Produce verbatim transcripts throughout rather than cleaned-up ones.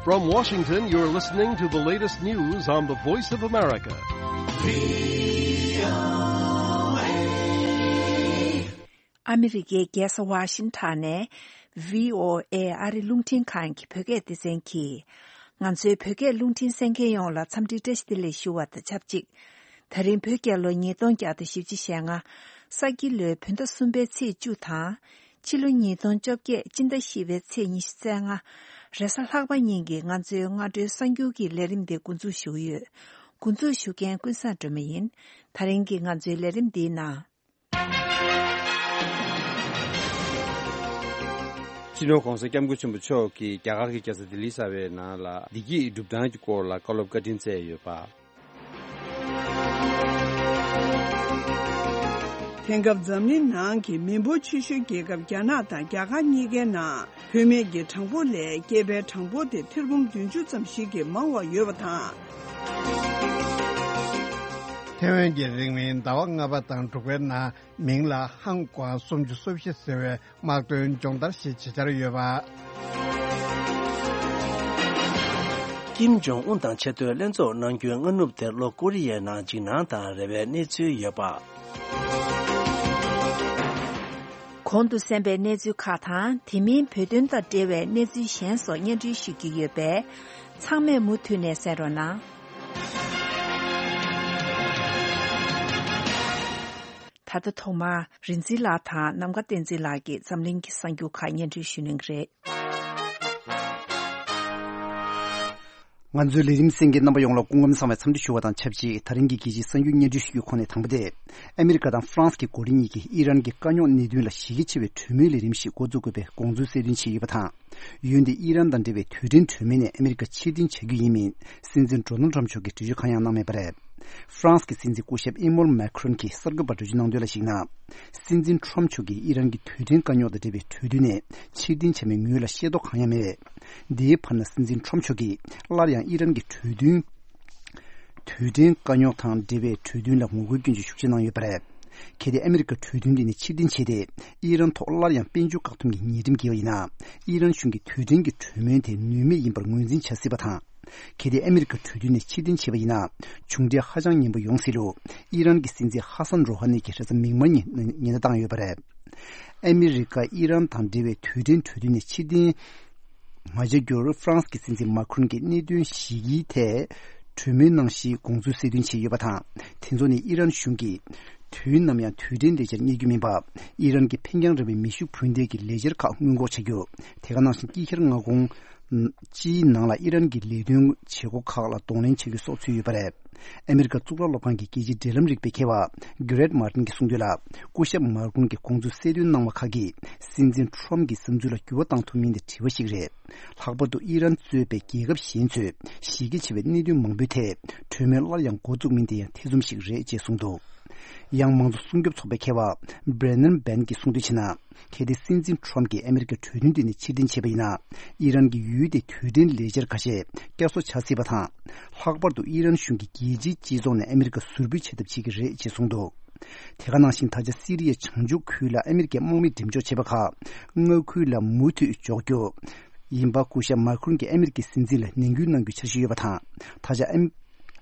From Washington, you're listening to the latest news on the Voice of America. ཨ་མི་རི་ཀའི་རྒྱལ་ས་ཝ་ཤིང་ཊོན་ནས་བྷི་ཨོ་ཨེ་ཨ་རི་རླུང་འཕྲིན་ཁང་གི་བོད་སྐད་སྡེ་ཚན་གྱིས། ང་ཚོའི་བོད་སྐད་རླུང་འཕྲིན་གསན་མཁན་ཡོངས་ལ་འཚམས་འདྲིའི་བཀྲ་ཤིས་བདེ་ལེགས་ཞུ་བ་དང་ཆབས་ཅིག་ད་རིང་བོད་རྒྱལ་ལོ་ཉིས་སྟོང་བརྒྱ་དང་བཞི་བཅུ་ཞེ་ལྔ། ས་ཁྱི་ལོའི་བོད་ཟླ་གསུམ་པའི་ཚེས་བཅུ་དང་། ཕྱི་ལོ་ཉིས་སྟོང་བཅོ་བརྒྱད་སྤྱི་ཟླ་བཞི་པའི་ཚེས་ཉི་ཤུ་རྩ་ལྔ། རེས་གཟའ་ལྷག་པ་ཉིན་གྱི་ང་ཚོའི་སྔ་དྲོའི་གསར་འགྱུར་གྱི་ལས་རིམ་འདི་འགོ་འཛུགས་ཞུ་གི་ཡོད། འགོ་འཛུགས་ཞུ་མཁན་ཀུན་བཟང་སྒྲོལ་མ་ཡིན། ད་རིང་གི་ང་ཚོའི་ལས་རིམ་འདིའི་ནང་། སྤྱི་ནོར་༸གོང་ས་༸སྐྱབས་མགོན་ཆེན་པོ་མཆོག་གིས་རྒྱ་གར་གྱི་རྒྱལ་ས་ལྡི་ལི་གསར་པའི་ནང་ལ་བདེ་སྐྱིད་སྒྲུབ་སྟངས་ཀྱི་སྐོར་ལ་བཀའ་སློབ་བཀའ་དྲིན་སྩལ་ཡོད་པ། དེང་སྐབས་འཛམ་གླིང་ནང་གི་མི་འབོར་ཆེ་ཤོས་རྒྱལ་ཁབ་རྒྱ་ནག་དང་རྒྱ་གར་གཉིས་ཀའི་ནང་བུད་མེད་ཀྱི་གྲངས་འབོར་ལས་སྐྱེས་པའི་གྲངས་འབོར་དེ་ཐེར་འབུམ་བདུན་ཅུ་ཙམ་ཞིག་གིས་མང་བ་ཡོད་པ་དང་། ཐེ་ཝན་གྱི་རིང་མིན་ཟླ་བ་ལྔ་པ་དང་དྲུག་པའི་ནང་མིང་ལ་ཧང་ཀོང་སུམ་ཅུ་སོ་བཞི་ཟེར་བའི་དམག་དོན་སྦྱོང་བརྡར་ཞིག་བྱེད་འཆར་ཡོད་པ། ཀིམ་ཇོང་ཨུན་དང་ཆེས་མཐོའི་ལྷན་ཚོགས་གནང་རྒྱུའི་སྔ་ནུབ་དེར་ལྷོ་ཀོ་རི་ཡའི་ནང་འཇིགས་སྣང་དང་རེ་བའི་གནས་ཚུལ་ཡོད་པ། གོང་དུ་གསན་པའི་གནས་ཚུལ་ཁག་དང་དེ་མིན་བོད་དོན་དང་འབྲེལ་བའི་གནས་ཚུལ་གཞན་སོགས་སྙན་སྒྲོན་ཞུ་རྒྱུ་ཡོད་པས། ཚང་མས་མུ་མཐུད་ནས་གསན་རོགས་གནང་། ད་ལྟ་ཐོག་མར་རིག་འཛིན་ལགས་དང་ནམ་མཁའ་བསྟན་འཛིན་ལགས་ཀྱིས་འཛམ་གླིང་གི་གསར་འགྱུར་ཁག་སྙན་སྒྲོན་ཞུ་གནང་གི་རེད། ང་ཚོའི་ལས་རིམ་གསན་མཁན་རྣམ་པ་ཡོངས་ལ་སྐུ་ཁམས་བཟང་བའི་འཚམས་འདྲི་ཞུ་བ་དང་ཆབས་ཅིག་ད་རིང་གི་རྒྱལ་སྤྱིའི་གསར་འགྱུར་སྙན་སྒྲོན་ཞུ་རྒྱུའི་ཁོངས་ནས་དང་པོ་དེ། ཨ་མི་རི་ཀ་དང་ཧྥ་རན་སི་གི་འགོ་ཁྲིད་གཉིས་ཀྱིས་ཨི་རན་གྱི་དཀའ་རྙོག་གནད་དོན་ལ་གཞི་རྒྱ་ཆེ་བའི་གྲོས་མོལ་ལས་རིམ་ཞིག་འགོ་འཛུགས་དགོས་པའི་དགོངས་ཚུལ་གསལ་སྟོན་བྱས་ཡོད་པ་དང་། ཡུལ་འདིར་ཨི་རན་དང་འབྲེལ་བའི་དུས་དྲན་གྲོས་མོལ་ནས་ཨ་མི་རི་ཀ་ཕྱིར་འཐེན་བྱ་རྒྱུ་ཡིན་མིན་སྲིད་འཛིན་ཌོ་ནལ་ཊམ་མཆོག་གིས་འགྲེལ་བརྗོད་གང་ཡང་གནང་མེད་པ་རེད། ཧྥ་རན་སི་གི་སྲིད་འཛིན་སྐུ་ཞབས་ཨི་མོལ་མེ་ཁྲོན་གྱིས་གསར་འགོད་པར་འགྲེལ་བརྗོད་གནང་དོན་ལ་གཞིགས་ན། སྲིད་འཛིན་ཊམ་མཆོག་གིས་ཨི་རན་གྱི་དུས་དྲན་དཀའ་རྙོག་དང་འབྲེལ་བའི་གྲོས་མཐུན་ནས་ཕྱིར་འཐེན་བྱས་མིན་ངོས་ལ་ཤེས་རྟོགས་གང་ཡང་མེད། འདིའི་བར་ན་སྲིད་འཛིན་ཊམ་མཆོག་གིས་སླར་ཡང་ཨི་རན་གྱི་གྲོས་མཐུན། དུས་དྲན་དཀའ་རྙོག་དང་འབྲེལ་བའི་གྲོས་མཐུན་ལ་ངོ་རྒོལ་སྐྱོན་བརྗོད་ཤུགས་ཆེ་གནང་ཡོད་པ་རེད། གལ་ཏེ་ཨ་མི་རི་ཀ་གྲོས་མཐུན་དེ་ནས་ཕྱིར་འཐེན་བྱས་ཏེ། ཨི་རན་ཐོག་སླར་ཡང་དཔལ་འབྱོར་བཀག་སྡོམ་གྱི་ཉེས་ཁྲིམས་འགེལ་བ་ཡིན་ན། ཨི་རན་གཞུང་གིས་དུས་དྲན་གྱི་གྲོས་མོལ་དེ་ནུས་མེད་ཡིན་པར་ངོས་འཛིན་བྱ་སྲིད་པ་དང་། གལ་ཏེ་ཨ་མི་རི་ཀ་གྲོས་མཐུན་ནས་ཕྱིར་འཐེན་བྱས་པ་ཡིན་ན། མཇུག་འབྲས་ཧ་ཅང་ངན་པ་ཡོང་སྲིད་ལུགས། ཨི་རན་གྱི་སྲིད་འཛིན་ཧ་སན་རོ་ཧ་ནི་གྱིས་རེས་གཟའ་མིག་དམར་ཉིན་ཉེན་བརྡ་བཏང་ཡོད་པ་རེད། ཨ་མི་རི་ཀ་ཨི་རན་དང་འབྲེལ་བའི་དུས་དྲན་གྲོས་མཐུན་ནས་ཕྱིར་འཐེན་མ་བྱ་རྒྱུར་ཧྥ་རན་སི་གི་སྲིད་འཛིན་མཱ་ཁྲོན་གྱིས་གནད་དོན་བཞི་གི་ཐད་གྲོས་མོལ་གནང་གཞིའི་དགོངས་ཚུལ་གསལ་སྟོན་བྱས་ཡོད་པ་དང་། དེ་ཚོ་ནི་ཨི་རན་གཞུང་གིས་དུས་ནམ་ཡང་དུས་དྲན་ལས་འཆར་གཉེར་རྒྱུ་མིན་པ། ཨི་རན་གྱི་འཕེན་རྒྱང་རིང་བའི་མེ་ཤུགས་འཕུར་མདེལ་གྱི་ལས་འཆར་ཁག་སྔོན་འགོག་བྱ་རྒྱུ། དེ་ག་ནང་བཞིན་དཀྱིལ་ཤར་མངའ་ཁོངས་སྤྱིའི་ནང་ལ་ཨི་རན་གྱི་ལས་དོན་བྱེད་སྒོ་ཁག་ལ་གདོང་ལེན་བྱ་རྒྱུ་སོགས་ཚུད་ཡོད་པ་རེད། ཨ་མི་རི་ཀ་གཙུག་ལག་སློབ་ཁང་གི་རྒྱལ་སྤྱིའི་འབྲེལ་ལམ་རིག་པའི་མཁས་པ་གྷི་རེད་མཱ་ཏིན་གྱིས་གསུངས་དོན་ལ། སྐུ་ཞབས་མཱ་ཁྲོན་གྱི་དགོངས་ཚུལ་གསལ་སྟོན་གནང་བ་ཁག་གིས་སྲིད་འཛིན་ཁྲོམ་གྱི་བསམ་ཚུལ་ལ་འགྱུར་བ་བཏང་ཐུབ་མིན་དེ་དྲི་བ་ཞིག་རེད། ལྷག་པར་དུ་ཨི་རན་གཙོས་པའི་རྒྱལ་ཁབ་གཞན་ཚོས་གཞི་རྒྱ་ཆེ་བའི་གནད་དོན་མང་པོའི་ཐད་གྲོས་མོལ་སླར་ཡང་འགོ་བཙུགས་མིན་དེ་ཡང་ཐེ་ཚོམ་ཞིག་རེད་ཅེས་གསུངས་འདུག་ཡང་མང་གཙོ་སྲུང་སྐྱོབ་ཚོགས་པའི་མཁས་པ་Brennan Ben གྱིས་གསུངས་དོན་བྱས་ན། གལ་ཏེ་སྲིད་འཛིན་ཁྲོམ་གྱིས་ཨ་མི་རི་ཀའི་གྲོས་མཐུན་དེ་ནས་ཕྱིར་འཐེན་བྱས་པ་ཡིན་ན། ཨི་རན་གྱི་ཡུལ་དེའི་དུས་དྲན་ལས་འཆར་ཁ་ཤས་བསྐྱར་གསོ་བྱ་སྲིད་པ་དང་། ལྷག་པར་དུ་ཨི་རན་གཞུང་གིས་རྒྱལ་སྤྱིའི་སྤྱི་ཚོགས་ནས་ཨ་མི་རི་ཀ་ཟུར་འབུད་བྱེད་ཐབས་བྱེད་ཀྱི་རེད་ཅེས་གསུངས་འདུག་དེ་ག་ནང་བཞིན་ད་ཆ་སི་རི་ཡའི་བྱང་ཕྱོགས་ཁུལ་ལ་ཨ་མི་རི་ཀའི་དམག་མི་འགྲེམས་འཇོག་བྱས་པ་ཁག་མངའ་ཁུལ་ལ་མུ་མཐུད་འཇོག་རྒྱུ་ཡིན་པ། སྐུ་ཞབས་མཱ་ཁྲོན་གྱིས་ཨ་མི་རི་ཀའི་སྲིད་འཛིན་ལ་ནན་སྐུལ་གནང་རྒྱུའི་འཆར་གཞི་ཡོད་པ་དང་། ད་ཆ་ཨ་མི།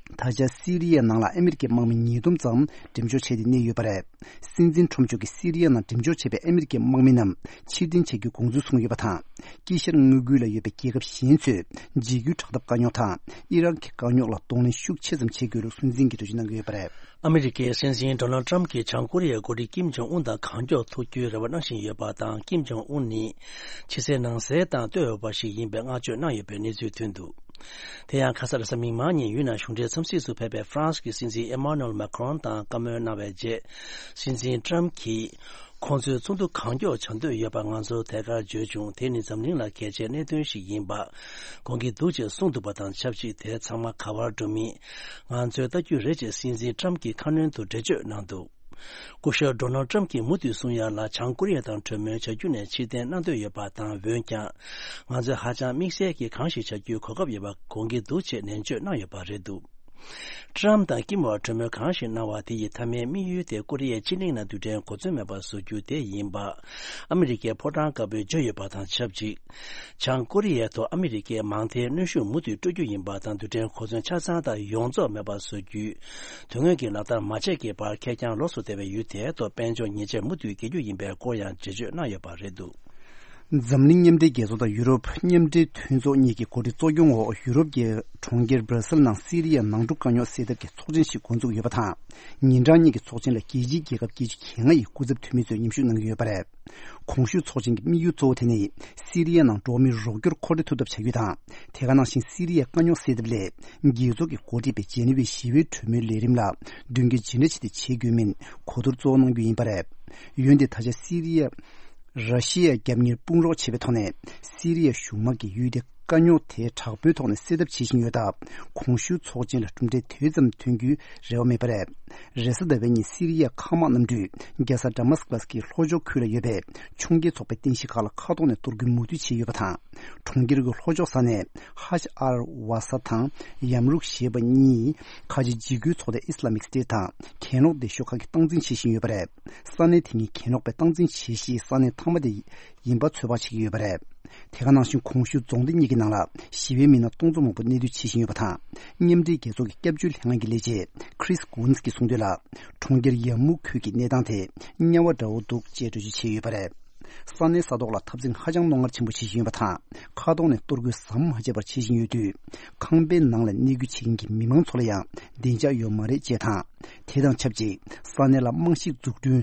ད་ཆ་སི་རི་ཡའི་ནང་ལ་ཨ་མི་རི་ཀའི་དམག་མི་ཉིས་སྟོང་ཙམ་འགྲེམས་འཇོག་བྱས་ཏེ་གནས་ཡོད་པ་རེད། སྲིད་འཛིན་ཁྲོམ་མཆོག་གིས་སི་རི་ཡ་ནང་འགྲེམས་འཇོག་བྱས་པའི་ཨ་མི་རི་ཀའི་དམག་མི་རྣམས་ཕྱིར་འཐེན་བྱ་རྒྱུའི་དགོངས་ཚུལ་གསུངས་ཡོད་པ་དང་། དཀྱིལ་ཤར་མངའ་ཁུལ་ལ་ཡོད་པའི་རྒྱལ་ཁབ་གཞན་ཚོས་འཇིགས་སྐུལ་དྲག་འཐབ་དཀའ་རྙོག་དང་ཨི་རག་གི་དཀའ་རྙོག་ལ་གདོང་ལེན་ཤུགས་ཆེ་ཙམ་བྱེད་དགོས་ལུགས་སུན་འཛིན་གྱིས་འགྲེལ་བརྗོད་གནང་གི་ཡོད་པ་རེད། ཨ་མི་རི་ཀའི་སྲིད་འཛིན་ཌོ་ནལ་ཊམ་གྱིས་བྱང་ཀོ་རི་ཡའི་འགོ་ཁྲིད་ཀིམ་ཇོང་ཨུན་དང་གང་མགྱོགས་ཐུག་རྒྱུའི་རེ་བ་གནང་བཞིན་ཡོད་པ་དང་། ཀིམ་ཇོང་ཨུན་ནི་ཕྱི་གསལ་ནང་གསལ་དང་ལྟོས་འོས་པ་ཞིག་ཡིན་པའི་བསྔགས་བརྗོད་གནང་ཡོད་པའི་གནས་ཚུལ་ཐོན་འདུག་དེ་ཡང་ཁ་སང་རེས་གཟའ་མིག་དམར་ཉིན་ཡུལ་ནང་གཞུང་འབྲེལ་འཚམས་གཟིགས་སུ་ཕེབས་པའི་ཧྥ་རན་སི་གི་སྲིད་འཛིན་ཨེ་མ་ནུ་ཨེལ་མཱ་ཁྲོན་དང་བཀའ་མོལ་གནང་བའི་རྗེས། སྲིད་འཛིན་ཊམ་གྱིས། ཁོང་ཚོས་ཚོགས་འདུ་གང་མགྱོགས་བྱ་འདོད་ཡོད་པ་ང་ཚོར་ཐད་ཀར་བརྗོད་བྱུང་། དེ་ནི་འཛམ་གླིང་ལ་གལ་ཆེའི་གནད་དོན་ཞིག་ཡིན་པ་དགོངས་ཀྱི་འདུག་ཅེས་གསུངས་འདུག་པ་དང་ཆབས་ཅིག་དེ་ཚང་མ་ག་པར་འགྲོ་མིན་ང་ཚོས་ལྟ་རྒྱུ་རེད་ཅེས་སྲིད་འཛིན་ཊམ་གྱིས་ཁ་སྣོན་དུ་འགྲེལ་བརྗོད་གནང་འདུག་སྐུ་ཞབས་ཌོ་ནལ་ཊམ་གྱིས་མུ་མཐུད་གསུང་ཡ་ལ། བྱང་ཀོ་རི་ཡ་དང་གྲོས་མོལ་བྱ་རྒྱུ་ནས་ཕྱིར་འཐེན་གནང་འདོད་ཡོད་པ་དང་། འོན་ཀྱང་། ང་ཚོས་ཧ་ཅང་དམིགས་བསལ་གྱིས་གང་ཞིག་བྱ་རྒྱུའི་གོ་སྐབས་ཡོད་པ་དགོངས་ཀྱི་འདུག་ཅེས་ནན་བརྗོད་གནང་ཡོད་པ་རེད་འདུག་ཏྲམ་དང་ཀིམ་བར་གྲོས་མོལ་གང་ཞིག་གནང་བ་དེ་ཡི་མཐའ་མའི་དམིགས་ཡུལ་དེ་ཀོ་རི་ཡའི་ཕྱེད་གླིང་ནང་རྡུལ་ཕྲན་གོ་མཚོན་མེད་པ་བཟོ་རྒྱུ་དེ་ཡིན་པ་ཨ་མི་རི་ཀའི་ཕོ་བྲང་དཀར་པོས་བརྗོད་ཡོད་པ་དང་ཆབས་ཅིག་བྱང་ཀོ་རི་ཡའི་ཐོག་ཨ་མི་རི་ཀས་མང་མཐའི་གནོན་ཤུགས་མུ་མཐུད་སྤྲོད་རྒྱུ་ཡིན་པ་དང་རྡུལ་ཕྲན་གོ་མཚོན་ཆ་ཚང་དང་ཡོངས་རྫོགས་མེད་པ་བཟོ་རྒྱུའི་དོན་དངོས་ཀྱི་ལག་བསྟར་མ་བྱས་ཀྱི་བར་ཁེར་རྐྱང་ལོགས་སུ་བསྡད་པའི་ཡུལ་དེའི་ཐོག་དཔལ་འབྱོར་ཉེས་ཆད་མུ་མཐུད་འགེལ་རྒྱུ་ཡིན་པའི་སྐོར་ཡང་འགྲེལ་བརྗོད་གནང་ཡོད་པ་རེད་འདུག་འཛམ་གླིང་མཉམ་འབྲེལ་རྒྱལ་ཚོགས་དང་ཡུ་རོབ་མཉམ་འབྲེལ་མཐུན་ཚོགས་གཉིས་ཀྱི་འགོ་ཁྲིད་གཙོ་སྐྱོང་འོག་ཡུ་རོབ་ཀྱི་གྲོང་ཁྱེར་སྦྲ་སིལ་ནང་སི་རི་ཡའི་ནང་འཁྲུག་དཀའ་རྙོག་སེལ་ཐབས་ཀྱི་ཚོགས་ཆེན་ཞིག་འགོ་འཛུགས་ཡོད་པ་དང་། ཉིན་གྲངས་གཉིས་ཀྱི་ཚོགས་ཆེན་ལ་རྒྱལ་སྤྱིའི་རྒྱལ་ཁབ་བརྒྱད་ཅུ་གྱ་ལྔ་ཡི་སྐུ་ཚབ་འཐུས་མི་ཚོས་མཉམ་ཞུགས་གནང་གི་ཡོད་པ་རེད། གོང་ཞུས་ཚོགས་ཆེན་གྱི་དམིགས་ཡུལ་གཙོ་བོ་དེ་ནི་སི་རི་ཡའི་ནང་འགྲོ་བ་མིའི་རོགས་སྐྱོར་མཁོ་སྤྲོད་ཐུབ་ཐབས་བྱ་རྒྱུ་དང་། དེ་ག་ནང་བཞིན་སི་རི་ཡའི་དཀའ་རྙོག་སེལ་ཐབས་སླད་རྒྱལ་ཚོགས་ཀྱིས་འགོ་ཁྲིད་པའི་ཇེ་ནི་ཝའི་ཞི་བའི་གྲོས་མོལ་ལས་རིམ་ལ་མདུན་སྐྱོད་ཇི་འདྲ་ཅིག་ཏུ་བྱེད་དགོས་མིན་གོ་བསྡུར་གཙོ་བོ་གནང་རྒྱུ་ཡིན་པ་རེད། འོན་ཏེ་ད་ཆ་སི་རི་ཡ། ར་ཤི་ཡ་རྒྱབ་གཉེར་དཔུང་རོགས་བྱས་པའི་ཐོག་ནས་སི་རི་ཡ་གཞུང་དམག་གིས་ཡུལ་དེའི་དཀའ་རྙོག་དེ་དྲག་པོའི་ཐོག་ནས་སེལ་ཐབས་བྱེད་བཞིན་ཡོད་སྟབས། གོང་ཞུས་ཚོགས་ཆེན་ལ་གྲུབ་འབྲས་དེ་ཙམ་ཐོན་རྒྱུའི་རེ་བ་མེད་པ་རེད། རེས་གཟའ་ཟླ་བའི་ཉིན་སི་རི་ཡའི་མཁའ་དམག་གནམ་གྲུས་རྒྱལ་ས་ཌ་མཱ་སི་ཀ་སི་ཀྱི་ལྷོ་ཕྱོགས་ཁུལ་ལ་ཡོད་པའི་ཕྱོགས་འགལ་ཚོགས་པའི་རྟེན་གཞི་ཁག་ལ་མཁའ་ཐོག་ནས་གཏོར་རྒོལ་མུ་མཐུད་བྱས་ཡོད་པ་དང་། གྲོང་ཁྱེར་གྱི་ལྷོ་ཕྱོགས་ས་གནས་ཧ་ཤ་ཨར་ཝ་ས་དང་ཡམ་རུག་ཞེས་པ་གཉིས་ཁ་ཆེ་འཇིགས་སྐུལ་ཚོགས་སྡེ་ཨི་སི་ལ་མིག་སི་ཏེ་ཊི་དང་གྱེན་ལོག་སྡེ་ཤོག་ཁག་གིས་སྟངས་འཛིན་བྱེད་བཞིན་ཡོད་པ་རེད། ས་གནས་དེ་གཉིས་གྱེན་ལོག་པས་སྟངས་འཛིན་བྱེད་གཞིའི་ས་གནས་མཐའ་མ་དེ་ཡིན་པ་ཚོད་དཔག་བྱེད་ཀྱི་ཡོད་པ་རེད། དེ་ག་ནང་བཞིན་གོང་ཞུས་རྫོང་སྡེ་གཉིས་ཀྱི་ནང་ལ་ཞི་བའི་མི་སྣ་སྟོང་ཚོ་མང་པོ་གནས་སྡོད་བྱེད་བཞིན་ཡོད་པ་དང་། མཉམ་འབྲེལ་རྒྱལ་ཚོགས་ཀྱི་སྐྱབས་བཅོལ་ལྷན་ཁང་གི་ལས་བྱེད་Chris Coons གྱིས་གསུངས་དོན་ལ། གྲོང་ཁྱེར་ཡ་མུ་ཁུལ་གྱི་གནས་སྟངས་དེ་དམྱལ་བ་འདྲ་བོ་འདུག་ཅེས་འགྲེལ་བརྗོད་བྱས་ཡོད་པ་རེད། ས་གནས་ས་ཐོག་ལ་འཐབ་འཛིང་ཧ་ཅང་རྣོ་ངར་ཆེན་པོ་བྱེད་བཞིན་ཡོད་པ་དང་། མཁའ་ཐོག་ནས་གཏོར་རྒོལ་ཟམ་མ་ཆད་པར་བྱེད་བཞིན་ཡོད་དུས། ཁང་པའི་ནང་ལ་གནས་སྐྱོད་བྱེད་མཁན་གྱི་མི་མང་ཚོ་ལ་ཡང་བདེ་འཇགས་ཡོད་མ་རེད་ཅེས་དང་། དེ་དང་ཆབས་ཅིག་ས་གནས་ལ་རྨང་གཞི་འཛུགས་སྐྲུན་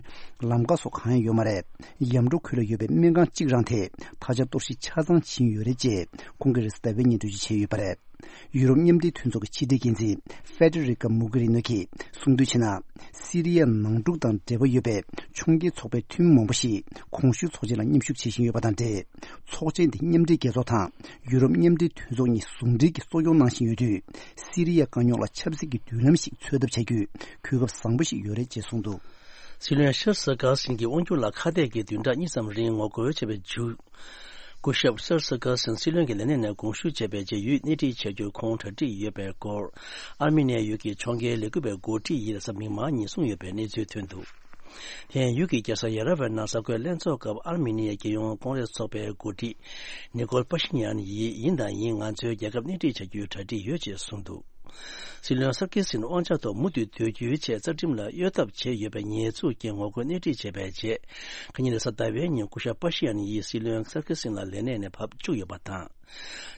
ལམ་ཁ་སོགས་གང་ཡང་ཡོད་མ་རེད། ཡམ་གྲོ་ཁུལ་ལ་ཡོད་པའི་སྨན་ཁང་གཅིག་རང་དེ་ད་ཆ་གཏོར་བཤིག་ཆ་ཚང་ཕྱིན་ཡོད་རེད་ཅེས་ཁོང་གིས་རེས་གཟའ་ཟླ་བའི་ཉིན་འགྲེལ་བརྗོད་བྱས་ཡོད་པ་རེད། ཡུ་རོབ་མཉམ་འབྲེལ་མཐུན་ཚོགས་ཀྱི་ཕྱི་དྲིལ་འགན་འཛིན་Federica Mogherini གིས་གསུངས་དོན་བྱས་ན། སི་རི་ཡའི་ནང་འཁྲུག་དང་འབྲེལ་བ་ཡོད་པའི་ཕྱོགས་འགལ་ཚོགས་པའི་འཐུས་མི་མང་པོ་ཞིག་གོང་ཞུས་ཚོགས་ཆེན་ལ་མཉམ་ཞུགས་བྱེད་བཞིན་ཡོད་པ་དང་འབྲེལ། ཚོགས་ཆེན་དེ་མཉམ་འབྲེལ་རྒྱལ་ཚོགས་དང་ཡུ་རོབ་མཉམ་འབྲེལ་མཐུན་ཚོགས་གཉིས་ཟུང་འབྲེལ་གྱིས་གཙོ་སྐྱོང་གནང་བཞིན་ཡོད་དུས། སི་རི་ཡའི་དཀའ་རྙོག་ལ་ཆབ་སྲིད་ཀྱི་མདུན་ལམ་ཞིག་འཚོལ་ཐབས་བྱ་རྒྱུའི་གོ་སྐབས་བཟང་པོ་ཞིག་ཡོད་རེད་ཅེས་གསུངས་འདུག། སྲིད་བློན་ཤར་སི་ཀར་སིན་གྱི་དབང་སྒྱུར་ལ་ཁ་གཏད་ཀྱིས་བདུན་ཕྲག་གཉིས་ཙམ་རིང་ངོ་རྒོལ་བྱས་པའི་མཇུག་སྐུ་ཞབས་སར་སི་ཀར་སན་སྲིད་བློན་གྱི་ལས་གནས་ནས་དགོངས་ཞུ་བྱས་པའི་རྗེས་ཡུལ་སྣེ་ཁྲིད་བྱ་རྒྱུར་ཁོང་གྲ་སྒྲིག་ཡོད་པའི་སྐོར། ཨར་མི་ནི་ཡ་ཡུལ་གྱི་ཕྱོགས་འགལ་ལས་འགུལ་བའི་འགོ་ཁྲིད་ཡིས་རེས་གཟའ་མིག་དམར་ཉིན་གསུངས་ཡོད་པའི་གནས་ཚུལ་ཐོན་འདུག། དེ་ཡང་ཡུལ་གྱི་རྒྱལ་ས་ཡེ་ར་ཝན་ནང་གཟའ་འཁོར་ལྷན་ཚོགས་སྐབས་ཨར་མི་ནི་ཡའི་རྒྱལ་ཡོངས་ཀོང་རེས་ཚོགས་པའི་འགོ་ཁྲིད་ནི་ཀོལ་པ་ཤིན་ཡན་ཡིས་ཡིན་དང་ཡིན་ང་ཚོའི་རྒྱལ་ཁབ་སྣེ་ཁྲིད་བྱ་རྒྱུའི་གྲ་སྒྲིག་ཡོད་ཅེས་གསུངས་འདུག། སྲིད་བློན་སར་ཀི་སིན་དབང་ཆ་ཐོག་མུ་མཐུད་སྡོད་རྒྱུའི་ཆེད་རྩ་ཁྲིམས་ལ་གཡོ་ཐབས་བྱས་ཡོད་པའི་ཉེས་འཛུགས་ཀྱིས་ངོ་རྒོལ་སྣེ་ཁྲིད་བྱས་པའི་རྗེས། ཁ་ཉིན་རེས་གཟའ་ཟླ་བའི་ཉིན་སྐུ་ཞབས་པ་ཤི་ཡན་ཡིས་སྲིད་བློན་སར་ཀི་སིན་ལ་ལས་གནས་ནས་ཕབ་བཅུག་ཡོད་པ་དང་།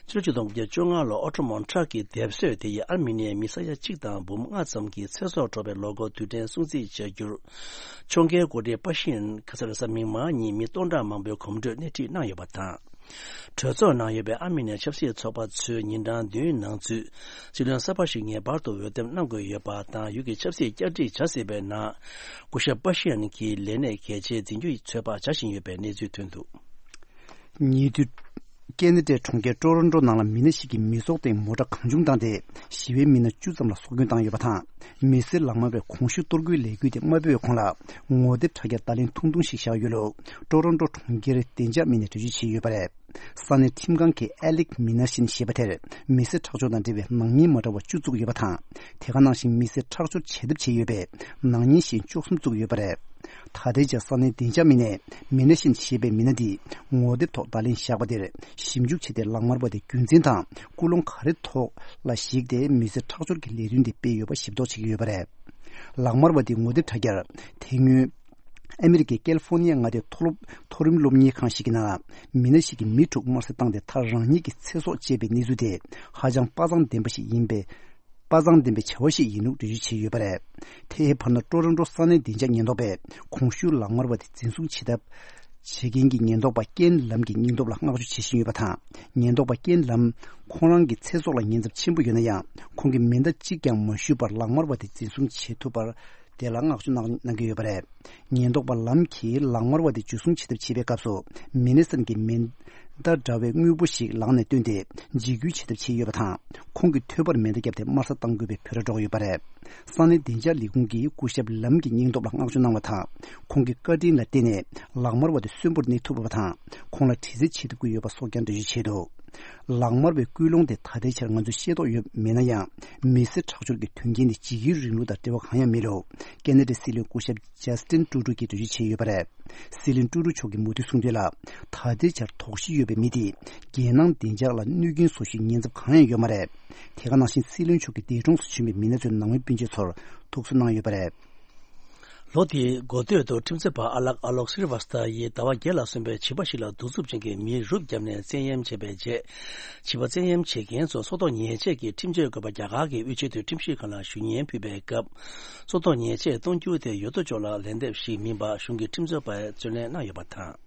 ཕྱི་ལོ་ཆིག་སྟོང་དགུ་བརྒྱ་བཅོ་ལྔ་ལོར་ཨོ་ཊོ་མོན་ཊ་གི་སྡེབ་གསོད་དེ་ཡིས་ཨར་མི་ནི་ཡའི་མི་ས་ཡ་གཅིག་དང་འབུམ་ལྔ་ཙམ་གྱི་ཚེ་སྲོག་འཕྲོག་པའི་ལོ་འཁོར་དུས་དྲན་སྲུང་བརྩི་བྱ་རྒྱུར། ཕྱོགས་འགལ་འགོ་ཁྲིད་པ་ཤི་ཡན་ཁ་ས་རེས་གཟའ་མིག་དམར་ཉིན་མི་སྟོང་ཕྲག་མང་པོའི་གོམ་བགྲོད་སྣེ་ཁྲིད་གནང་ཡོད་པ་དང་། གྲོས་ཚོགས་ནང་ཡོད་པའི་ཨར་མི་ནི་ཡ་ཆབ་སྲིད་ཚོགས་པ་ཚོས་ཉིན་གྲངས་བདུན་ནང་ཚུད་སྲིད་བློན་གསར་པ་ཞིག་ངེས་པར་དུ་འོས་འདེམས་གནང་དགོས་ཡོད་པ་དང་། ཡུལ་གྱི་ཆབ་སྲིད་བསྐྱར་སྒྲིག་བྱ་སྲིད་པའི་ནང་སྐུ་ཞབས་པ་ཤི་ཡན་གྱི་ལས་གནས་གལ་ཆེ་འཛིན་རྒྱུའི་ཚོད་དཔག་བྱ་བཞིན་ཡོད་པའི་གནས་ཚུལ་ཐོན་འདུག། ཉེ་དུས། ཀེ་ན་ཌའི་གྲོང་ཁྱེར་ཀྲོ་རོན་ཀྲོ་ནང་ལ་མི་སྣ་ཞིག་གིས་མི་ཚོགས་སྟེང་མོ་ཊ་གང་བྱུང་བཏང་སྟེ་ཞི་བའི་མི་སྣ་བཅུ་ཙམ་ལ་སྲོག་སྐྱོན་བཏང་ཡོད་པ་དང་། མི་སེར་ལག་དམར་བས་གོང་ཞུས་གཏོར་རྒོལ་ལས་འགུལ་དེ་མ་སྤེལ་བའི་གོང་ལ་ངོ་དེབ་དྲ་རྒྱར་བརྡ་ལན་ཐུང་ཐུང་ཞིག་བཞག་ཡོད་ལུགས་ཀྲོ་རོན་ཀྲོ་གྲོང་ཁྱེར་བདེ་འཇགས་མི་སྣས་འགྲེལ་བརྗོད་བྱས་ཡོད་པ་རེད། ས་གནས་ཁྲིམས་ཁང་གིས་ཨེ་ལིག་མི་ནར་ཤིན་ཞེས་པ་དེར་མི་སེར་ཁྲག་སྦྱོར་དང་འབྲེལ་བའི་ནག་ཉེས་མ་འདྲ་བ་བཅུ་བཙུགས་ཡོད་པ་དང་། དེ་ག་ནང་བཞིན་མི་སེར་ཁྲག་སྦྱོར་བྱེད་ཐབས་བྱས་ཡོད་པའི་ནག་ཉེས་གཞན་བཅུ་གསུམ་བཙུགས་ཡོད་པ་རེད། ད་ལྟའི་ཆར་ས་གནས་བདེ་འཇགས་མི་སྣས་མི་ནར་ཤིན་ཞེས་པའི་མི་སྣ་འདིས་ངོ་དེབ་ཐོག་བརྡ་ལན་བཞག་པ་དེར་ཞིབ་འཇུག་བྱས་ཏེ་ལག་དམར་བ་དེ་རྒྱུ་མཚན་དང་ཀུན་སློང་ག་རེ་ཐོག་ལ་གཞིགས་ཏེ་མི་སེར་ཁྲག་སྦྱོར་གྱི་ལས་དོན་དེ་སྤེལ་ཡོད་པ་ཞིབ་རྟོག་བྱེད་ཀྱི་ཡོད་པ་རེད། ལག་དམར་བ་དེའི་ངོ་དེབ་དྲ་རྒྱར་དེ་སྔོན། ཨ་མི་རི་ཀའི་ཀལ་ཧྥོར་ནི་ཡ་མངའ་སྡེའི་མཐོ་སློབ་མཐོ་རིམ་སློབ་གཉེར་ཁང་ཞིག་གི་ནང་ལ་མི་སྣ་ཞིག་གིས་མི་དྲུག་དམར་གསོད་བཏང་སྟེ་མཐར་རང་ཉིད་ཀྱི་ཚེ་སྲོག་བཅད་པའི་གནས་ཚུལ་དེ་ཧ་ཅང་དཔའ་མཛངས་ལྡན་པ་ཞིག་ཡིན་པས། དཔའ་མཛངས་ལྡན་པའི་བྱ་བ་ཞིག་ཡིན་ལུགས་འགྲེལ་བརྗོད་བྱས་ཡོད་པ་རེད། དེའི་བར་ན་ཀྲོ་རོན་ཀྲོ་ས་གནས་བདེ་འཇགས་ཉེན་རྟོག་པས་གོང་ཞུས་ལག་དམར་བ་དེ་འཛིན་བཟུང་བྱེད་ཐབས་བྱེད་མཁན་གྱི་ཉེན་རྟོག་པ་ཀེན་ལམ་གྱི་སྙིང་སྟོབས་ལ་བསྔགས་བརྗོད་བྱེད་བཞིན་ཡོད་པ་དང་། ཉེན་རྟོག་པ་ཀེན་ལམ་ཁོང་རང་གི་ཚེ་སྲོག་ལ་ཉེན་ཚབས་ཆེན་པོ་ཡོད་ན་ཡང་ཁོང་གིས་མེ་མདའ་གཅིག་ཀྱང་མ་གཞུས་པར་ལག་དམར་བ་དེ་འཛིན་བཟུང་བྱེད་ཐུབ་པར། དེ་ལ་བསྔགས་བརྗོད་གནང་གནང་གི་ཡོད་པ་རེད། ཉེན་རྟོག་པ་ལམ་གྱིས་ལག་དམར་བ་དེ་འཇུ་བཟུང་བྱེད་ཐབས་བྱེད་པའི་སྐབས་སུ་མི་སྣ་གསུམ་གྱིས་མེ་མདའ་འདྲ་བའི་དངོས་པོ་ཞིག་ལག་ནས་བཏོན་ཏེ་འཇིགས་སྐུལ་བྱེད་ཐབས་བྱས་ཡོད་པ་དང་། ཁོང་གི་ཐོད་པར་མེ་མདའ་བརྒྱབ་སྟེ་དམར་གསོད་བཏང་དགོས་པའི་འབོད་སྒྲ་སྒྲོག་ཡོད་པ་རེད། ས་གནས་བདེ་འཇགས་ལས་ཁུངས་ཀྱིས་སྐུ་ཞབས་ལམ་གྱི་སྙིང་སྟོབས་ལ་བསྔགས་བརྗོད་གནང་བ་དང་། ཁོང་གི་བཀའ་དྲིན་ལ་བརྟེན་ནས་ལག་དམར་བ་དེ་གསོན་པོར་གནས་ཐུབ་པ་དང་། ཁོང་ལ་དྲི་རྩད་བྱེད་ཐུབ་ཀྱི་ཡོད་པ་སོགས་ཀྱང་འགྲེལ་བརྗོད་བྱས་འདུག། ལག་དམར་བའི་སྐུལ་སློང་དེ་ད་ལྟའི་ཆར་ང་ཚོས་ཤེས་རྟོགས་ཡོད་མེད་ན་ཡང་། མི་སེར་ཁྲག་སྦྱོར་གྱི་དོན་རྐྱེན་དེ་འཇིགས་སྐུལ་རིང་ལུགས་དང་འབྲེལ་བ་གང་ཡང་མེད་ལུགས་ཁེ་ན་ཌའི་སྲིད་བློན་སྐུ་ཞབས་ཇ་སི་ཏིན་ཀྲུ་ཌོ་གིས་འགྲེལ་བརྗོད་བྱས་ཡོད་པ་རེད། སྲིད་བློན་ཀྲུ་ཌོ་མཆོག་གིས་མུ་མཐུད་གསུངས་དོན་ལ། ད་ལྟའི་ཆར་དོགས་གཞི་ཡོད་པའི་མི་དེས་རྒྱལ་ནང་བདེ་འཇགས་ལ་གནོད་སྐྱོན་བཟོ་རྒྱུའི་ཉེན་ཚབས་གང་ཡང་ཡོད་མ་རེད། དེ་ག་ནང་བཞིན་སྲིད་བློན་མཆོག་གི་འདས་གྲོངས་སུ་བྱོན་པའི་མི་སྣ་ཚོའི་ནང་མི་སྤུན་མཆེད་ཚོར་ཐུགས་གསོ་གནང་ཡོད་པ་རེད། ལོ་དེའི་འགོ་སྟོད་དུ་ཁྲིམས་རྩོད་པ་ཨ་ལག་ཨ་ལོག་སི་རི་ཝ་སྟ་ཡིས་ཟླ་བ་བརྒྱད་ལ་སོན་པའི་བྱིས་པ་ཞིག་ལ་གདུག་རྩུབ་ཅན་གྱི་མེ་རུབ་བརྒྱབ་ནས་བཙན་གཡེམ་བྱས་པའི་རྗེས། བྱིས་པ་བཙན་གཡེམ་བྱེད་མཁན་ཚོ་སྲོག་ཐོག་ཉེས་ཆད་ཀྱི་ཁྲིམས་ཆད་དགོས་པ་རྒྱ་གར་གྱི་དབུས་ཆེས་མཐོའི་ཁྲིམས་ཞིབ་ཁང་ལ་ཞུ་སྙན་ཕུལ་བའི་སྐབས། སྲོག་ཐོག་ཉེས་ཆད་གཏོང་རྒྱུ་དེ་ཡོད་དོ་ཅོག་ལ་ལན་འདེབས་ཤིག་མིན་པ་གཞུང་གི་ཁྲིམས་རྩོད་པས་རྩོད་ལེན་གནང་ཡོད་པ་དང་།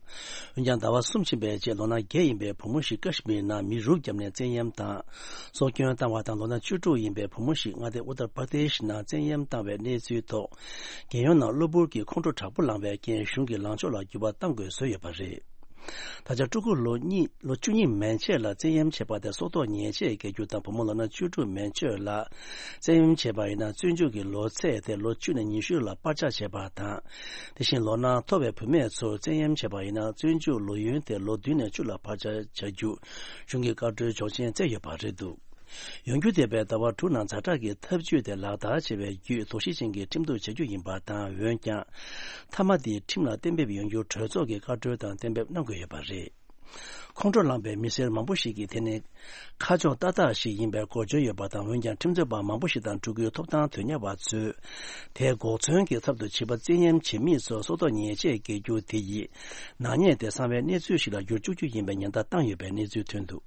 འོན་ཀྱང་ཟླ་བ་གསུམ་ཕྱིན་པའི་རྗེས་ལོ་ན་བརྒྱད་ཡིན་པའི་བུ་མོ་ཞིག་ཀ་ཤི་མིར་ནང་མེ་རུབ་བརྒྱབ་ནས་བཙན་གཡེམ་དང་། སྲོག་སྐྱོན་བཏང་བ་དང་ལོ་ན་བཅུ་དྲུག་ཡིན་པའི་བུ་མོ་ཞིག་མངའ་སྡེ་ཨུ་ཏར་པར་དེ་ཤི་ནང་བཙན་གཡེམ་བཏང་བའི་གནས་ཚུལ་ཐོག་རྒྱལ་ཡོངས་ནང་གློ་བུར་གྱི་ཁོང་ཁྲོ་དྲག་པོ་ལངས་པའི་རྐྱེན་གཞུང་གིས་ལངས་ཕྱོགས་ལ་འགྱུར་བ་གཏང་དགོས་བཟོས་ཡོད་པ་རེད། ད་ཆ་ཕྲུ་གུ་ལོ་གཉིས་ལོ་བཅུ་གཉིས་མན་ཆད་ལ་བཙན་གཡེམ་བྱས་པ་དེ་སྲོག་ཐོག་ཉེས་ཆད་འགེལ་རྒྱུ་དང་། བུ་མོ་ལོ་ན་བཅུ་དྲུག་མན་ཆད་ལ་བཙན་གཡེམ་བྱས་པ་ཡིན་ན་བཙོན་འཇུག་གི་ལོ་ཚད་དེ་ལོ་བཅུ་ནས་ཉི་ཤུ་ལ་སྤར་ཆ་བྱས་པ་དང་། དེ་བཞིན་ལོ་ན་མཐོ་བའི་བུད་མེད་ཚོར་བཙན་གཡེམ་བྱས་པ་ཡིན་ན་བཙོན་འཇུག་ལོ་ཡུན་དེ་ལོ་བདུན་ནས་བཅུ་ལ་སྤར་ཆ་བྱ་རྒྱུ་གཞུང་གིས་བཀའ་འཁྲོལ་ཆོག་མཆན་བསྩལ་ཡོད་པ་རེད་འདུག་ཡོང་རྒྱུ་དེ་བས་ཟླ་བ་དྲུག་ནང་ཛ་དྲག་གི་ཐབས་ཇུས་དེ་ལག་བསྟར་བྱེད་པའི་བརྒྱུད་དོགས་གཞི་ཅན་གྱི་ཁྲིམས་གཏུག་བྱ་རྒྱུ་ཡིན་པ་དང་། འོན་ཀྱང་། མཐའ་མ་དེ་ཁྲིམས་ལ་གཏན་འབེབས་ཡོང་རྒྱུར་གྲོས་ཚོགས་ཀྱི་བཀའ་འཁྲོལ་དང་གཏན་འབེབས་གནང་དགོས་ཡོད་པ་རེད། ཁོང་ཁྲོ་ལངས་པའི་མི་སེར་མང་པོ་ཞིག་གིས་དེ་ནི་ཁ་ཕྱོགས་ཏག་ཏག་ཞིག་ཡིན་པའི་གོ་བརྗོད་ཡོད་པ་དང་། འོན་ཀྱང་ཁྲིམས་རྩོད་པ་མང་པོ་ཞིག་དང་ཕྲུ་གུའི་ཐོབ་ཐང་དོན་གཉེར་བ་ཚོས་དེའི་འགོག་མཚོན་གྱི་ཚབ་ཏུ་བྱིས་པ་བཙན་གཡེམ་བྱེད་མི་ཚོར་སྲོག་ཐོག་ཉེས་ཆད་འགེལ་རྒྱུ་དེ་ཡིས་ནག་ཉེས་དེ་གསང་བའི་གནས་ཚུལ་ཞིག་ལ་འགྱུར་བཅུག་རྒྱུ་ཡིན་པའི་ཉེན་བརྡ་བཏང་ཡོད་པའི་གནས་ཚུལ་ཐོན་འདུག་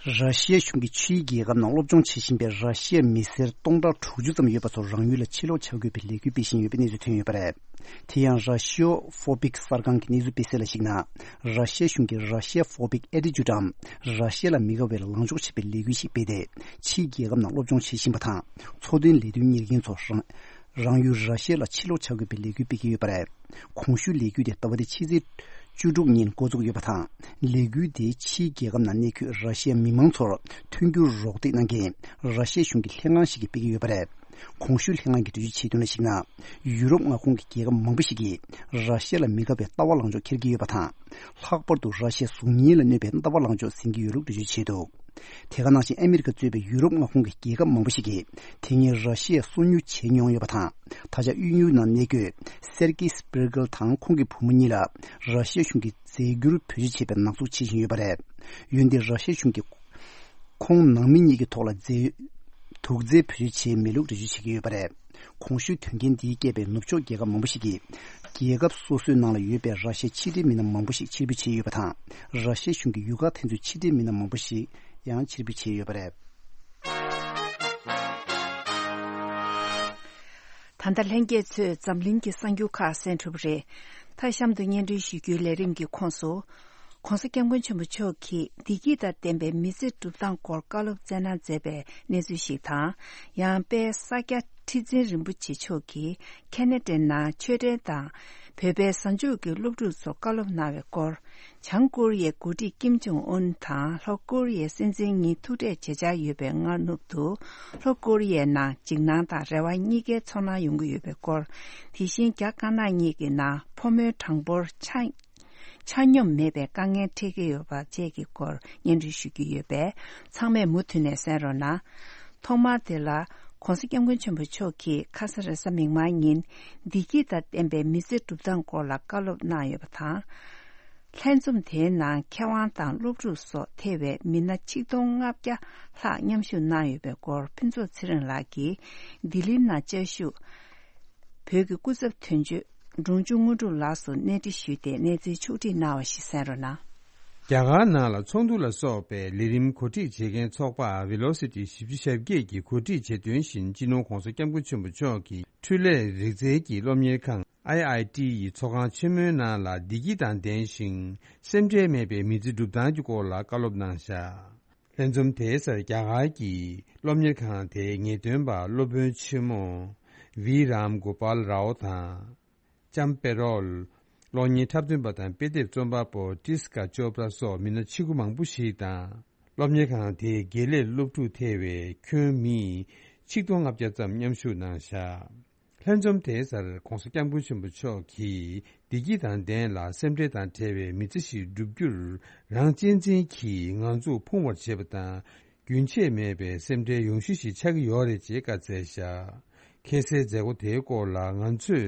ར་ཤི་ཡ་གཞུང་གིས་ཕྱིའི་རྒྱལ་ཁབ་ནང་སློབ་སྦྱོང་བྱེད་བཞིན་པའི་ར་ཤི་ཡའི་མི་སེར་སྟོང་ཕྲག་དྲུག་ཅུ་ཙམ་ཡོད་པ་ཚོ་རང་ཡུལ་ལ་ཕྱིར་ལོག་བྱ་དགོས་པའི་ལས་འགུལ་སྤེལ་བཞིན་ཡོད་པའི་གནས་ཚུལ་ཐོན་ཡོད་པ་རེད། དེ་ཡང་Russia Phobic གསར་ཁང་གི་གནས་ཚུལ་སྤེལ་གསལ་ལ་གཞིགས་ན། ར་ཤི་ཡ་གཞུང་གིས་Russia Phobic Attitude འམ། ར་ཤི་ཡ་ལ་མི་དགའ་བའི་ལངས་ཕྱོགས་བྱེད་པའི་ལས་འགུལ་ཞིག་སྤེལ་ཏེ། ཕྱིའི་རྒྱལ་ཁབ་ནང་སློབ་སྦྱོང་བྱེད་བཞིན་པ་དང་། འཚོ་དོན་ལས་དོན་གཉེར་མཁན་ཚོ་རང་རང་ཡུལ་ར་ཤི་ཡ་ལ་ཕྱིར་ལོག་བྱ་དགོས་པའི་ལས་འགུལ་སྤེལ་གྱི་ཡོད་པ་རེད། གོང་ཞུས་ལས་འགུལ་དེ་ཟླ་བ་འདིའི་ཕྱི་ཚེས་བཅུ་དྲུག་ཉིན་འགོ་འཛུགས་ཡོད་པ་དང་། ལས་འགུལ་དེ་ཕྱིའི་རྒྱལ་ཁབ་ནང་གནས་འཁོད་ར་ཤི་ཡའི་མི་མང་ཚོར་མཐུན་འགྱུར་རོགས་འདེགས་གནང་མཁན་ར་ཤི་ཡའི་གཞུང་གི་ལྷན་ཁང་ཞིག་གིས་སྤེལ་གྱི་ཡོད་པ་རེད། གོང་ཞུས་ལྷན་ཁང་གིས་འགྲེལ་བརྗོད་བྱས་དོན་ལ་གཞིགས་ན། ཡུ་རོབ་མངའ་ཁོངས་ཀྱི་རྒྱལ་ཁབ་མང་པོ་ཞིག་གིས་ར་ཤི་ཡ་ལ་མི་དགའ་བའི་ལྟ་བ་ལངས་ཕྱོགས་འཁྱེར་གྱི་ཡོད་པ་དང་། ལྷག་པར་དུ་ར་ཤི་ཡའི་གཟུགས་བརྙན་ལ་གནོད་པའི་ལྟ་བ་ལངས་ཕྱོགས་ཟིན་གྱི་ཡོད་ལུགས་འགྲེལ་བརྗོད་བྱས་འདུག་དེ་ག་ནང་བཞིན་ཨ་མི་རི་ཀ་གཙོས་པའི་ཡུ་རོབ་མངའ་ཁོངས་ཀྱི་རྒྱལ་ཁབ་མང་པོ་ཞིག་གིས་དེ་སྔའི་ར་ཤི་ཡའི་སོ་ཉུལ་བྱས་མྱོང་ཡོད་པ་དང་། ད་ཆ་དབྱིན་ཡུལ་ནང་གནས་འཁོད་སེར་ཀི་སྤེར་ཀལ་དང་ཁོང་གི་བུ་མོ་གཉིས་ལ་ར་ཤི་ཡ་གཞུང་གིས་རྫས་འགྱུར་བེད་སྤྱོད་བྱས་པའི་ནག་འཛུགས་བྱེད་བཞིན་ཡོད་པ་རེད། འོན་ཏེ་ར་ཤི་ཡ་གཞུང་གིས་ཁོང་ནང་མི་གཉིས་ཀྱི་ཐོག་ལ་རྫས་དུག་རྫས་བེད་སྤྱོད་བྱས་མེད་ལུགས་འགྲེལ་བརྗོད་བྱེད་ཀྱི་ཡོད་པ་རེད། གོང་ཞུས་དོན་རྐྱེན་འདིའི་རྐྱེན་པས་ནུབ་ཕྱོགས་རྒྱལ་ཁབ་མང་པོ་ཞིག་གིས་རྒྱལ་ཁབ་སོ་སོའི་ནང་ལ་ཡོད་པའི་ར་ཤི་ཡའི་ཕྱི་འབྲེལ་མི་སྣ་མང་པོ་ཞིག་ཕྱིར་འབུད་བྱས་ཡོད་པ་དང་། ར་ཤི་ཡ་གཞུང་གིས་ཡུལ་ཁག་དེ་ཚོའི་ཕྱི་འབྲེལ་མི་སྣ་མང་པོ་ཞིག་ཡང་ཕྱིར་འབུད་བྱས་ཡོད་པ་རེད། ད་ལྟ་ལྷན་རྒྱས་ཚོས་འཛམ་གླིང་གི་གསར་འགྱུར་ཁག་གསན་གྲུབ་རེད། མཐའ་གཤམ་དུ་སྙན་སྒྲོན་ཞུ་རྒྱུའི་ལས་རིམ་གྱི་ཁོངས་སུ། ༸གོང་ས་༸སྐྱབས་མགོན་ཆེན་པོ་མཆོག་གིས་བདེ་སྐྱིད་དང་ལྡན་པའི་མི་ཚེ་སྒྲུབ་སྟངས་སྐོར་བཀའ་སློབ་སྩལ་གནང་མཛད་པའི་གནས་ཚུལ་ཞིག་དང་། ཡང་དཔལ་ས་སྐྱ་ཁྲི་འཛིན་རིན་པོ་ཆེ་མཆོག་གིས་ཁེ་ན་ཌའི་ནང་ཆོས་ཁྲའི་དང་། བོད་པའི་གཟའ་མཇུག་གི་སློབ་ཕྲུག་ཚོར་བཀའ་སློབ་གནང་བའི་སྐོར། བྱང་ཀོ་རི་ཡའི་འགོ་ཁྲིད་ཀིམ་ཇོང་ཨུན་དང་ལྷོ་ཀོ་རི་ཡའི་སྲིད་འཛིན་གཉིས་ཐུག་འཕྲད་བྱེད་འཆར་ཡོད་པའི་སྔ་ནུབ་ཏུ། ལྷོ་ཀོ་རི་ཡའི་ནང་འཇིགས་སྣང་དང་རེ་བ་གཉིས་ཀའི་ཚོར་སྣང་ཡོང་གི་ཡོད་པའི་སྐོར། དེ་བཞིན་རྒྱ་དཀར་ནག་གཉིས་ཀྱི་ནང་ཕོ་མོའི་གྲངས་འབོར་ཆ་ཆ་སྙོམས་མེད་པའི་དཀའ་ངལ་འཕྲད་ཀྱི་ཡོད་པ་བཅས་ཀྱི་སྐོར་སྙན་སྒྲོན་ཞུ་རྒྱུ་ཡོད་པས། ཚང་མས་མུ་མཐུད་ནས་གསན་རོགས་གནང་། ཐོག་མར་དེ་ལ་༸གོང་ས་༸སྐྱབས་མགོན་ཆེན་པོ་མཆོག་གིས་ཁ་ས་རེས་གཟའ་མིག་དམར་ཉིན་བདེ་སྐྱིད་དང་ལྡན་པའི་མི་ཚེ་སྒྲུབ་སྟངས་སྐོར་ལ་བཀའ་སློབ་གནང་ཡོད་པ་དང་། ལྷན་འཛོམས་དེའི་ནང་མཁས་དབང་དང་སློབ་ཕྲུག་སོགས་ཐེ་བའི་མི་སྣ་ཆིག་སྟོང་ལྔ་བརྒྱ་ལྷག་མཉམ་ཞུགས་གནང་ཡོད་པའི་སྐོར་ཕུན་ཚོགས་ཚེ་རིང་ལགས་ཀྱིས་ལྡི་ལིའི་ནང་བཅའ་བཞུགས། བོད་ཀྱི་སྐུ་ཚབ་དོན་གཅོད་འབྲོང་ཆུང་དངོས་གྲུབ་ལགས་སུ་གནས་འདྲི་ཞུས་ཏེ་གནས་ཚུལ་ཕྱོགས་བསྒྲིགས་གནང་བ་ཞིག་གསན་རོགས་གནང་། རྒྱ་གར་ནང་ལ་ཚོགས་འདུ་ལ་སོགས་པའི་ལས་རིམ་གོ་སྒྲིག་བྱེད་མཁན་ཚོགས་པ་Velocity བཞི་བཅུ་ཞེ་བརྒྱད་ཀྱིས་གོ་སྒྲིག་བྱས་དོན་བཞིན། སྤྱི་ནོར་༸གོང་ས་༸སྐྱབས་མགོན་ཆེན་པོ་མཆོག་གིས་འཕྲུལ་ལས་རིག་རྩལ་གྱི་སློབ་གཉེར་ཁང་I I T ཡི་ཚོགས་ཁང་ཆེན་མོའི་ནང་ལ་བདེ་སྐྱིད་དང་ལྡན་ཞིང་སེམས་ཁྲལ་མེད་པའི་མི་ཚེ་སྒྲུབ་སྟངས་ཀྱི་སྐོར་ལ་བཀའ་སློབ་གནང་བཞག་ལྷན་འཛོམས་དེའི་སར་རྒྱ་གར་གྱི་སློབ་གཉེར་ཁང་དེའི་ངེས་སྟོན་པ་སློབ་དཔོན་ཆེན་མོ་V Ram Gopal Rao དང་། ལྕམ་པེ་རོལ། གློག་བརྙན་འཁྲབ་སྟོན་པ་དང་དཔེ་དེབ་རྩོམ་པ་པོ་Priyanka Chopra སོགས་མི་སྣ་ཆེ་ཁུ་མང་པོ་ཞིག་དང་། སློབ་གཉེར་ཁང་དེའི་དགེ་ལས་སློབ་ཕྲུག་ཐེ་བའི་ཁྱོན་མི་ཆིག་སྟོང་ལྔ་བརྒྱ་ཙམ་མཉམ་ཞུགས་གནང་བཞག་ལྷན་འཛོམས་དེའི་སར་༧གོང་ས་༧སྐྱབས་མགོན་ཆེན་པོ་མཆོག་གིས་བདེ་སྐྱིད་དང་ལྡན་ལ་སེམས་ཁྲལ་དང་བྲལ་བའི་མི་ཚེ་ཞིག་བསྒྲུབ་རྒྱུར་རང་གཅེས་འཛིན་གྱིས་ང་ཚོ་ཕུང་བར་བྱེད་པ་དང་། རྒྱུན་ཆད་མེད་པའི་སེམས་ཁྲལ་ཡོང་གཞི་ཞིག་ཆགས་ཀྱི་ཡོད་རེད་ཅེས་བཀའ་སྩལ་བཞག་ཁ་སའི་མཛད་སྒོ་དེའི་སྐོར་ལ་ང་ཚོས་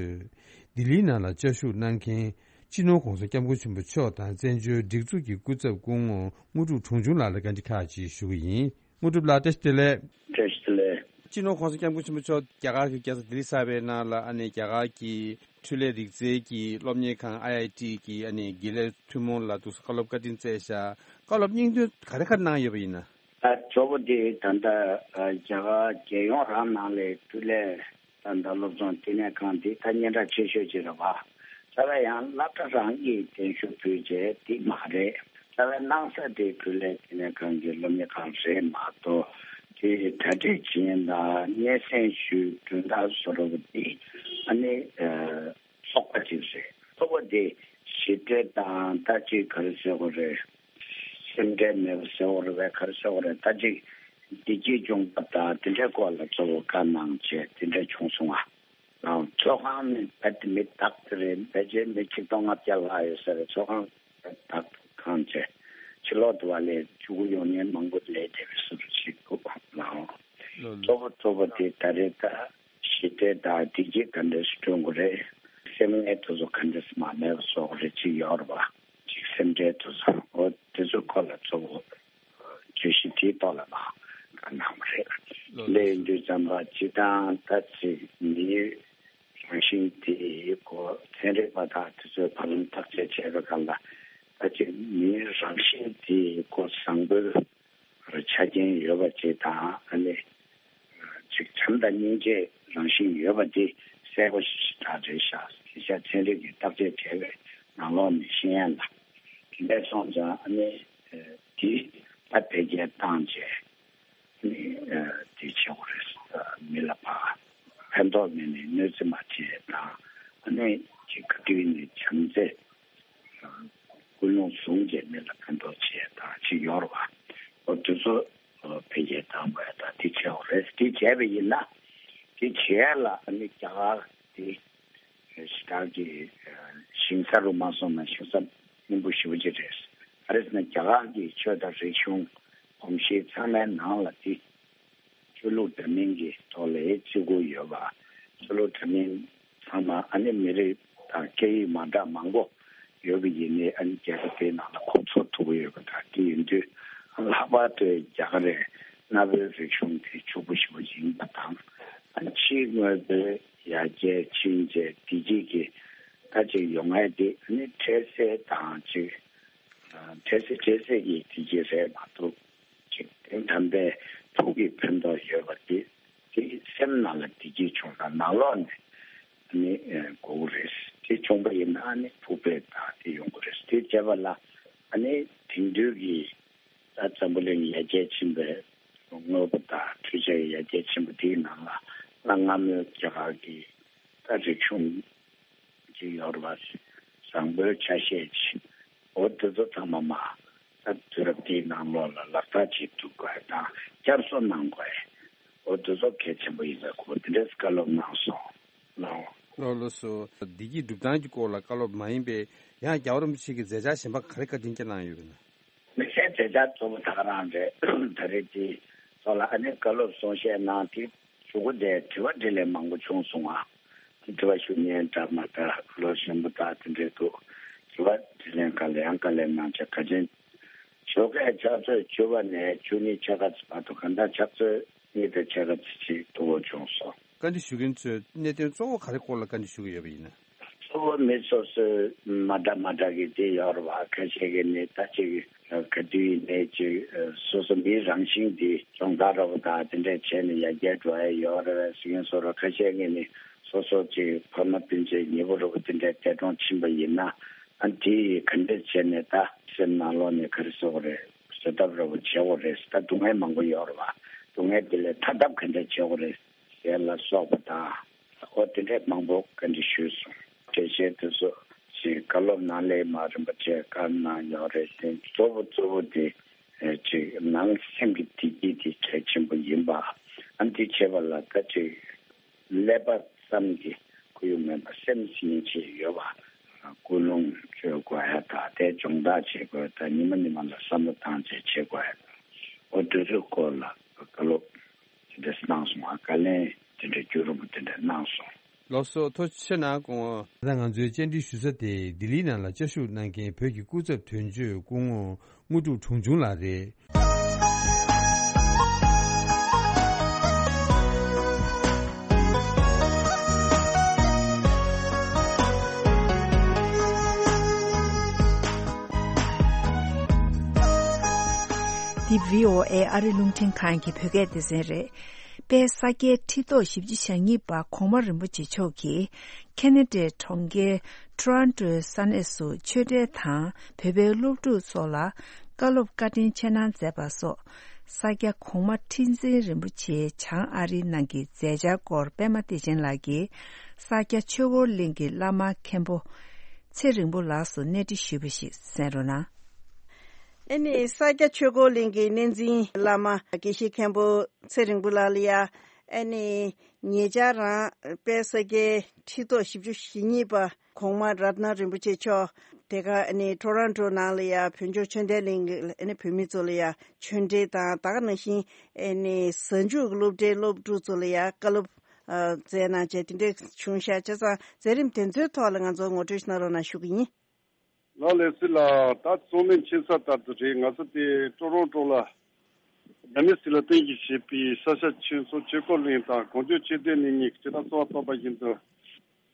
ལྡི་ལིའི་ནང་ལ་བཅའ་བཞུགས་གནང་མཁན་སྤྱི་ནོར་༧གོང་ས་༧སྐྱབས་མགོན་ཆེན་པོ་མཆོག་དང་བཙན་བྱོལ་སྒྲིག་འཛུགས་ཀྱི་སྐུ་ཚབ་སྐུ་ངོ་དངོས་གྲུབ་དྲུང་ཆུང་ལགས་ལ་བཀའ་འདྲི་ཁག་ཅིག་ཞུ་གི་ཡིན། དངོས་གྲུབ་ལགས་བཀྲ་ཤིས་བདེ་ལེགས། བཀྲ་ཤིས་བདེ་ལེགས། སྤྱི་ནོར་༧གོང་ས་༧སྐྱབས་མགོན་ཆེན་པོ་མཆོག་རྒྱ་གར་གྱི་རྒྱལ་ས་ལྡི་ལི་གསར་པའི་ནང་ལ་ཨ་ནི་རྒྱ་གར་གྱི་འཕྲུལ་ལས་རིག་རྩལ་གྱི་སློབ་གཉེར་ཁང་ཨའི་ཨའི་ཊི་གི་ཨ་ནི་དགེ་ལས་ཐུན་མོང་ལ་འདུག་སེ་བཀའ་སློབ་བཀའ་དྲིན་སྩལ་བཞག་བཀའ་སློབ་སྙིང་དོན་ག་རེ་ག་རེ་གནང་ཡོད་པ་ཡིན་ན། ད་གཙོ་བོ་དེ་ད་ལྟ་རྒྱ་གར་རྒྱལ་ཡོངས་རང་ནང་ལས་འཕྲུལ་ལས་ད་ལྟ་སློབ་སྦྱོང་བསྟི་གནས་ཁང་འདི་ད་སྙན་གྲགས་ཆེ་ཤོས་ཅིག་རེད་བ། ད་ལྟ་ཡང་སློབ་གྲྭ་རང་གིས་གདན་ཞུ་ཕུལ་བྱས་དེ་མ་རེད། ད་ལྟ་གནང་ས་དེ་འཕྲུལ་ལས་བསྟི་གནས་ཁང་གི་སློབ་གཉེར་ཁང་རེད་མ་གཏོགས་དེ་གྲ་སྒྲིག་བྱེད་མཁན་དང་སྙན་སེང་ཞུས་གྲོས་ཐག་བཟོ་རོགས་དེ་ཨ་ནི་ཚོགས་པ་ཅིག་རེད། ཚོགས་པ་དེ་ཞི་བདེ་དང་ད་ཅིག་ག་རེ་ཟེར་དགོས་རེད། སེམས་ཁྲལ་མེད་པ་ཟེར་བ་རེད་པས་ག་རེ་ཟེར་བ་རེད། ད་ཅིག་བདེ་སྐྱིད་སྐྱོང་བ་དང་དེ་འདྲའི་སྐོར་ལ་གཙོ་བོ་བཀའ་གནང་བྱས་དེ་འདྲ་བྱུང་སོང་ང་། ཚོགས་ཁང་ནི་རྦད་དེ་མི་དག་དེ་རེད། ཕལ་ཆེར་མི་ཆིག་སྟོང་ལྔ་བརྒྱ་ལྷག་ཡོད་ས་རེད། ཚོགས་ཁང་དག་ཁང་བྱས་ཕྱི་ལོག་ཏུ་བ་ལས་ཕྲུ་གུ་ཡོང་མཁན་མང་པོ་ལས་བསྡད་པའི་བཟོ་འདྲ་ཞིག་འདུག་ལགས། ལགས་ལགས། གཙོ་བོ་གཙོ་བོ་དེ་ད་རེས་ད་ཞི་བདེ་དང་བདེ་སྐྱིད་ག་འདྲས་སེ་བསྐྲུན་དགོས་རེད། སེམས་ངལ་དེ་ཚོ་ག་འདྲས་སེ་མ་མེད་པ་བཟོ་དགོས་རེད། ཅིག་ཡོད་རེད་པ། ཅིག་སེམས་ཁྲལ་དེ་ཚོ་འོ་དེ་ཚོའི་སྐོར་ལ་གཙོ་བོ་བརྗོད་གཞི་དེའི་ཐོག་ལ་ནང་བཀའ་གནང་བ་རེད། ལགས་ལགས། དེ་ཡིན་དུས་ཙམ་པ་སྤྱིར་བཏང་ད་ཅིག་མིའི་རང་བཞིན་དེའི་སྐོར་ཚན་རིག་པ་དང་དེ་ཚོས་བར་ལམ་བརྟག་དཔྱད་བྱས་པའི་སྒང་ལ་ད་ཅིག་མིའི་རང་བཞིན་དེའི་སྐོར་བཟང་པོའི་ཆ་རྐྱེན་ཡོད་པ་ཅིག་དང་ཨ་ནི་ཅིག་བྱམས་དང་སྙིང་རྗེའི་རང་བཞིན་ཡོད་པ་འདི་གསལ་པོ་ཞེ་དྲག་རེད་ཤག་དེ་ཤ་ཚན་རིག་གིས་བརྟག་དཔྱད་བྱས་པའི་ནང་ལོགས་ནས་ཤེས་ཡ་ལ་དེ་འདྲ་སོང་ཙང་ཨ་ནི་དེ་ད་འཕེལ་རྒྱས་བཏང་རྗེས་ཨ་ནི་དེ་བྱེད་དགོས་རེད། མི་ལ་ཕ་ཕན་ཐོགས་མེད་ནས་གནོད་འཚེ་མ་བྱེད་དང་ཨ་ནི་ཅིག་ག་དུས་ནས་བྱམས་བརྩེ། ཀུན་སློང་བཟུང་རྗེས་མི་ལ་ཕན་ཐོགས་བྱེད་དང་ཅིག་ཡོད་རེད་བ། འོ་དེ་ཚོ་འཕེལ་རྒྱས་བཏང་དགོས་དང་དེ་བྱས་འོ་རེད། དེ་བྱས་པ་ཡིན་ན་དེ་བྱས་ལ་ཨ་ནི་རྒྱ་གར་དེ་ཞེ་དྲག་གི་ཞིང་ས་རུ་མ་སོང་ན་ཞིང་ས་སྙིང་པོ་ཞེ་པོ་ཅིག་རེད། ག་རེ་ཟེར་ན་རྒྱ་གར་གྱི་ཆོས་དང་རིག་གཞུང་གོམས་གཤིས་ཚང་མའི་ནང་ལ་དེ། ཆོས་ལུགས་འདྲ་མིན་གྱི་ཐོག་ལ་བརྩི་བཀུར་ཡོད་པ། ཆོས་ལུགས་འདྲ་མིན་ཚང་མ་ཨ་ནི་མི་རིགས་དང་སྐད་ཡིག་མ་འདྲ་མང་པོ་ཡོད་པ་ཡིན་ནའི་ཨ་ནི་རྒྱལ་ཁབ་དེའི་ནང་ལ་ཁོང་ཚོ་ཐུག་གི་ཡོད་པ་དང་དེ་ཡིན་དུས་ལྷག་པར་དུ་རྒྱ་གར་རེད་གནའ་བོའི་རིག་གཞུང་དེ་ཕྱུག་པོ་ཞེ་པོ་ཡིན་པ་དང་ཨ་ནི་ཕྱིའི་དངོས་པོའི་ཡར་རྒྱས་ཕྱིན་ཆད་བདེ་སྐྱིད་ཀྱི་ད་ཅིག་ཡོང་ཡ་དེ་ཨ་ནི་འཕྲལ་སེལ་དང་ཅིག་འཕྲལ་སེལ་འཕྲལ་སེལ་གྱི་བདེ་སྐྱིད་རེད་མ་གཏོགས། ཅིག་དོན་དམ་པའི་ཐུགས་ཀྱི་ཕན་ཐོགས་ཡོད་པ་དེ་དེ་སེམས་ནང་ལ་བདེ་སྐྱིད་བྱུང་ན་ནང་ལོགས་ནས་ནི་དགོས་ཀྱི་རེད། དེ་བྱུང་པ་ཡིན་ན་ནི་ཕུགས་ཕན་དང་དེ་ཡོང་གི་རེད། དེ་བྱས་པ་ལ་ཨ་ནི་དེང་དུས་ཀྱི་ད་འཛམ་བུ་གླིང་ཡར་རྒྱས་ཕྱིན་པའི་དངོས་པོ་དང་འཕྲུལ་ཆས་ཡར་རྒྱས་ཕྱིན་པ་དེའི་ནང་ལ་གནའ་སྔ་མོའི་རྒྱ་གར་གྱི་ད་རིག་གཞུང་ཅིག་ཡོད་རེད་པ། བཟང་པོའི་ཆ་ཤས་ཅིག་འོ་དེ་ཚོ་ཚང་མ་མ་ད་དུས་རབས་འདིའི་ནང་ལོགས་ལ་ལག་བསྟར་བྱེད་ཐུབ་དགོས་དང་བསྐྱར་གསོ་གནང་དགོས། འོ་དེ་ཚོ་གལ་ཆེན་པོ་ཡིན་པའི་སྐོར་དེ་འདྲས་བཀའ་སློབ་གནང་སོང་ལགས། ལགས་ལགས་སོ། བདེ་སྐྱིད་སྒྲུབ་སྟངས་ཀྱི་སྐོར་ལ་བཀའ་སློབ་མ་ཡིན་པའི་ཡང་རྒྱལ་བ་རིན་པོ་ཆེ་གི་མཛད་འཆར་གཞན་པ་ག་རེ་བཀའ་དྲིན་སྐྱོན་གནང་ཡོད་པ་ན། དམིགས་བསལ་མཛད་འཆར་གཙོ་བོ་ད་ག་རང་རེད། ད་རེས་དེ་ཚོ་ལ་ཨ་ནི་བཀའ་སློབ་གསུང་བཤད་གནང་དེ། གཞུག་གུ་དེ་དྲི་བ་དྲིས་ལན་མང་པོ་བྱུང་སོང་ང་། དྲི་བ་ཞུ་མཁན་འདྲ་མ་འདྲ་ལོ་གཞོན་པ་དག་དེ་འདྲས་འདུག་དྲི་བ་དྲིས་ལན་ག་ལེ་ཡང་ག་ལེ་གནང་བྱས་ག་ཅན། ཞོགས་ཀས་ཕྱག་ཚོད་བཅུ་པ་ནས་བཅུ་གཉིས་ཕྱེད་ཀ་ཙམ་བར་དུ་གང་ལྟར་ཕྱག་ཚོད་གཉིས་དང་ཕྱེད་ཀ་ཙམ་ཅིག་ཐུ་བོ་བྱུང་སོང་། བཀའ་འདྲི་ཞུ་མཁན་ཚོས་གནད་དོན་གཙོ་བོ་ག་རེ་སྐོར་ལ་བཀའ་འདྲི་ཞུ་གི་ཡོད་པ་ཡིན་ན། གཙོ་བོ་མི་སོ་སོའི་མ་འདྲ་མ་འདྲ་གི་དེ་ཡོད་རེད་བ། ཁ་ཤས་ཀྱིས་ནི་ད་ཅིག་ག་དུས་ཡིན་ནའི་ཅིག་སོ་སོ་མིའི་རང་བཞིན་འདི་སྦྱོང་བརྡར་རོགས་དང་དེ་འདྲས་བྱས་ནས་ཡར་རྒྱས་འགྲོ་ཡ་ཡོད་རེད་བས་ཟེར་མཁན་སོ་ར། ཁ་ཤས་ཀྱིས་ནི་སོ་སོ་ཅིག་ཕ་མ་སྤུན་མཆེད་ཉེ་པོ་རོགས་དེ་འདྲས་འདས་གྲོངས་ཕྱིན་པ་ཡིན་ན་ཨ་དེ་ཡིས་ག་འདྲས་བྱས་ནས་ད་སེམས་ནང་ལོགས་ནས་ག་རེ་ཟེར་དགོས་རེད། བཟོད་ཐབས་རོགས་བྱེད་དགོས་རེད། ད་སྡུག་བསྔལ་མང་པོ་ཡོད་རེད་བ། སྡུག་བསྔལ་དེ་ལས་ཐར་ཐབས་ག་འདྲས་བྱེད་དགོས་རེད། ཟེར་ལ་སོགས་པ་དང་། ཨོ་དེ་འདྲས་མང་པོ་བཀའ་འདྲི་ཞུས་སོང་། འགྲེལ་བཤད་དེ་ཚོ་ཞིག་བཀའ་སློབ་གནང་ལེ་མ་རིམ་པ་བཅས་བཀའ་གནང་ཡོད་རེད་དེ་གཙོ་བོ་གཙོ་བོ་དེ་ཅིག་ནང་སེམས་ཀྱི་བདེ་སྐྱིད་དེ་གལ་ཆེན་པོ་ཡིན་པ། ཨ་འདི་བྱེད་པ་ལ་ད་ཅིག་ཀླད་པ་ བསམ་གྱི་ཁོར་ཡུག་མེད་པ་སེམས་སྙིང་རྗེ་ཡོད་པ། ཀུན་སློང་བཅོས་དགོས་ཡ་དང་དེ་སྦྱོང་བརྡར་བྱེད་དགོས་དང་ཉི་མ་ཉི་མ་ལ་བསམ་བློ་བཏང་བྱས་བྱེད་དགོས་ཡ་དང་། འོ་དེ་ཚོའི་སྐོར་ལ་བཀའ་སློབ་དེ་འདྲ་གནང་སོང་། བཀའ་ལན་དེ་འདྲ་རྒྱུན་རིང་པོ་དེ་འདྲ་གནང་སོང་། ལགས་སོ། ཐུགས་རྗེ་ཆེ་གནང་། ད་ང་ཚོའི་བཅར་འདྲི་ཞུ་ས་དེ་ལྡི་ལིའི་ནང་ལ་བཅའ་བཞུགས་གནང་མཁན་བོད་ཀྱི་སྐུ་ཚབ་དོན་གཅོད་སྐུ་ངོ་དངོས་གྲུབ་གྲོང་ཆུང་ལགས་རེད། འདི་བྷི་ཨོ་ཨེ་ཨ་རི་རླུང་འཕྲིན་ཁང་གི་བོད་སྐད་སྡེ་ཚན་རེད། དཔལ་ས་སྐྱའི་ཁྲི་ཐོག་བཞི་བཅུ་ཞེ་གཉིས་པ་གོང་མ་རིན་པོ་ཆེ་མཆོག་གིས་ཁེ་ན་ཌའི་གྲོང་ཁྱེར་ཊོ་རོན་ཊོའི་ས་གནས་སུ་ཆོས་འབྲེལ་དང་བོད་པའི་སློབ་ཕྲུག་ཚོ་ལ་བཀའ་སློབ་བཀའ་དྲིན་ཆེ་གནང་མཛད་པ་སོགས། ས་སྐྱ་གོང་མ་ཁྲི་འཛིན་རིན་པོ་ཆེའི་བྱང་ཨ་རིའི་ནང་གི་མཛད་འཆར་སྐོར་པད་མ་བདེ་ཆེན་ལགས་ཀྱིས་ས་སྐྱ་ཆོས་འཁོར་གླིང་གི་བླ་མ་མཁན་པོ་ཚེ་རིང་པོ་ལགས་སུ་གནས་འདྲི་ཞུས་པ་ཞིག་གསན་རོགས་གནང་། ཨེ་ནི་ས་སྐྱ་ཆོས་འཁོར་གླིང་གི་གནས་འཛིན་བླ་མ་དགེ་བཤེས་མཁན་པོ་ཚེ་རིང་པོ་ལགས་ལ་ཡ། ཨེ་ནི་ཉེ་ཆར་རང་དཔལ་ས་སྐྱའི་ཁྲི་ཐོག་བཞི་བཅུ་ཞེ་གཉིས་པ་གོང་མ་རཏྣ་རིན་པོ་ཆེ་མཆོག་དེ་ག་ཨེ་ནི་ཊོ་རོན་ཊོ་ནང་ལ་ཡ་བོད་ལྗོངས་ཆོས་ལྡན་གླིང་གི་ཨེ་ནི་བོད་མི་ཚོ་ལ་ཡ་ཆོས་འབྲེལ་དང་ད་ག་ནང་བཞིན་ཨེ་ནི་གཟའ་མཇུག་གི་སློབ་གྲྭའི་སློབ་ཕྲུག་ཚོ་ལ་ཡ་བཀའ་སློབ་ཨ་སྩལ་གནང་བྱས་དེ་འདྲ་བྱུང་ཤག་བྱས་ཙང་མཛད་རིམ་དེ་ཚོའི་ཐོག་ལ་ང་ཚོ་ངོ་སྤྲོད་ཞིག་གནང་རོགས་གནང་ཞུ་གི་ཡིན། ལགས་ལགས་སོ་ལགས། ད་གཙོ་མིན་ཆེ་ས་ལྟར་དུ་རེད། ང་ཚོ་དེ་ཀྲོ་རོན་ཀྲོ་ལ་རྒྱ་མི་སྲིད་ལ་བརྟེན་གྱིས་བྱེད་པའི་ས་སྐྱ་ཆོས་ཚོགས་ཆོས་འཁོར་གླིང་དང་གངས་ལྗོངས་ཆོས་ལྡན་གླིང་གཉིས་ཀྱི་སྤྱི་དང་གཙོ་བོ་བཏོན་པ་བཞིན་དུ།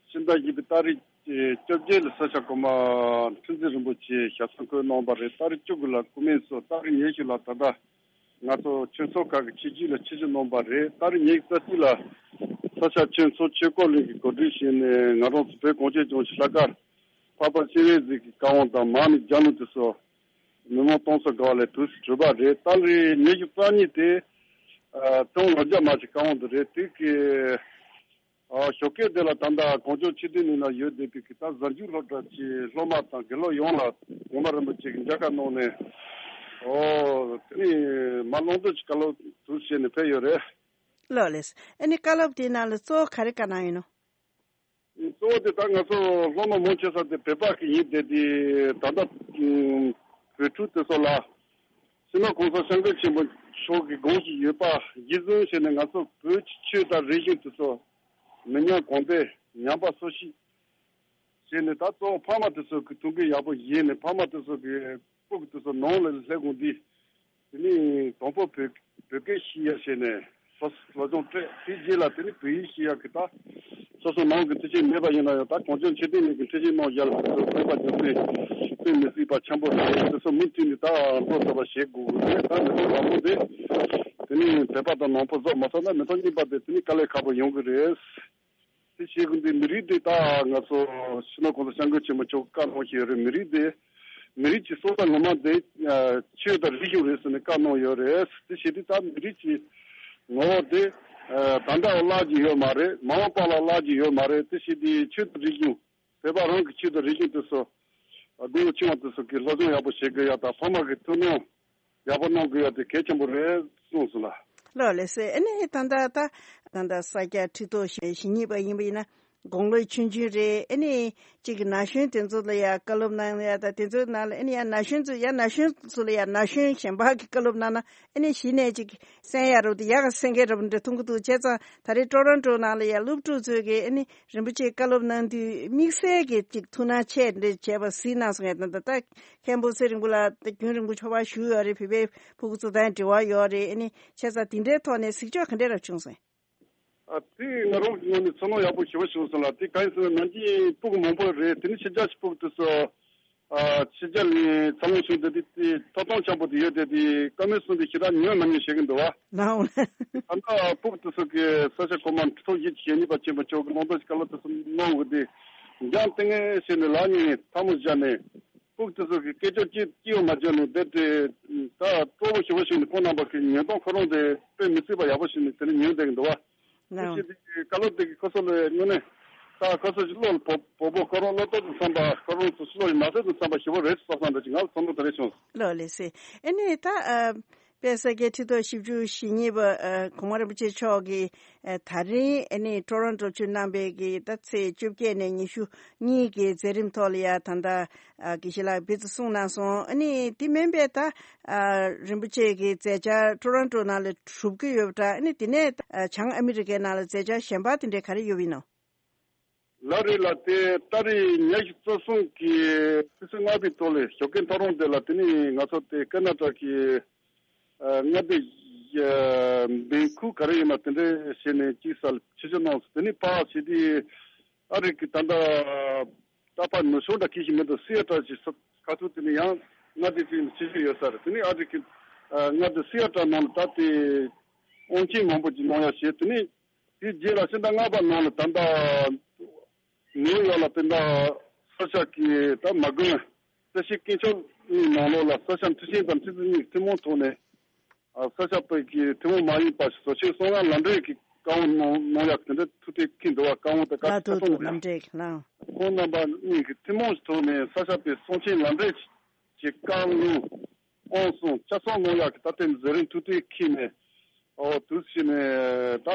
ཕྱི་ཟླ་བཞི་པའི་ཏ་རིག་བཅོ་བརྒྱད་ལ་ས་སྐྱ་གོང་མ་ཁྲི་འཛིན་རིན་པོ་ཆེ་ཞབས་སོར་འཁོད་གནང་བ་རེད། ཏ་རིག་བཅུ་དགུ་ལ་སྐུ་སྨན་གསོལ། ཏ་རིག་ཉི་ཤུ་ལ་ད་ལྟ་ང་ཚོ་ཆོས་ཚོགས་ཁག་གི་ཆིབས་བསྒྱུར་ལ་ཆིབས་བསྒྱུར་གནང་བ་རེད། ཏ་རིག་ཉི་ཤུ་རྩ་གཅིག་ལ་ས་སྐྱ་ཆོས་ཚོགས་ཆོས་འཁོར་གླིང་གི་གོ་སྒྲིག་བྱས་ནས་ང་རང་ཚོ་བོད་གངས་ཅན་ལྗོངས་ཀྱི་ལྷག་དཀར་འཕགས་པ་སྤྱན་རས་གཟིགས་ཀྱི་བཀའ་དབང་དང་མར་མེ་རྒྱལ་བློན་དེ་ཚོ་མི་མང་སྟོང་ཚོ་དགའ་བ་ལས་དུས་སུ་གྲུབ་པ་རེད། ཏ་རིག་ཉི་ཤུ་རྩ་གཉིས་དེ་ཨ་ཀྲོང་ལོ་རྒྱ་མ་གི་བཀའ་དབང་དུ་རེད། དེ་གི་ཨ་ཞོགས་ཀས་དེ་ལ་ད་ལྟ་གངས་ལྗོངས་ཆོས་ལྡན་གླིང་ན་ཡོད་བསྡད་པའི་གི་ད་གཟའ་མཇུག་སློབ་གྲྭ་གི་སློབ་མ་དང་དགེ་སློབ་ཡོངས་ལ་གོང་མ་རིན་པོ་ཆེ་གི་མཇལ་ཁ་གནང་ནས། ཨོ་དེ་ནི་མ་ལོངས་སྤྱོད་ཀྱི་བཀའ་སློབ་དུ་བྱས་ནས་ཕེབས་ཡོད་རེད། ལགས་ལགས། ཨ་ནི་བཀའ་སློབ་དེའི་ནང་ལ་གཙོ་བོ་ག་རེ་བཀའ་གནང་ཡིན་ནོ། གཙོ་བོ་དེ་ད་ང་ཚོ་སློབ་མ་མང་ཆེ་ས་དེ་བོད་པ་གི་ཡིན་བསྡད་དེ་ད་ལྟ་བོད་ཕྲུག་དེ་ཚོ་ལ། སྤྱི་ནོར་གོང་ས་སྐྱབས་མགོན་ཆེན་པོ་མཆོག་གི་དགོངས་གཞི་ཡོད་པ་གཞི་བཟུང་བྱས་ནས་ང་ཚོ་བོད་ཀྱི་ཆོས་དང་རིག་གཞུང་དེ་ཚོ་མི་ཉམས་གོང་འཕེལ་ཉམས་པ་སོར་ཆུད་བྱས་ནས། ད་གཙོ་བོ་ཕ་མ་དེ་ཚོ་གི་ཐུགས་འགན་ཡག་པོ་བཞེས་ནས་ཕ་མ་དེ་ཚོ་གི་སྤུ་གུ་དེ་ཚོ་ནང་ལ་སླེབས་གོང་དུས། དེ་ནས་དང་པོ་བོད་བོད་སྐད་ཤེས་ཡ་བྱས་ནས་སོ་སོ་སློབ་སྦྱོང་སྤྲད། དེ་རྗེས་ལ་དེ་ནས་བོད་ཡིག་ཤེས་ཡ་གི་ད་སོ་སོ་ནང་གི་མཐུན་རྐྱེན་མེད་པ་ཡིན་ན་ཡང་ད་གངས་ལྗོངས་ཆོས་ལྡན་གླིང་གི་མཐུན་རྐྱེན་གནང་ཡ་ལ་དེ་ཚོ་བོད་པ་རྒྱུ་མཚན་དཔེ་མི་སྲིད་པ་ཆེན་པོ་རེད། དེ་ཚོ་མུ་མཐུད་ནས་ད་འགྲོ་ཐུབ་པ་བྱེད་དགོས་ཀྱི་རེད། ད་མི་ཚེ་མང་པོ་འདི་དེ་ནས་བོད་པ་དང་ནང་པ་བཟོ་མ་ཐུབ་ན་མི་ཐོག་གཉིས་པ་དེ་དེ་ནས་དཀའ་ལས་ཁག་པོ་ཡོང་གི་རེད། དེ་བྱེད་དགོས་འདི་མི་རིགས་འདི་ད་ང་ཚོ་སྤྱི་ནོར་གོང་ས་སྐྱབས་མགོན་ཆེན་པོ་མཆོག་བཀའ་གནང་བཞིན་ཡོད་རེད། མི་རིགས་འདི་མི་རིགས་ཀྱི་སྲོག་རྩ་ངོ་མ་འདི་ཆོས་དང་རིག་གཞུང་རེད་ཟེར་ནས་བཀའ་གནང་ཡོད་རེད། དེ་བྱེད་དུས་ད་མི་རིགས་ཀྱི་ངོ་བོ་དེ་ད་ལྟ་བ་བརླག་གི་ཡོད་མ་རེད། མ་འོངས་པ་ལ་བརླག་གི་ཡོད་མ་རེད། དེ་བྱེད་དུས་ཆོས་དང་རིག་གཞུང་བོད་པ་རང་གི་ཆོས་དང་རིག་གཞུང་དེ་ཚོ་སྒོ་ཆུང་བ་དེ་ཚོ་གི་སློབ་སྦྱོང་ཡག་པོ་བྱེད་དགོས་ཡ་དང་ཕ་མ་གི་ཐུགས་སྣང་ཡག་པོ་གནང་དགོས་ཡ་དེ་གལ་ཆེན་པོ་རེད་གསུངས་སོང་ལ། ལགས་ལགས་སེ། ཨ་ནི་ད་ལྟ་ད་ད་ལྟ་ས་སྐྱ་ཁྲི་ཐོག་ཞེ་གཉིས་པ་ཡིན་པ་ཡིན་ན་དགུང་ལོ་ཆུང་ཆུང་རེད། ཨ་ནི་གཅིག་གི་ན་གཞོན་དེ་ཚོ་ལ་ཡ་བཀའ་སློབ་གནང་ཡ་ད་དེ་ཚོའི་ནང་ལ་ཨ་ནི་ཡ་ན་གཞོན་ཚོ་ཡ་ན་གཞོན་ཚོ་ལ་ཡ་ན་གཞོན་གཞན་པ་གི་བཀའ་སློབ་གནང་ན་ཨ་ནི་གཞི་ནས་གཅིག་གསན་ཡ་རུ་དེ་ཡག་ག་གསན་མཁན་རབ་འདྲ་མཐོང་གི་འདུག་བྱས་ཙང་ད་རེས་ཀྲོ་རོན་ཀྲོ་ནང་ལ་ཡ་སློབ་ཕྲུག་ཚོས་གི་ཨ་ནི་རིན་པོ་ཆེ་བཀའ་སློབ་གནང་དུས་དམིགས་བསལ་གྱི་ཅིག་ཐུགས་སྣང་ཆེ་འདྲ་བྱས་པ་གཟིགས་གནང་སོང་ངས། ད་ལྟ་ད་མཁན་པོ་ཚེ་རིང་པོ་ལགས་ད་རྒྱུན་རིང་པོ་ཕྱོགས་པ་བཞུགས་ཡོད་རེད། བོད་པའི་ཕྲུ་གུ་ཚོ་དང་འབྲེལ་བ་ཡོད་རེད། ཨ་ནི་བྱས་ཙང་དེ་འདྲའི་ཐོག་ནས་གཟིགས་ཕྱོགས་ག་འདྲ་རབ་བྱུང་སོང་། ཨ་དེ་ང་རང་གི་ངོས་ནས་ཚོར་སྣང་ཡག་པོ་ཞེ་པོ་བྱུང་སོང་ལ། དེ་གང་ཡིན་ཟེར་ན་ནམ་རྒྱུན་ཕྲུ་གུ་མང་པོ་རེད། དེ་ནི་ཕྱི་རྒྱལ་གྱི་ཕྲུ་གུ་དེ་ཚོ། ཨ་ཕྱི་རྒྱལ་ནས་འཚར་ལོངས་བྱུང་བསྡད་དེ་དེ་ཐོབ་ཐང་ཆེན་པོ་དེ་ཡོད་དེ་དེ་བཀའ་མོལ་གསུངས་དེ་ཞེ་དྲག་ཉན་མ་ཉན་བཤད་ཀྱི་འདུག་བ། ལའོ། ད་ལྟ་ཕྲུ་གུ་དེ་ཚོ་གི་ས་སྐྱ་གོང་མ་ཁྲི་ཐོག་བཞི་བཅུ་ཞེ་གཉིས་པ་ཆེན་པོ་མཆོག་གི་གླེང་སྟེགས་ཀྱི་བཀའ་སློབ་དེ་ཚོ་གནང་འོས་དེ་འཇང་ཏེ་ངེ་བྱས་ནས་ལག་གཉིས་ཐལ་མོ་སྦྱར་ནས་ཕྲུ་གུ་དེ་ཚོ་གི་སྐད་ཅོར་གཅིག་གཅིག་ཡང་མ་སྦྱར་ནས་བསྡད་དེ་ད་སྤྲོ་པོ་ཞེ་པོ་བྱུང་ནས་ཁོང་རྣམ་པ་གི་ཉན་སྟངས་ཁོ་རང་དེ་དཔེ་མི་སྲིད་པ་ཡག་པོ་བྱུང་ནས་དེ་ནས་ཉན་བསྡད་ཀྱི་འདུག་བ། དེ་ལའོ། བྱས་དེ་བཀའ་སློབ་དེ་གི་ཁོ་ཚོ་ལ་དངོས་གནས་ད་ཁོ་ཚོ་ཞིག་བློ་ལ་བོ་བོ་བོ་ཁོ་རང་བློ་ལྟོགས་དང་འཚམས་པ་ཁོ་རང་ཚོ་ཞིག་བློ་ཡི་ན་ཚོད་དང་འཚམས་པ་ཞེ་པོ་རེད་བསམ་བསམ་འདྲ་ཅིག་ང་ལ་ཚོར་སྣང་དེ་རེད་བྱུང་། ལགས་ལགས་སེ། ཨ་ནི་ད་ཨ་ དཔལ་ས་སྐྱའི་ཁྲི་ཐོག་བཞི་བཅུ་ཞེ་གཉིས་པ་ཨ་གོང་མ་རིན་པོ་ཆེ་མཆོག་གིས་ཨ་ད་རིང་ཨ་ནི་ཊོ་རོན་ཊོ་ཆུ་གནང་པའི་གི་ད་ཚེས་བཅོ་བརྒྱད་ནས་ཉི་ཤུ་གཉིས་ཀྱི་མཛད་རིམ་ཐོག་ལ་ཡ་ད་ལྟ་ཨ་དགེ་བཤེས་ལགས་ཕེབས་ཏེ་གསུངས་གནང་སོང་། ཨ་ནི་དེ་མིན་པའི་ད་ཨ་རིན་པོ་ཆེ་གི་མཛད་འཆར་ཊོ་རོན་ཊོ་ནང་ལ་གྲུབ་ཀྱི་ཡོད་པ་འདྲ། ཨ་ནི་དེ་ནས་ཨ་བྱང་ཨ་མི་རི་ཀའི་ནང་ལ་མཛད་འཆར་གཞན་པ་དེ་འདྲའི་ག་རེ་ཡོད་པ་ཡིན་ནམ། ལགས་རེད་ལགས། དེ་ཏ་རིག་ཉི་ཤུ་རྩ་གསུམ་གྱི་ཕྱི་ཚེས་ལྔ་པའི་ཐོག་ལ་ཞོགས་ཀའི་ཐོ་རངས་དེ་ལ་དེ་ནི་ང་ཚོ་དེ་ཀ་ན་ཊ་གི་ཨ་མངའ་སྡེ་ཨ་བན་ཁུ་ག་རེ་ཡིན་ན་དེ་འདྲའི་བྱས་ནས་གཅིག་སར་ཆིབས་བསྒྱུར་གནང་སོང་། དེ་ནི་ཕར་བྱས་དུས་ཨ་རི་གི་ད་ལྟ་ད་ཕར་ནུབ་ཕྱོགས་འདྲ་ཁེ་ཤི་མི་འདུག་སི་ཨེ་ཊལ་གྱི་ས་ཁ་ཐུག་དེ་ནི་ཡང་མངའ་སྡེ་གཅིག་ནས་ཆིབས་བསྒྱུར་ཡོད་ས་རེད། དེ་ནི་ཨ་རི་གི་ཨ་མངའ་སྡེ་སི་ཨེ་ཊལ་ནང་ལ་ད་དེ་དབང་ཆེན་མང་པོ་ཅིག་གནང་ཡ་བྱས། དེ་ནི་དེའི་རྗེས་ལ་ཕྱི་ཟླ་ལྔ་པ་ནང་ལ་ད་ལྟ་ནིའུ་ཡོག་ལ་དེ་འདྲ་ས་སྐྱ་གི་ད་མ་དགོན་བཀྲ་ཤིས་སྐྱིད་ཆོག་གཉིས་ནང་ལོགས་ལ་ས་སྐྱ་ཁྲི་ཆེན་དང་ཁྲི་ཚོ་གཉིས་ཀྱི་ཐུན་མོང་ཐོག་ནས་ཨ་ས་སྐྱ་པའི་གི་ཐུན་མོང་མ་ཡིན་པ་ཞིག་བཟོ་ཆེད་གསང་སྔགས་ལམ་འབྲས་ཀྱི་བཀའ་དབང་གནང་གནང་ཡག་དེ་འདྲ་ཐུགས་གཏན་འཁེལ་འདུག་བ། བཀའ་དབང་དེ་བཀའ་ལ་ཁྲིད་ཐུགས་གཏོང་ལམ་འབྲས་ཀྱི་ལམ། ཁོང་རྣམ་པ་གཉིས་ཀྱི་ཐུན་མོང་གི་ཐོག་ནས་ས་སྐྱ་པའི་གསང་ཆེན་ལམ་འབྲས་ཀྱི་བཀའ་ལུང་དབང་གསུང་ཆ་ཚང་གནང་ཡག་གི་ད་ལྟའི་མཛད་རིམ་ཐུགས་གཏན་འཁེལ་ནས། ཨོ་དུས་ཕྱིན་ནས་ད་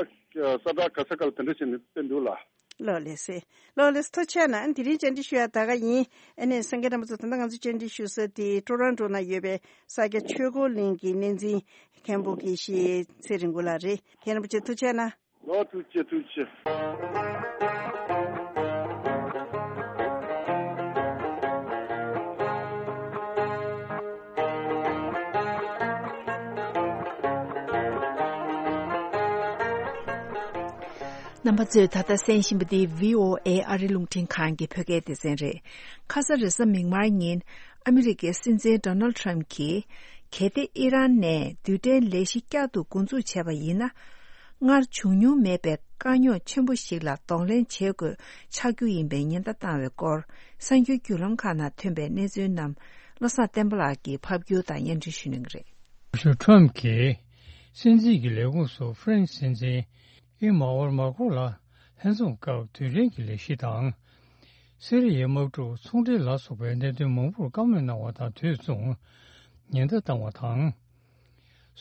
ས་བཀྲ་ག་ས་ག་ལ་དེ་འདྲ་བྱས་ནས་ཕེབས་འདུག་ལ། ལགས་ལགས་སེ། ལགས་ལགས་སེ། ཐུགས་རྗེ་གནང་། དེ་རིང་བཅར་འདྲི་ཞུ་ཡ་ད་ག་ཡིན། ཨ་ནི་སངས་རྒྱས་རྣམ་པ་ཚོ་ད་ལྟ་ང་ཚོ་བཅར་འདྲི་ཞུ་ས་དེ་ཊོ་རོན་ཊོ་ན་ཡོད་པའི་ས་སྐྱ་ཆོས་འཁོར་གླིང་གི་གནས་འཛིན་མཁན་པོ་དགེ་བཤེས་ཚེ་རིང་མགོ་ལགས་རེད། མཁན་རིན་པོ་ཆེ་ཐུགས་རྗེ་གནང་། ལགས་ཐུགས་རྗེ་ཆེ། ཐུགས་རྗེ་ཆེ། རྣམ་པ་ཚོས་ད་ལྟ་གསན་བཞིན་པ་འདི་བྷི་ཨོ་ཨེ་ཨ་རི་རླུང་འཕྲིན་ཁང་གི་བོད་སྐད་སྡེ་ཚན་རེད། ཁ་ས་རེས་གཟའ་མིག་དམར་ཉིན་ཨ་མི་རི་ཀའི་སྲིད་འཛིན་ཌོ་ནལ་ཌི་ཊརམ་གྱིས་གལ་ཏེ་ཨི་རན་ནས་རྡུལ་ཕྲན་ལས་གཞི་བསྐྱར་དུ་འགོ་འཛུགས་བྱས་པ་ཡིན་ན། སྔར་བྱུང་མྱོང་མེད་པའི་དཀའ་རྙོག་ཆེན་པོ་ཞིག་ལ་གདོང་ལེན་བྱེད་དགོས་ཆགས་རྒྱུ་ཡིན་པའི་ཉེན་བརྡ་བཏང་བའི་སྐོར་གསར་འགྱུར་བརྒྱུད་ལམ་ཁག་ནང་ཐོན་པའི་གནས་ཚུལ་རྣམས་བློ་བཟང་བསྟན་པ་ལགས་ཀྱིས་ཕབ་སྒྱུར་དང་སྙན་སྒྲོན་ཞུ་གནང་གི་རེད། སྐུ་ཞབས་ཊརམ་གྱིས་སྲིད་འཛིན་གྱི་ལས་ཁུངས་སུ་ཧྥ་རན་སི་སྲིད་འཛིན་ཨི་མཱ་ཨོལ་མཱ་ཁྲོན་ལ་ལྷན་འཛོམས་སྐབས་རྡུལ་ཕྲན་གྱི་ལས་གཞི་དང་། སི་རི་ཡའི་དམག་འཁྲུག་ཚོང་འབྲེལ་ལ་སོགས་པའི་གནད་དོན་མང་པོར་བཀའ་མོལ་གནང་བ་དང་དུས་མཚུངས་ཉེན་བརྡ་བཏང་བ་དང་།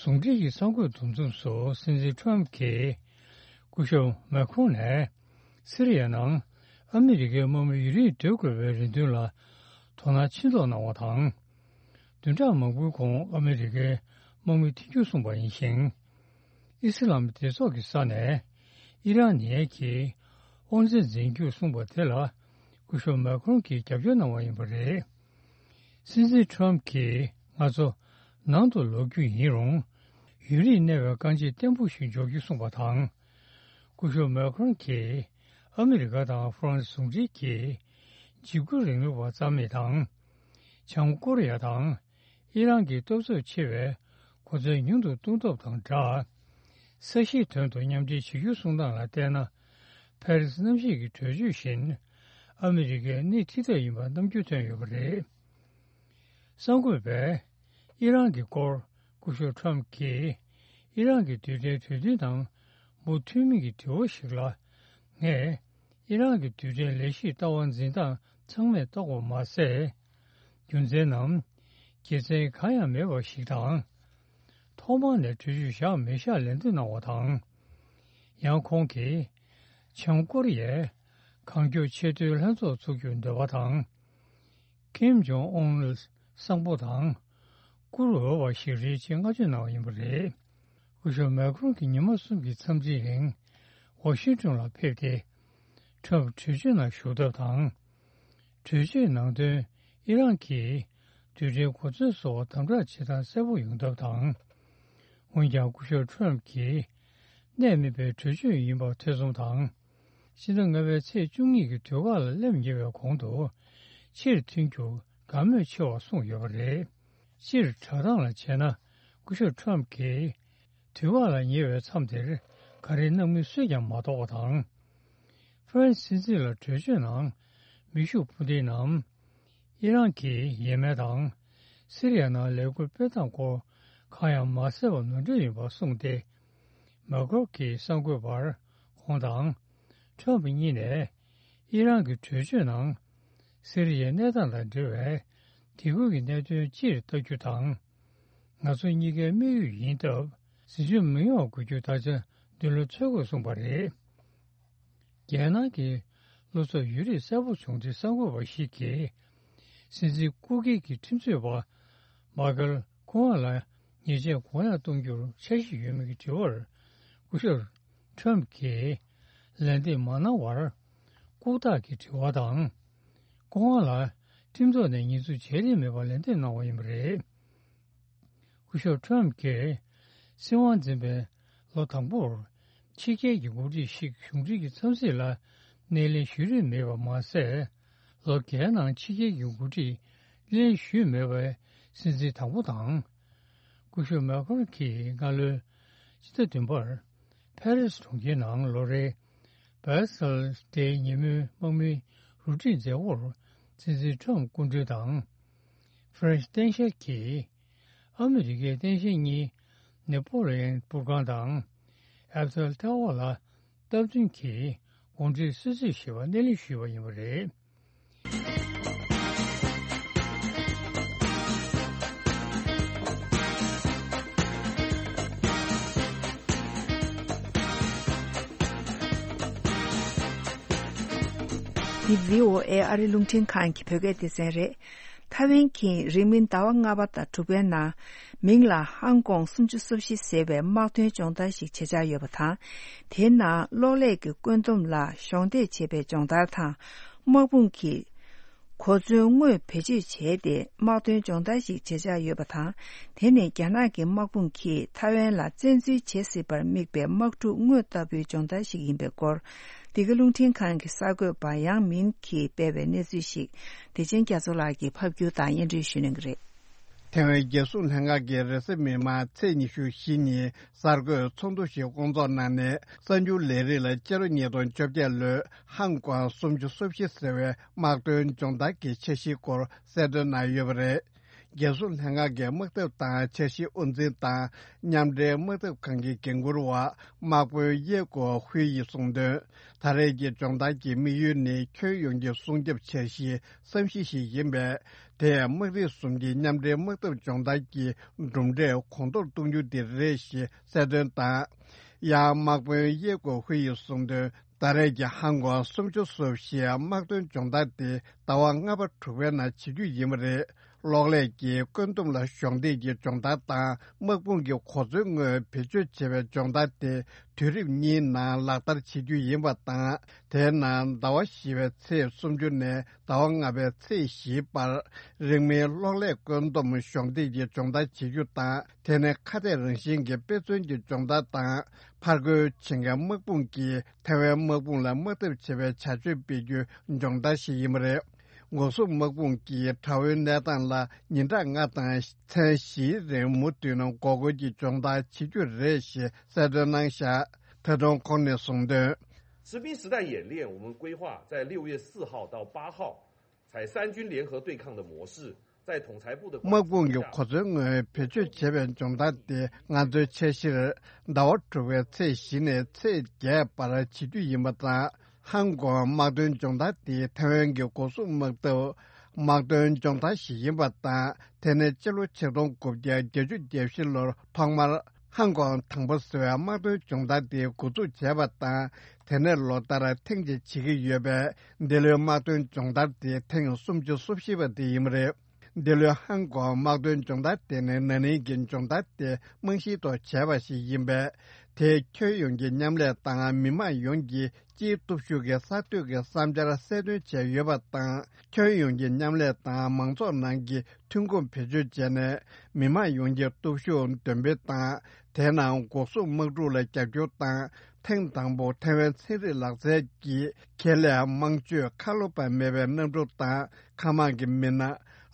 ཟུང་འབྲེལ་གྱི་གསར་འགོད་འདུ་འཛོམས་སུ་སྲིད་འཛིན་ཊརམ་གྱིས་སྐུ་ཞབས་མཱ་ཁྲོན་ནས་སི་རི་ཡ་ནང་ཨ་མི་རི་ཀའི་དམག་མི་ཡུན་རིང་སྡོད་དགོས་པའི་རེ་འདུན་ལ་དོ་སྣང་ཆེ་མདོག་གནང་བ་དང་། བདུན་ཕྲག་མང་པོའི་གོང་ཨ་མི་རི་ཀའི་དམག་མི་འཐེན་འཁྱེར་སོང་པ་ཡིན་ཞིང་། ཨི་སི་ལམ་སྡེ་ཚོགས་ཀྱི་ས་ནས་ཨི་རན་ཉེན་གྱིས་དབང་འཛིན་འཛིན་རྒྱུར་གསུངས་པ་དེ་ལ་སྐུ་ཞབས་མཱ་ཁྲོན་གྱིས་རྒྱབ་སྐྱོར་གནང་བ་ཡིན་པ་རེད། སྲིད་འཛིན་ཊརམ་གྱིས་ང་ཚོ་ནང་དུ་ལོག་རྒྱུ་ཡིན་རུང་། ཡུན་རིང་གནས་པའི་རྐང་རྗེས་བརྟན་པོ་ཞིག་འཇོག་རྒྱུ་གསུངས་པ་དང་། སྐུ་ཞབས་མཱ་ཁྲོན་གྱིས་ཨ་མི་རི་ཀ་དང་ཧྥ་རན་སི་ཟུང་འབྲེལ་གྱིས་འཇིགས་སྐུལ་རིང་ལུགས་པ་རྩ་མེད་དང་། བྱང་ཀོ་རི་ཡ་དང་ཨི་རན་གྱི་སྟོབས་ཚབས་ཆེ་བའི་གོ་མཚོན་ཉུང་དུ་གཏོང་ཐབས་དང་སྦྲགས། ས་གཞིའི་དོན་དུ་མཉམ་འབྲེལ་བྱེད་རྒྱུ་གསུངས་སྟངས་ལ་བལྟས་ན། ཕ་རི་སི་གནམ་གཤིས་ཀྱི་གྲོས་ཆོད་བཞིན་ཨ་མི་རི་ཀའི་སྣེ་ཁྲིད་ཐབས་ཡིན་པ་རྣམ་འགྱུར་ཐོན་ཡོད་པ་རེད། གསར་འགོད་པས་ཨི་རན་གྱི་སྐོར་སྐུ་ཞབས་ཊརམ་གྱིས་ཨི་རན་གྱི་རྡུལ་ཕྲན་གྲོས་མཐུན་དང་མུ་མཐུད་མིན་གྱི་དྲི་བ་ཞིག་ལ། ངས་ཨི་རན་གྱི་རྡུལ་ཕྲན་ལས་གཞིའི་ལྟ་བ་འཛིན་སྟངས་ཚང་མས་རྟོགས་པ་མ་ཟད། རྒྱུ་མཚན་ནམ། དགེ་མཚན་གང་ཡང་མེད་པ་ཞིག་དང་། ཐོག་མར་ནས་གྲོས་ཆོད་བཞག་མི་བཞག་ལན་འདེབས་གནང་བ་དང་། ཡང་ཁོང་གིས་བྱང་ཀོ་རི་ཡས་གང་མགྱོགས་ཆེས་མཐོའི་ལྷན་ཚོགས་འཚོགས་རྒྱུར་འདོད་པ་དང་། ཀིམ་ཇོང་ཨུན་ལ་བཟང་པོ་དང་བཀུར་འོས་པ་ཞིག་རེད་ཅེས་བསྔགས་བརྗོད་གནང་བ་ཡིན་པ་རེད། སྐུ་ཞབས་མཱ་ཁྲོན་གྱིས་ཉི་མ་གསུམ་གྱི་འཚམས་གཟིགས་རིང་ཝ་ཤིང་ཏོན་ལ་ཕེབས་ཏེ། ཊརམ་གྲོས་ཆོད་ནང་ཞུགས་ཐབས་དང་། གྲོས་ཆོད་ནང་དོན་ཨི་རན་གྱིས་རྡུལ་ཕྲན་གོ་མཚོན་བཟོ་བར་དམ་དྲག་བྱེད་སྟངས་གསལ་པོ་ཡོང་ཐབས་དང་། འོན་ཀྱང་སྐུ་ཞབས་ཊརམ་གྱིས་གནད་སྨིན་པའི་གྲོས་ཆོད་ཡིན་པ་ཐེ་ཚོམ་དང་། ཕྱི་ཟླ་ལྔ་པའི་ཚེས་བཅུ་གཉིས་ཀྱི་དུས་བཀག་ལ་སླེབས་ཉེ་བའི་གོང་དུ་ཕྱིར་ཐོན་རྒྱུ་དགའ་མོས་ཆེ་བར་གསུངས་ཡོད་པ་རེད། སྤྱིར་བསྒྲགས་སྟངས་ལ་བྱས་ན་སྐུ་ཞབས་ཊརམ་གྱིས་དུས་བཀག་ལ་ཉེ་བའི་མཚམས་དེར་ག་རེ་གནང་མིན་སུས་ཀྱང་མ་རྟོགས་པ་དང་། ཧྥ་རན་སི་སྲིད་འཛིན་ལ་གྲོས་ཆོད་ནང་མེ་ཤུགས་འཕུར་མདེལ་ནམ། ཨི་རན་གྱི་ཡས་མས་དང་། སི་རི་ཡ་ནང་ལས་འགུལ་སྤེལ་སྟངས་སྐོར་གང་ཡང་མ་གསལ་བ་ནོར་འཁྲུལ་ཡིན་པ་གསུངས་ཏེ། མཱ་ཁྲོན་གྱིས་གསར་འགོད་པར་ཁོང་དང་ཁྲོམ་གཉིས་ནས་ཨི་རན་གྱི་གྲོས་ཆོད་ནང་སི་རི་ཡའི་གནས་སྟངས་དང་འབྲེལ་བའི་དེ་ཁུལ་གྱི་གནད་དོན་སྤྱིར་བལྟ་རྒྱུ་དང་། ང་ཚོ་གཉིས་ཀའི་དམིགས་ཡུལ་ཡིན་སྟབས། ཟིན་བྲིས་མི་ཡོང་བ་དགོས་རྒྱུ་ད་ཆ་མདུན་ལམ་འཚོལ་དགོས་གསུངས་པ་རེད། རྒྱལ་ནང་གི་བློ་འཚབ་ཡོད་རིགས་གསལ་པོ་བྱུང་སྟེ་གསར་འགོད་པ་ཞིག་གིས། སྲིད་འཛིན་སྐུ་སྒེར་གྱི་ཁྲིམས་རྩོད་པ་མཱ་ཀལ་ཀོ་ཝན་ལ་ཉེས་ཆད་གུང་ཡངས་གཏོང་རྒྱུར་འཆར་གཞི་ཡོད་མེད་ཀྱི་དྲི་བར། སྐུ་ཞབས་ཁྲམ་གྱིས་ལན་འདེབས་མ་གནང་བར། ལྐུགས་རྟགས་ཀྱི་དྲི་བ་དང་། ཀོ་ཝན་ལ་ཁྲིམས་ཐོག་ནས་ཉེས་འཛུགས་བྱས་རིན་མེད་པར་ལན་འདེབས་གནང་བ་ཡིན་པ་རེད། སྐུ་ཞབས་ཁྲམ་གྱིས་སྲིད་དབང་འཛིན་པའི་ལོ་དང་པོར། ཕྱི་རྒྱལ་གྱི་འགོ་ཁྲིད་ཞིག་གཞུང་འབྲེལ་གྱི་འཚམས་གཟིགས་ལ་སྣེ་ལེན་ཞུ་རིན་མེད་པ་མ་ཟད། ལོ་བརྒྱད་ནང་ཕྱི་རྒྱལ་གྱི་འགོ་ཁྲིད་ལེན་ཞུས་མེད་པའི་སྲིད་འཛིན་དང་པོ་དང་། སྐུ་ཞབས་མེ་ཁོན་གྱིས་སྔ་ལོའི་ཕྱི་ཟླ་བདུན་པར་ཕ་རི་སི་གྲོང་ཁྱེར་ནང་ལོ་རེའི་བྷེ་སལ་ཌེ་ཉིན་མོའི་དམག་མིའི་རུ་སྒྲིག་མཛད་སྒོར་སྲིད་འཛིན་ཁྲམ་སྐུ་མགྲོན་དང་། ཧྥ་རན་སི་སྟངས་དཔྱལ་གྱིས་ཨ་མི་རི་ཀའི་སྟངས་དཔྱལ་གཉིས་ནེ་པོ་ལི་ཡན་པུར་ཁང་དང་ཨེ་ཕེལ་ཊ་ཝར་ལ་སྟབས་བསྟུན་གྱིས་གུང་ཁྲན་གསོལ་ཚིགས་ཞེས་པ་སྣེ་ལེན་ཞུས་པ་ཡིན་པ་རེད། འདི་བྷི་ཨོ་ཨེ་ཨ་རི་རླུང་འཕྲིན་ཁང་གི་བོད་སྐད་སྡེ་ཚན་རེད། ཐའེ་ཝན་གྱིས་རིང་མིན་ཟླ་བ་ལྔ་པ་དང་དྲུག་པའི་ནང་མིང་ལ་ཧང་ཀོང་སུམ་ཅུ་སོ་བཞི་ཟེར་བའི་དམག་དོན་སྦྱོང་བརྡར་ཞིག་བྱེད་འཆར་ཡོད་པ་དང་། དེའི་ནང་གློག་ཀླད་ཀྱི་བཀོད་འདོམས་ལ་གཞོགས་འདེགས་བྱེད་པའི་སྦྱོང་བརྡར་དང་། དམག་དཔུང་གི་གོ་མཚོན་དངོས་བེད་སྤྱོད་བྱས་ཏེ་དམག་དོན་སྦྱོང་བརྡར་ཞིག་བྱེད་འཆར་ཡོད་པ་དང་། དེ་ནི་རྒྱ་ནག་གི་དམག་དཔུང་གིས་ཐའེ་ཝན་ལ་བཙན་འཛུལ་བྱེད་སྲིད་པར་དམིགས་པའི་དམག་འཁྲུག་དངོས་ལྟ་བུའི་སྦྱོང་བརྡར་ཞིག་ཡིན་པའི་སྐོར། འདི་ག་རླུང་འཕྲིན་ཁང་གི་གསར་འགོད་པ་ཡང་མིན་གྱིས་སྤེལ་བའི་གནས་ཚུལ་ཞིག་བདེ་ཆེན་རྒྱ་མཚོ་ལགས་ཀྱིས་ཕབ་སྒྱུར་དང་སྙན་སྒྲོན་ཞུ་གནང་གི་རེད། ཐེ་ཝན་རྒྱལ་སྲུང་ལྷན་ཁང་གིས་རེས་གཟའ་མིག་དམར་ཚེས་ཉི་ཤུ་བཞི་ཉིན་གསར་འགོད་ཚོགས་འདུ་ཞིག་སྐོང་ཚོགས་གནང་ནས། གསར་འགྱུར་ལས་རིགས་ལ་ཕྱི་ལོ་ཉིས་སྟོང་བཅོ་བརྒྱད་ལོའི་ཧང་ཀོང་སུམ་ཅུ་སོ་བཞི་ཟེར་བའི་དམག་དོན་སྦྱོང་བརྡར་གྱི་འཆར་གཞིའི་སྐོར་གསལ་སྟོན་གནང་ཡོད་པ་རེད། རྒྱལ་སྲུང་ལྷན་ཁང་གི་དམག་འཐབ་དང་འཆར་གཞིའི་དབུ་འཛིན་དང་མཉམ་འབྲེལ་དམག་འཐབ་ཁང་གི་འགན་འཁུར་བ་དམག་དཔོན་ཡེ་ཀོ་ཧུའེ་ཡིས་གསུངས་དོན། ད་རེས་ཀྱི་སྦྱོང་བརྡར་གྱི་དམིགས་ཡུལ་ནི་ཁྱོན་ཡོངས་ཀྱི་སྲུང་སྐྱོབ་འཆར་གཞིའི་བསམ་གཞི་ཞིག་ཡིན་པས། དེས་དམག་རིགས་གསུམ་གྱི་མཉམ་འབྲེལ་དམག་འཐབ་སྦྱོང་བརྡར་གྱི་གྲུབ་འབྲས་གོང་མཐོར་གཏོང་རྒྱུ་དེ་རེད་ཞེས་གསལ་སྟོན་དང་། ཡང་དམག་དཔོན་ཡེ་ཀོ་ཧུའེ་ཡིས་གསུངས་དོན། ད་རེས་ཀྱི་ཧང་ཀོང་སུམ་ཅུ་སོ་བཞིའི་དམག་དོན་སྦྱོང་བརྡར་དེ་ཟླ་བ་ལྔ་པ་དྲུག་པའི་ནང་བྱེད་རྒྱུ་ཡིན་པ་རེད། གློག་ཀླད་ཀྱི་བཀོད་འདོམས་ལ་གཞོགས་འདེགས་ཀྱི་སྦྱོང་བརྡར་དང་། དམག་དཔུང་གི་གོ་མཚོན་དངོས་བེད་སྤྱོད་བྱེད་པའི་སྦྱོང་བརྡར་དེ་དུས་རིམ་གཉིས་ནང་ལག་བསྟར་བྱེད་རྒྱུ་ཡིན་པ་དང་། དེའི་ནང་ཟླ་བ་བཞི་པའི་ཚེས་སུམ་ཅུ་ནས་ཟླ་བ་ལྔ་པའི་ཚེས་བཞིའི་བར། རིང་མིན་གློག་ཀླད་བཀོད་འདོམས་གཞོགས་འདེགས་ཀྱི་སྦྱོང་བརྡར་བྱེད་རྒྱུ་དང་། དེ་ནི་ཁ་གཏད་རང་བཞིན་གྱི་དཔེ་མཚོན་གྱི་སྦྱོང་བརྡར་དང་། ཕར་རྒོལ་བྱེད་མཁན་དམག་དཔུང་གིས་ཐའེ་ཝན་དམག་དཔུང་ལ་དམག་འཐབ་བྱེད་པའི་བྱ་སྤྱོད་སྤེལ་རྒྱུའི་སྦྱོང་བརྡར་ཞིག་ཡིན་པ་རེད། འགོག་སྲུང་དམག་དཔུང་གིས་དགྲ་བོའི་གནས་སྟངས་ལ་ཉིན་གྲངས་ལྔ་དང་མཚན་བཞིའི་རིང་མུ་མཐུད་ནས་འགོག་རྒོལ་གྱི་སྦྱོང་བརྡར་བྱེད་རྒྱུ་རེད་ཞེས་གསལ་སྟོན་གནང་བཞག་ད་དུང་ཁོང་ནས་གསུངས་དོན། 实兵实弹演练，我们规划在六月四号到八号，采三军联合对抗的模式，在统裁部的 དམག་དཔུང་གི་གོ་མཚོན་དངོས་བེད་སྤྱོད་བྱེད་པའི་སྦྱོང་བརྡར་དེ་ང་ཚོའི་འཆར་གཞིར་ཟླ་བ་དྲུག་པའི་ཚེས་བཞི་ནས་ཚེས་བརྒྱད་བར་བྱེད་རྒྱུ་ཡིན་པ་དང་། ཧང་ཀོང་དམག་དོན་སྦྱོང་བརྡར་དེ་ཐའེ་ཝན་གྱི་འགོག་སྲུང་དམག་འཐབ་དམག་དོན་སྦྱོང་བརྡར་ཞིག་ཡིན་པ་དང་། དེ་ནི་སྤྱི་ལོ་ཆིག་སྟོང་དགུ་བརྒྱ་བརྒྱད་ཅུ་གྱ་བཞི་ལོར་ཐོག་མར་ཧང་ཀོང་དང་པོ་ཟེར་བའི་དམག་དོན་སྦྱོང་བརྡར་དེ་འགོ་འཛུགས་བྱས་པ་དང་། དེ་ནས་ལོ་ལྟར་ཐེངས་གཅིག་བྱེད་ཀྱི་ཡོད་པས། འདི་ལོའི་དམག་དོན་སྦྱོང་བརྡར་དེ་ཐེངས་སུམ་ཅུ་སོ་བཞི་པ་དེ་ཡིན་པ་རེད། འདི་ལོའི་ཧང་ཀོང་དམག་དོན་སྦྱོང་བརྡར་དེ་ནི་ན་ནིང་གི་སྦྱོང་བརྡར་དེ་རྨང་གཞིའི་ཐོག་བྱས་པ་ཞིག་ཡིན་པས། དེས་ཁྱོན་ཡོངས་ཀྱི་མཉམ་ལས་དང་མི་དམངས་ཡོངས་ཀྱི་སྤྱིའི་སྟོབས་ཤུགས་ཀྱི་གསར་གཏོད་ཀྱི་བསམ་འཆར་གསལ་སྟོན་བྱས་ཡོད་པ་དང་། ཁྱོན་ཡོངས་ཀྱི་མཉམ་ལས་དང་མང་ཚོགས་ནང་གི་ཐོན་ཁུངས་བེད་སྤྱོད་བྱས་ནས། མི་དམངས་ཡོངས་ཀྱི་སྟོབས་ཤུགས་འདོན་སྤེལ་དང་། དེའི་ནང་འགོག་སྲུང་དམག་འཁྲུག་ལ་རྒྱབ་སྐྱོར་དང་། ཐེངས་དང་པོ་ཐའེ་ཝན་ཚན་རིག་ལག་རྩལ་གྱི་ཁེ་ལས་དམངས་སྤྱོད་ཁ་ལོ་པ་མེད་པའི་གནམ་གྲུ་དང་། མཁའ་དམག་གི་མི་སྣ།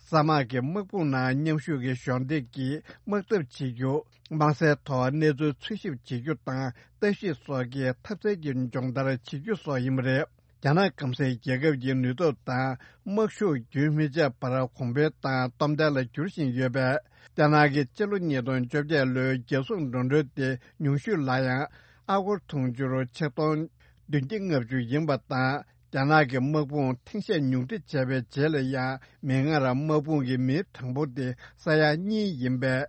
ས་དམག་གི་དམག་དཔུང་ནང་མཉམ་ཞུགས་ཀྱི་གཞོགས་འདེགས་ཀྱིས་དམག་འཐབ་བྱེད་རྒྱུ། དམག་སའི་ཐོག་གནས་ཚུལ་འཚོལ་ཞིབ་བྱེད་རྒྱུ་དང་། ལྟ་ཞིབ་སོགས་ཀྱི་འཐབ་རྩལ་གྱི་སྦྱོང་བརྡར་བྱེད་རྒྱུ་སོགས་ཡིན་པ་རེད། རྒྱ་ནག་སྐམ་སའི་རྒྱལ་ཁབ་ཀྱི་ནུས་སྟོབས་དང་། དམག་ཤུགས་རྒྱུན་མི་ཆད་པར་གོང་འཕེལ་དང་སྟོབས་ལྡན་ལ་འགྱུར་བཞིན་ཡོད་པས། རྒྱ་ནག་གི་སྤྱི་ལོ་ཉིས་སྟོང་བཅོ་བརྒྱད་ལོའི་རྒྱལ་སྲུང་འགྲོ་གྲོན་དེ་ཉུང་ཤོས་ལ་ཡང་ཨ་སྒོར་དུང་ཕྱུར་ཆིག་སྟོང་བདུན་བརྒྱ་ལྔ་བཅུ་ཡིན་པ་དང་། རྒྱ་ནག་གི་དམག་དཔུང་ཐེངས་ཤས་ཉུང་འཕྲི་བྱས་པའི་རྗེས་ལ་ཡང་། མིག་སྔར་དམག་དཔུང་གི་མིའི་གྲངས་འབོར་དེ་ས་ཡ་གཉིས་ཡིན་པས།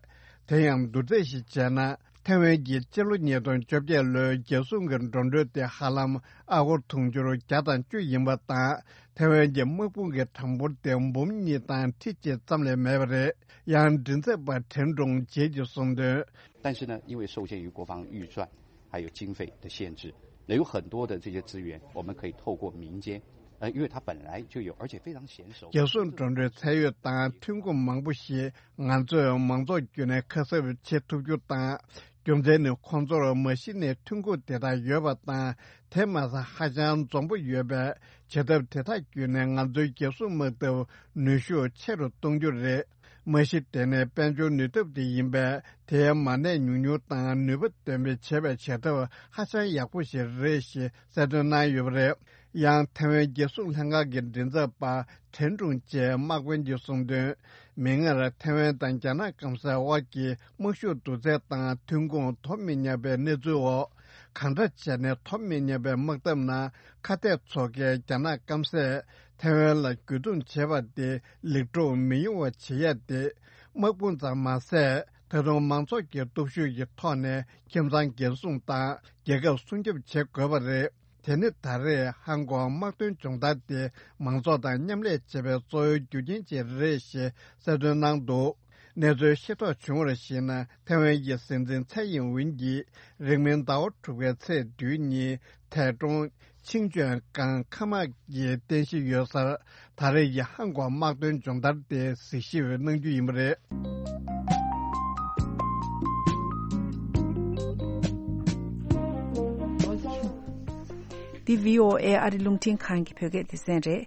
དེ་ཡང་བསྡུར་ཚད་ཞིག་བྱས་ན། ཐའེ་ཝན་གྱི་སྤྱི་ལོ་ཉིས་སྟོང་བཅོ་བརྒྱད་ལོའི་རྒྱལ་སྲུང་གི་འགྲོ་གྲོན་དེ་ཧ་ལམ་ཨ་སྒོར་དུང་ཕྱུར་བརྒྱ་དང་བཅུ་ཡིན་པ་དང་། ཐའེ་ཝན་གྱི་དམག་དཔུང་གི་གྲངས་འབོར་དེ་འབུམ་གཉིས་དང་ཁྲི་གཅིག་ཙམ་ལས་མེད་པ་རེད། ཡང་མགྲིན་ཚབ་པ་ཁྲེན་ཀྲུང་ཇེ་གྱིས་གསུངས་དོན། 但是呢，因为受限于国防预算还有经费的限制，那有很多的这些资源，我们可以透过民间，呃，因为它本来就有，而且非常娴熟。རྒྱལ་སྲུང་འགྲོ་གྲོན་ཚད་ཡོད་དང་ཐོན་ཁུངས་མང་པོ་ཞིག་ང་ཚོས་མང་ཚོགས་བརྒྱུད་ནས་ཁ་གསབ་བྱེད་ཐུབ་རྒྱུ་དང་། རྒྱུ་མཚན་ནི་ཁོང་ཚོར་མ་གཞི་ནས་ཐོན་ཁུངས་དེ་དག་ཡོད་པ་དང་། དེ་མ་ཟད་ཧ་ཅང་འཛོམས་པོ་ཡོད་པས། བྱེད་ཐབས་དེ་དག་བརྒྱུད་ནས་ང་ཚོའི་རྒྱལ་སྲུང་དམག་འཐབ་ནུས་ཤུགས་ཆེ་རུ་གཏོང་རྒྱུ་རེད། མ་གཞི་དེ་ནི་དཔལ་འབྱོར་ནུས་སྟོབས་དེ་ཡིན་པས། དེའི་མ་གནས་ཉུང་ཉུང་དང་ནུས་པ་འདོན་སྤེལ་བྱེད་པའི་བྱེད་ཐབས་ཧ་ཅང་ཡག་པོ་ཞིག་རེད་ཞེས་གསལ་སྟོན་གནང་ཡོད་པ་རེད། ཡང་ཐའེ་ཝན་རྒྱལ་སྲུང་ལྷན་ཁང་གི་མགྲིན་ཚབ་པ་ཁྲེན་ཀྲུང་ཅེས་དམག་དཔོན་གྱིས་གསུངས་དོན། མིག་སྔར་ཐའེ་ཝན་དང་རྒྱ་ནག་སྐམ་སའི་དབར་གྱི་དམག་ཤུགས་བསྡུར་ཚད་དང་ཐོན་ཁུངས་དོ་མི་མཉམ་པའི་གནས་ཚུལ་འོག་གང་འདྲ་བྱས་ནས་དོ་མི་མཉམ་པའི་དམག་འཐབ་ནང་ཁ་གཏད་ཚོགས་ཁག་རྒྱ་ནག་སྐམ་སས་ཐའེ་ཝན་ལ་རྒོལ་རྡུང་བྱེད་པ་དེ་ལེགས་གྲུབ་མི་ཡོང་བ་བྱེད་ཡ་དེ། དམག་དཔུང་ཙམ་མ་ཟད། ད་དུང་མང་ཚོགས་ཀྱི་སྟོབས་ཤུགས་ཀྱི་ཐོག་ནས་ཁྱིམ་ཚང་འགན་སྲུང་དང་རྒྱལ་ཁབ་སྲུང་སྐྱོབ་བྱེད་དགོས་པ་རེད། དེ་ནི་ད་རེས་ཧང་ཀོང་དམག་དོན་སྦྱོང་བརྡར་དེ་མང་ཚོགས་དང་མཉམ་ལས་བྱེད་པའི་གཙོ་བོའི་རྒྱུ་རྐྱེན་ཅིག་རེད་ཞེས་གསལ་སྟོན་གནང་འདུག་གནས་ཚུལ་ཤེས་རྟོགས་བྱུང་བར་གཞིགས་ན། ཐའེ་ཝན་གྱི་སྲིད་འཛིན་ཚའེ་ཡིན་ཝིན་གྱིས་རིང་མིན་ཟླ་བ་དྲུག་པའི་ཚེས་བདུན་ཉིན་ཐའེ་ཀྲུང་ཆིང་ཅོན་ཀང་མཁའ་དམག་གི་རྟེན་གཞི་ཡོད་སར་ད་རེས་ཀྱི་ཧང་ཀོང་དམག་དོན་སྦྱོང་བརྡར་དེ་གཟིགས་ཞིབ་གནང་རྒྱུ་ཡིན་པ་རེད། འདི་བྷི་ཨོ་ཨེ་ཨ་རི་རླུང་འཕྲིན་ཁང་གི་བོད་སྐད་སྡེ་ཚན་རེད།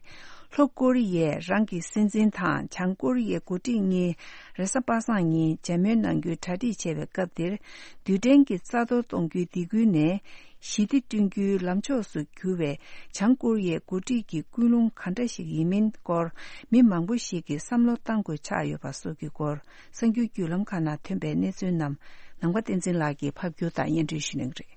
ལྷོ་ཀོ་རི་ཡས་རང་གི་སྲིད་འཛིན་དང་བྱང་ཀོ་རི་ཡའི་འགོ་ཁྲིད་གཉིས་རེས་གཟའ་པ་སངས་ཉིན་མཇལ་མོལ་གནང་རྒྱུའི་གྲ་སྒྲིག་བྱས་པའི་སྐབས་དེར། རྡུལ་ཕྲན་གྱི་རྩ་གཏོར་གཏོང་རྒྱུའི་སྡིགས་སྐུལ་ནས་ཞི་བདེ་བསྐྲུན་རྒྱུའི་ལམ་ཕྱོགས་སུ་གྱུར་བའི་བྱང་ཀོ་རི་ཡའི་འགོ་ཁྲིད་ཀྱི་ཀུན་སློང་ག་འདྲ་ཞིག་ཡིན་མིན་སྐོར་མི་མང་པོ་ཞིག་གིས་བསམ་བློ་གཏང་དགོས་ཆགས་ཡོད་པ་སོགས་ཀྱི་སྐོར་གསར་འགྱུར་བརྒྱུད་ལམ་ཁག་ནང་ཐོན་པའི་གནས་ཚུལ་རྣམས་ནམ་མཁའ་བསྟན་འཛིན་ལགས་ཀྱིས་ཕབ་སྒྱུར་དང་སྙན་སྒྲོན་ཞུ་གནང་གི་རེད།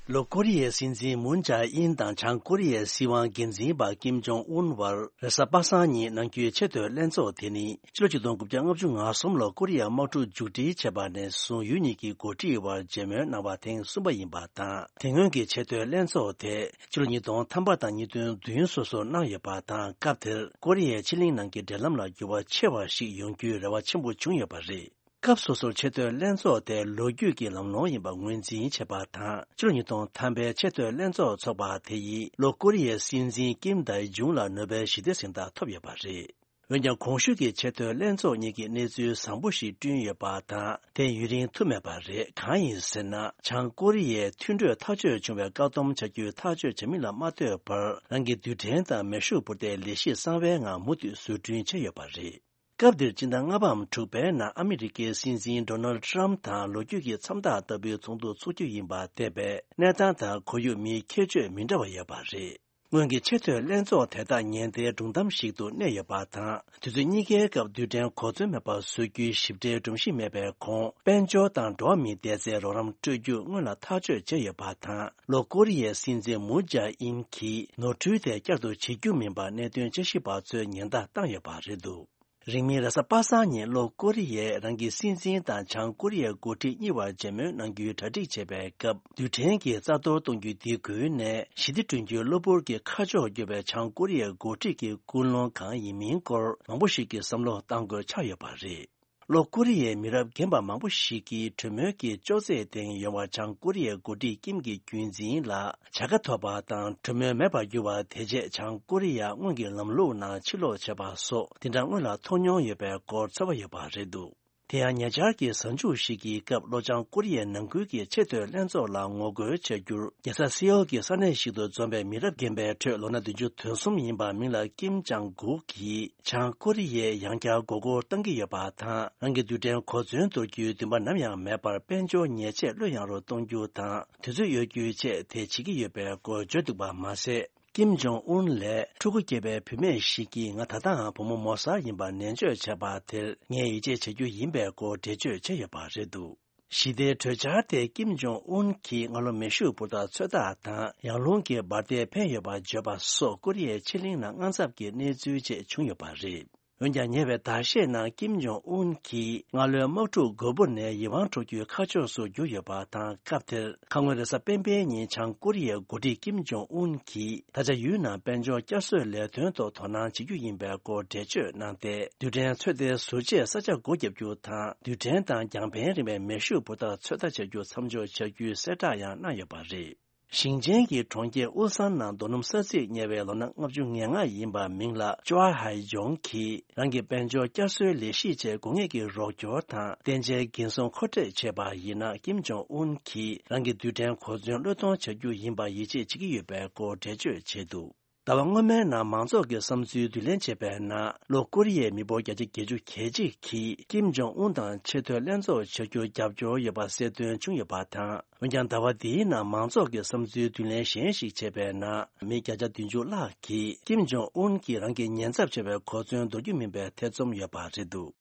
ལྷོ་ཀོ་རི་ཡའི་སྲིད་འཛིན་མུན་ཇཱ་ཨིན་དང་བྱང་ཀོ་རི་ཡའི་སྲིད་དབང་འགན་འཛིན་པ་ཀིམ་ཇོང་ཨུན་བར་རེས་གཟའ་པ་སངས་ཉིན་གནང་རྒྱུའི་ཆེས་མཐོའི་ལྷན་ཚོགས་དེ་ནི་ཕྱི་ལོ་ཆིག་སྟོང་དགུ་བརྒྱ་ལྔ་བཅུ་ང་གསུམ་ལོར་ཀོ་རི་ཡ་དམག་འཁྲུག་མཇུག་སྒྲིལ་བྱས་པ་ནས་བཟུང་ཡུལ་གཉིས་ཀྱི་འགོ་ཁྲིད་བར་མཇལ་མོལ་གནང་བ་ཐེངས་གསུམ་པ་ཡིན་པ་དང་། དེ་སྔོན་གྱི་ཆེས་མཐོའི་ལྷན་ཚོགས་དེ་ཕྱི་ལོ་ཉིས་སྟོང་ཐམ་པ་དང་ཉིས་སྟོང་བདུན་སོ་སོར་གནང་ཡོད་པ་དང་། སྐབས་དེར་ཀོ་རི་ཡའི་ཕྱེད་གླིང་ནང་གི་འབྲེལ་ལམ་ལ་འགྱུར་བ་ཆེ་བ་ཞིག་ཡོང་རྒྱུའི་རེ་བ་ཆེན་པོ་བྱུང་ཡོད་པ་རེད། སྐབས་སོ་སོར་ཆེས་མཐོའི་ལྷན་ཚོགས་དེ་ལོ་རྒྱུས་ཀྱི་ལམ་ལྷོང་ཡིན་པ་ངོས་འཛིན་བྱས་པ་དང་། ཕྱི་ལོ་ཉིས་སྟོང་ཐམ་པའི་ཆེས་མཐོའི་ལྷན་ཚོགས་འཚོགས་པ་དེ་ཡིས་ལྷོ་ཀོ་རི་ཡའི་སྲིད་འཛིན་ཀིམ་དཱི་ཇུང་ལ་ནོ་བེལ་ཞི་བདེ་གཟེངས་རྟགས་ཐོབ་ཡོད་པ་རེད། འོན་ཀྱང་གོང་ཞུས་ཀྱི་ཆེས་མཐོའི་ལྷན་ཚོགས་གཉིས་ཀྱིས་གནས་ཚུལ་བཟང་པོ་ཞིག་བསྐྲུན་ཡོད་པ་དང་། དེ་ཡུན་རིང་ཐུབ་མེད་པ་རེད། གང་ཡིན་ཟེར་ན། བྱང་ཀོ་རི་ཡས་མཐུན་གྲོས་ཐག་གཅོད་བྱུང་བའི་བཀག་སྡོམ་བྱ་རྒྱུའི་ཐག་གཅོད་བྱ་མིན་ལ་མ་ལྟོས་པར། རང་གི་རྡུལ་ཕྲན་དང་མེ་ཤུགས་འཕུར་མདེལ་ལས་གཞི་གསང་བའི་ངང་མུ་མཐུད་བཟོ་སྐྲུན་བྱས་ཡོད་པ་རེད། སྐབས་འདིར་སྤྱི་ཟླ་ལྔ་པའམ་དྲུག་པའི་ནང་ཨ་མི་རི་ཀའི་སྲིད་འཛིན་ཌོ་ནལ་ཌི་ཊརམ་ཕི་དང་ལོ་རྒྱུས་ཀྱི་མཚམས་རྟགས་ལྟ་བུའི་ཚོགས་འདུ་འཚོགས་རྒྱུ་ཡིན་པ་འདས་པས། གནས་སྟངས་དང་ཁོར་ཡུག་མིའི་ཁྱད་ཆོས་མི་འདྲ་བ་ཡོད་པ་རེད། སྔོན་གྱི་ཆེས་མཐོའི་ལྷན་ཚོགས་དེ་དག་ཉེན་བརྡའི་སྒྲུང་གཏམ་ཞིག་ཏུ་གནས་ཡོད་པ་དང་། དུས་ཚོད་གཉིས་ཀའི་སྐབས་རྡུལ་ཕྲན་གོ་མཚོན་མེད་པར་བཟོ་རྒྱུའི་ཞིབ་ཕྲའི་སྒྲོམ་གཞི་མེད་པའི་གོང་། དཔལ་འབྱོར་དང་འགྲོ་བ་མིའི་བདེ་རྩའི་རོགས་རམ་སྤྲོད་རྒྱུ་སྔོན་ལ་ཐག་གཅོད་བྱས་ཡོད་པ་དང་། ལྷོ་ཀོ་རི་ཡའི་སྲིད་འཛིན་མུན་ཇཱ་ཨིན་གྱིས་ནོར་འཁྲུལ་དེ་བསྐྱར་དུ་བྱེད་རྒྱུ་མིན་པར་གནད་དོན་དཔྱད་ཞིབ་པ་ཚོས་ཉེན་བརྡ་བཏང་ཡོད་པ་རེད་འདུག་རིང་མིན་རེས་གཟའ་པ་སངས་ཉིན་ལྷོ་ཀོ་རི་ཡས་རང་གི་སྲིད་འཛིན་དང་བྱང་ཀོ་རི་ཡའི་འགོ་ཁྲིད་གཉིས་བར་མཇལ་མོལ་གནང་རྒྱུའི་གྲ་སྒྲིག་བྱས་པའི་སྐབས། རྡུལ་ཕྲན་གྱི་རྩ་གཏོར་གཏོང་རྒྱུའི་སྡིགས་སྐུལ་ནས་ཞི་བདེ་བསྐྲུན་རྒྱུའི་གློ་བུར་གྱི་ཁ་ཕྱོགས་བསྒྱུར་བའི་བྱང་ཀོ་རི་ཡའི་འགོ་ཁྲིད་ཀྱི་ཀུན་སློང་གང་ཡིན་མིན་སྐོར་མང་པོ་ཞིག་གིས་བསམ་བློ་གཏང་དགོས་ཆགས་ཡོད་པ་རེད། ལྷོ་ཀོ་རི་ཡའི་མི་རབས་རྒན་པ་མང་པོ་ཞིག་གིས་གྲོས་མོལ་གྱི་ཅོག་ཙེའི་སྟེང་ཡོང་བར་བྱང་ཀོ་རི་ཡའི་འགོ་ཁྲིད་ཀིམ་གྱི་རྒྱུན་འཛིན་ལ་བྱ་དགའ་ཐོབ་པ་དང་། གྲོས་མོལ་མེད་པར་གྱུར་བ་དེ་རྗེས་བྱང་ཀོ་རི་ཡ་སྔོན་གྱི་ལམ་ལུགས་ནང་ཕྱིར་ལོག་བྱས་པ་སོགས་དེ་འདྲ་སྔོན་ལ་མཐོང་མྱོང་ཡོད་པའི་སྐོར་ཚོར་བ་ཡོད་པ་རེད་འདུག་དེ་ཡང་ཉེ་ཆར་གྱི་གཟའ་མཇུག་ཞིག་གི་སྐབས་ལྷོ་བྱང་ཀོ་རི་ཡའི་ནང་ཁུལ་གྱི་ཆེས་མཐོའི་ལྷན་ཚོགས་ལ་ངོ་རྒོལ་བྱ་རྒྱུར་རྒྱལ་ས་སེའོལ་གྱི་ས་གནས་ཤིག་ཏུ་འཛོམས་པའི་མི་རབས་རྒན་པའི་ཁྲོད་ལོ་ན་བདུན་ཅུ་དོན་གསུམ་ཡིན་པ་མིང་ལ་ཀིམ་ཅང་གུག་གིས་བྱང་ཀོ་རི་ཡས་ཡང་བསྐྱར་མགོ་སྐོར་གཏང་གི་ཡོད་པ་དང་། རང་གི་རྡུལ་ཕྲན་གོ་མཚོན་གཏོར་རྒྱུའི་འདུན་པ་ནམ་ཡང་མེད་པར། དཔལ་འབྱོར་ཉེས་ཆད་བློ་ཡངས་རུ་གཏོང་རྒྱུ་དང་དུས་ཚོད་གཡོལ་རྒྱུའི་ཆེད་དེ་བྱེད་ཀྱི་ཡོད་པའི་སྐོར་བརྗོད་འདུག་པ་མ་ཟད། ཀིམ་ཇོང་ཨུན་ལས་ཕྲུ་གུ་སྐྱེས་པའི་བུད་མེད་ཞིག་གིས་ང་ད་ལྟའང་བུ་མོ་མོ་གསར་ཡིན་པར་ནན་བརྗོད་བྱས་པ་དེར་ངས་ཡིད་ཆེས་བྱ་རྒྱུ་ཡིན་པའི་སྐོར་འགྲེལ་བརྗོད་བྱས་ཡོད་པ་རེད་འདུག་ཞི་བདེའི་གྲོས་འཆར་དེ་ཀིམ་ཇོང་ཨུན་གྱིས་སྔ་ལོ་མེ་ཤུགས་འཕུར་མདའ་ཚོད་ལྟ་དང་ཡང་རླུང་གི་འབར་མདེལ་འཕེན་ཡོད་པ་བརྗོད་པ་སོགས་ཀོ་རི་ཡའི་ཕྱེད་གླིང་ནང་དངངས་འཚབ་ཀྱི་གནས་ཚུལ་བཅས་བྱུང་ཡོད་པ་རེད། འོན་ཀྱང་ཉེ་བའི་ཟླ་ཤས་ནང་ཀིམ་ཇོང་ཨུན་གྱིས་སྔ་ལོའི་དམག་འཁྲུག་འགོས་པོ་ནས་ཡིད་དབང་འཕྲོག་རྒྱུའི་ཁ་ཕྱོགས་སུ་བསྒྱུར་ཡོད་པ་དང་། སྐབས་དེར་ཁ་སྔོན་རེས་གཟའ་སྤེན་པའི་ཉིན་བྱང་ཀོ་རི་ཡའི་འགོ་ཁྲིད་ཀིམ་ཇོང་ཨུན་གྱིས་ད་ཆ་ཡུལ་ནང་དཔལ་འབྱོར་བསྐྱར་གསོའི་ལས་དོན་ཐོག་དོ་སྣང་བྱེད་རྒྱུ་ཡིན་པའི་སྐོར་འགྲེལ་བརྗོད་གནང་སྟེ། རྡུལ་ཕྲན་ཚོད་ལྟའི་ཟུར་བཅད་ས་ཆ་སྒོ་བརྒྱབ་རྒྱུ་དང་། རྡུལ་ཕྲན་དང་རྒྱང་འཕེན་རིང་བའི་མེ་ཤུགས་འབུར་ཐག་ཚོད་ལྟ་བྱ་རྒྱུ་མཚམས་འཇོག་བྱ་རྒྱུའི་གསལ་བསྒྲགས་ཡང་གནང་ཡོད་པ་རེད། ཞིང་ཆེན་གྱི་གྲོང་ཁྱེར་ཨུལ་སན་ནང་རྡོ་སྣུམ་ས་ཚིགས་ཉེ་བའི་ལོ་ན་ལྔ་བཅུ་ང་ལྔ་ཡིན་པ་མིང་ལ་ཅོ་ཧའེ་ཇོང་གིས་རང་གི་དཔལ་འབྱོར་བསྐྱར་གསོའི་ལས་གཞིའི་ཆེད་དགོས་ངེས་ཀྱི་རོགས་སྐྱོར་དང་བརྟན་ཆའི་འགན་སྲུང་མཁོ་སྤྲོད་བྱས་པ་ཡིན་ན། ཀིམ་ཇོང་ཨུན་གྱིས་རང་གི་རྡུལ་ཕྲན་གོ་མཚོན་བློས་གཏོང་བྱ་རྒྱུ་ཡིན་པ་ཡིད་ཆེས་བྱེད་ཀྱི་ཡོད་པའི་སྐོར་འགྲེལ་བརྗོད་བྱས་འདུག་ཟླ་བ་སྔོན་མའི་ནང་མང་ཚོགས་ཀྱི་བསམ་ཚུལ་བསྡུ་ལེན་བྱས་པའི་ནང་། ལྷོ་ཀོ་རི་ཡའི་མི་འབོར་བརྒྱ་ཆ་བརྒྱད་ཅུ་གྱ་གཅིག་གིས་ཀིམ་ཇོང་ཨུན་དང་ཆེས་མཐོའི་ལྷན་ཚོགས་བྱ་རྒྱུར་རྒྱབ་སྐྱོར་ཡོད་པ་གསལ་སྟོན་བྱུང་ཡོད་པ་དང་། འོན་ཀྱང་། ཟླ་བ་འདིའི་ནང་མང་ཚོགས་ཀྱི་བསམ་ཚུལ་བསྡུ་ལེན་གཞན་ཞིག་བྱས་པའི་ནང་། མི་བརྒྱ་ཆ་བདུན་ཅུ་ལྷག་གིས་ཀིམ་ཇོང་ཨུན་གྱིས་རང་གི་ཉེན་ཚབས་ཆེ་བའི་གོ་མཚོན་འདོར་རྒྱུ་མིན་པའི་ཐེ་ཚོམ་ཡོད་པ་རེད་འདུག་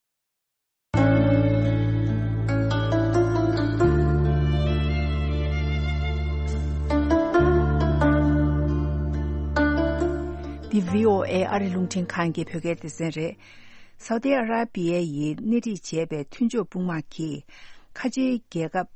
འདི་བྷི་ཨོ་ཨེ་ཨ་རི་རླུང་འཕྲིན་ཁང་གི་བོད་སྐད་སྡེ་ཚན་རེད། སའུ་ཏི་ཨ་ར་པི་ཡ་ཡིས་སྣེ་ཁྲིད་བྱས་པའི་མཐུན་ཕྱོགས་དཔུང་དམག་གིས། ཁ་ཆེའི་རྒྱལ་ཁབ་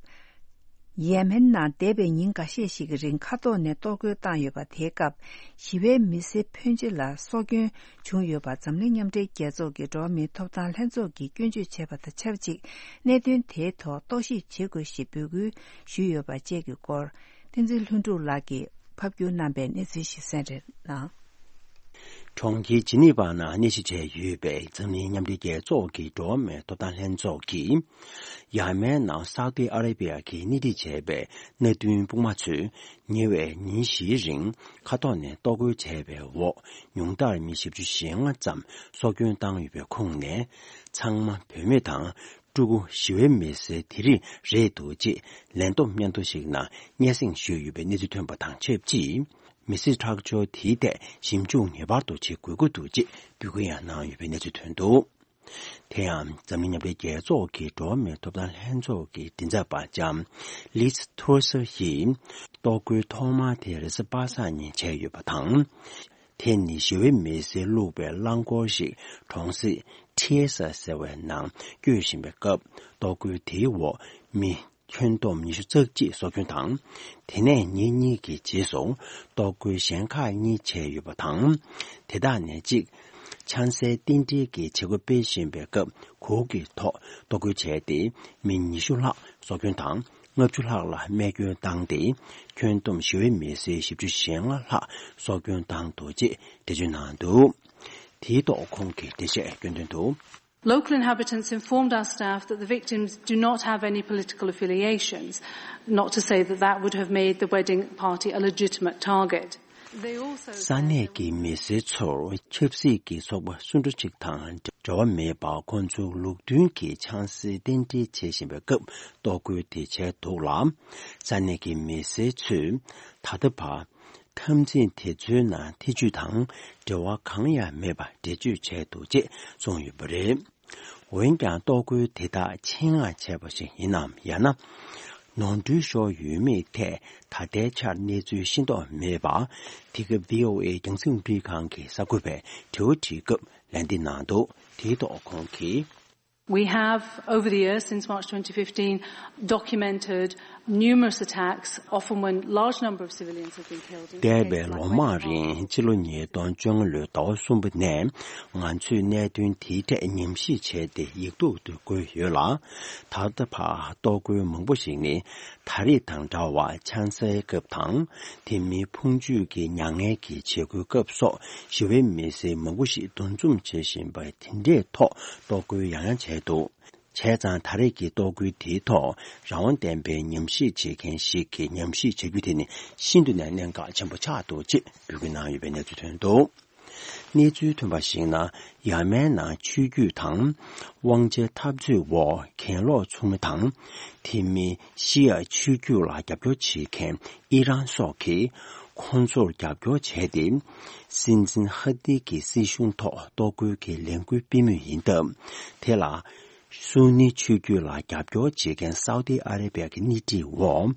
ཡེ་མེན་ནང་འདས་པའི་ཉིན་འགའ་ཤས་ཤིག་གི་རིང་མཁའ་ཐོག་ནས་གཏོར་རྒོལ་བཏང་ཡོད་པ། དེའི་སྐབས་ཞི་བའི་མི་སེར་ཕོན་ཆེ་ལ་སྲོག་སྐྱོན་བྱུང་ཡོད་པ་འཛམ་གླིང་མཉམ་འབྲེལ་རྒྱལ་ཚོགས་ཀྱི་འགྲོ་བ་མིའི་ཐོབ་ཐང་ལྷན་ཚོགས་ཀྱིས་སྐྱོན་བརྗོད་བྱས་པ་དང་ཆབས་ཅིག་གནད་དོན་དེའི་ཐོག་རྟོག་ཞིབ་བྱེད་དགོས་ཞེས་འབོད་སྐུལ་ཞུས་ཡོད་པ་བཅས་ཀྱི་སྐོར། བསྟན་འཛིན་ལྷུན་གྲུབ་ལགས་ཀྱིས་ཕབ་སྒྱུར་གནང་པའི་གནས་ཚུལ་ཞིག་གསན་རོགས་གནང་། གྲོང་ཁྱེར་ཇི་ནི་ཝ་ནང་གནས་གཞི་བྱས་ཡོད་པའི་འཛམ་གླིང་མཉམ་འབྲེལ་རྒྱལ་ཚོགས་ཀྱི་འགྲོ་བ་མིའི་ཐོབ་ཐང་ལྷན་ཚོགས་ཀྱིས། ཡ་མན་ནང་སའུ་ཏི་ཨ་ར་པི་ཡ་གིས་སྣེ་ཁྲིད་བྱས་པའི་མནའ་མཐུན་དཔུང་དམག་ཚོས་ཉེ་བའི་ཉིན་བཞིའི་རིང་མཁའ་ཐོག་ནས་གཏོར་རྒོལ་བྱས་པའི་འོག་ཉུང་མཐར་མི་བཞི་བཅུ་ཞེ་ལྔ་ཙམ་སྲོག་སྐྱོན་བཏང་ཡོད་པའི་ཁོངས་ནས། ཚང་མ་བུད་མེད་དང་ཕྲུ་གུ་ཞི་བའི་མི་སེར་དེ་རིགས་རེད་འདུག་ཅེས་ལན་བསྡོམས་སྙན་ཐོ་ཞིག་ནང་སྙན་སེང་ཞུས་ཡོད་པའི་གནས་ཚུལ་ཐོན་པ་དང་ཆབས་ཅིག་མི་སེར་ཁྲག་སྦྱོར་དེའི་ཐད་ཞིབ་འཇུག་ངེས་པར་དུ་བྱེད་དགོས་ཀྱི་འདུག་ཅེས་འབོད་སྐུལ་ཡང་གནང་ཡོད་པའི་གནས་ཚུལ་ཐོན་འདུག་དེ་ཡང་འཛམ་གླིང་མཉམ་འབྲེལ་རྒྱལ་ཚོགས་ཀྱི་འགྲོ་བ་མིའི་ཐོབ་ཐང་ལྷན་ཚོགས་ཀྱི་མགྲིན་ཚབ་པ་ལྕམ་ལིས་ཐོར་སར་ཡིས་གཏོར་རྒོལ་ཐོག་མ་དེ་རེས་གཟའ་པ་སངས་ཉིན་བྱས་ཡོད་པ་དང་། དེ་ནི་ཞི་བའི་མི་སེར་བླུགས་པའི་རླངས་འཁོར་ཞིག་གྲོང་གསེབ་ཁྲི་ས་ཟེར་བའི་ནང་སྐྱོད་བཞིན་པའི་སྐབས། གཏོར་རྒོལ་དེའི་འོག་མི་ཁྱོན་བསྡོམས་ཉི་ཤུ་རྩ་གཅིག་སྲོག་སྐྱོན་དང་། དེ་ནས་ཉིན་གཉིས་ཀྱི་རྗེས་སུ་གཏོར་རྒོལ་གཞན་ཁག་གཉིས་བྱས་ཡོད་པ་དང་། དེ་དག་ནས་གཅིག་ཆང་སའི་རྟེན་འབྲེལ་གྱི་བྱེད་སྒོ་སྤེལ་བཞིན་པའི་སྐབས་གུར་གྱི་ཐོག་གཏོར་རྒོལ་བྱས་ཏེ། མི་ཉི་ཤུ་ལྷག་སྲོག་སྐྱོན་དང་། ལྔ་བཅུ་ལྷག་ལ་རྨས་སྐྱོན་བཏང་སྟེ། ཁྱོན་བསྡོམས་ཞི་བའི་མི་སེར་བཞི་བཅུ་ཞེ་ལྔ་ལྷག་སྲོག་སྐྱོན་བཏང་འདུག་ཅེས་འགྲེལ་བརྗོད་གནང་འདུག་དེའི་ཐོག་ཁོང་གིས་འགྲེལ་བཤད་སྐྱོན་དོན་དུ། Local inhabitants informed our staff that the victims do not have any political affiliations, not to say that that would have made the wedding party a legitimate target. They also said ས་གནས་ཀྱི་མི་སེར་ཚོར་ཆབ་སྲིད་ཀྱི་ཚོགས་པ་སུ་འདྲ་ཅིག་དང་འབྲེལ་བ་མེད་པར། ཁོང་ཚོ་ལུགས་མཐུན་གྱི་ཆང་སའི་རྟེན་འབྲེལ་བྱེད་བཞིན་པའི་སྐབས་གཏོར་རྒོལ་དེ་བྱས་འདུག་ལ། ས་གནས་ཀྱི་མི་སེར་ཚོས་ད་ལྟ་བར་འཐབ་འཛིང་དེ་ཚོའི་ནང་ཐེ་ཇུས་དང་འབྲེལ་བ་གང་ཡང་མེད་པ་འགྲེལ་བརྗོད་བྱས་འདུག་ཅེས་གསུངས་ཡོད་པ་རེད། འོན་ཀྱང་གཏོར་རྒོལ་དེ་དག་ཆེད་མངགས་བྱས་པ་ཞིག་ཡིན་ནམ། ཡང་ན་ནོར་འཁྲུལ་ཤོར་ཡོད་མེད་ཐད་ད་ལྟའི་ཆར་གནས་ཚུལ་ཤེས་རྟོགས་མེད་པ། འདི་ག་བྷི་ཨོ་ཨེ་རྒྱང་སྲིང་རླུང་འཕྲིན་ཁང་གི་གསར་འགོད་པས་དྲི་བ་དྲིས་སྐབས་ལན་འདེབས་གནང་འདུག་དེའི་ཐོག་ཁོང་གིས། We have, over the years since March twenty fifteen, documented numerous attacks, often when large number of civilians have been killed in འདས་པའི་ལོ་མང་རིང་། ཕྱི་ལོ་ཉིས་སྟོང་བཅོ་ལྔ་ལོའི་ཟླ་བ་གསུམ་པ་ནས་ང་ཚོས་གནད་དོན་དེའི་ཐད་ཉམས་ཞིབ་བྱས་ཏེ་ཡིག་ཐོག་ཏུ་བཀོད་ཡོད་ལ། ད་ལྟ་བར་གཏོར་རྒོལ་མང་པོ་ཞིག་ནི་ད་རེས་དང་འདྲ་བར་ཆང་སའི་སྐབས་དང་། དེ་མིན་འཕོ་འགྱུར་གྱི་མྱ་ངན་གྱི་བྱེད་སྒོའི་སྐབས་སོགས་ཞི་བའི་མི་སེར་མང་པོ་ཞིག་འདུ་འཛོམས་བྱེད་བཞིན་པ་དེ་འདྲའི་ཐོག་གཏོར་རྒོལ་ཡང་ཡང་བྱས་འདུག་བྱས་ཙང་ད་རེས་ཀྱི་གཏོར་རྒོལ་དེའི་ཐོག་རང་དབང་ལྡན་པའི་ཉམས་ཞིབ་བྱེད་མཁན་ཞིག་གིས་ཉམས་ཞིབ་བྱ་རྒྱུ་དེ་ནི་ཤིན་ཏུ་ནས་གནད་འགག་ཆེན་པོ་ཆགས་འདུག་ཅེས་འབོད་སྐུལ་གནང་ཡོད་པའི་གནས་ཚུལ་ཐོན་འདུག་གནས་ཚུལ་ཐོན་པར་གཞིགས་ན། ཡ་མན་ནང་ཆོས་བརྒྱུད་དང་དབང་ཆའི་འཐབ་རྩོད་འོག་གྱེན་ལོག་ཚོགས་མི་དང་། དེ་མིན་ཤི་ཡ་ཆོས་བརྒྱུད་ལ་རྒྱབ་སྐྱོར་བྱེད་མཁན་ཨི་རན་སོགས་ཀྱིས་ཁོང་ཚོར་རྒྱབ་སྐྱོར་བྱས་ཏེ། སྲིད་འཛིན་ཧ་ཏི་གི་སྲིད་གཞུང་ཐོག་གཏོར་རྒོལ་གྱི་ལས་འགུལ་སྤེལ་མུས་ཡིན་སྟབས། དེ་ལ་སུ་ནི་ཆོས་བརྒྱུད་ལ་རྒྱབ་སྐྱོར་བྱེད་མཁན་སའུ་ཏི་ཨ་ར་པི་ཡ་གི་སྣེ་ཁྲིད་འོག་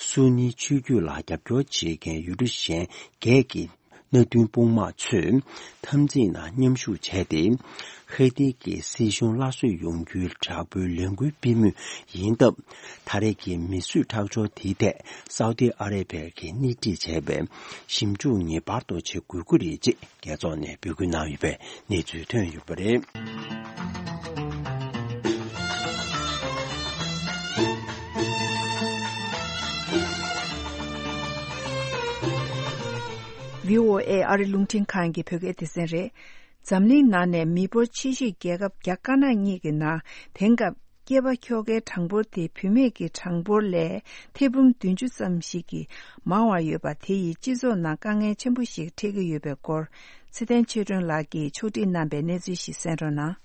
སུ་ནི་ཆོས་བརྒྱུད་ལ་རྒྱབ་སྐྱོར་བྱེད་མཁན་ཡུལ་གྲུ་གཞན་བརྒྱད་ཀྱིས། མནའ་མཐུན་དཔུང་དམག་ཚོས་འཐབ་འཛིང་ནང་མཉམ་ཞུགས་བྱས་ཏེ། ཧེ་ཏི་གི་སྲིད་གཞུང་སླར་གསོ་ཡོང་རྒྱུའི་དྲག་པོའི་ལས་འགུལ་སྤེལ་མུས་ཡིན་སྟབས། ད་རེས་ཀྱི་མི་གསོད་ཁྲག་སྦྱོར་དེའི་ཐད་སའུ་ཏི་ཨ་རེ་བྷི་ཡ་གིས་སྣེ་ཁྲིད་བྱས་པའི་ཞིབ་འཇུག་ངེས་པར་དུ་བྱེད་དགོས་ཀྱི་རེད་ཅེས་རྒྱལ་ཚོགས་ནས་འབོད་སྐུལ་གནང་ཡོད་པའི་གནས་ཚུལ་ཐོན་ཡོད་པ་རེད། བྷི་ཨོ་ཨེ་ཨ་རི་རླུང་འཕྲིན་ཁང་གི་བོད་སྐད་སྡེ་ཚན་རེད། འཛམ་གླིང་ནང་ནས་མི་འབོར་ཆེ་ཤོས་རྒྱལ་ཁབ་རྒྱ་དཀར་ནག་གཉིས་ཀྱི་ནང་དེང་སྐབས་སྐྱེས་པ་ཁྱོ་གའི་གྲངས་འབོར་དེ་བུད་མེད་ཀྱི་གྲངས་འབོར་ལས་ཐེར་འབུམ་བདུན་ཅུ་ཙམ་ཞིག་གིས་མང་བ་ཡོད་པ་དེ་ཡིས་སྤྱི་ཚོགས་ནང་དཀའ་ངལ་ཆེན་པོ་ཞིག་འཕྲད་ཀྱི་ཡོད་པའི་སྐོར། ཚེ་བརྟན་ཆོས་སྒྲོན་ལགས་ཀྱིས་ཕྱོགས་སྒྲིག་གནང་པའི་གནས་ཚུལ་ཞིག་གསན་རོགས་གནང་།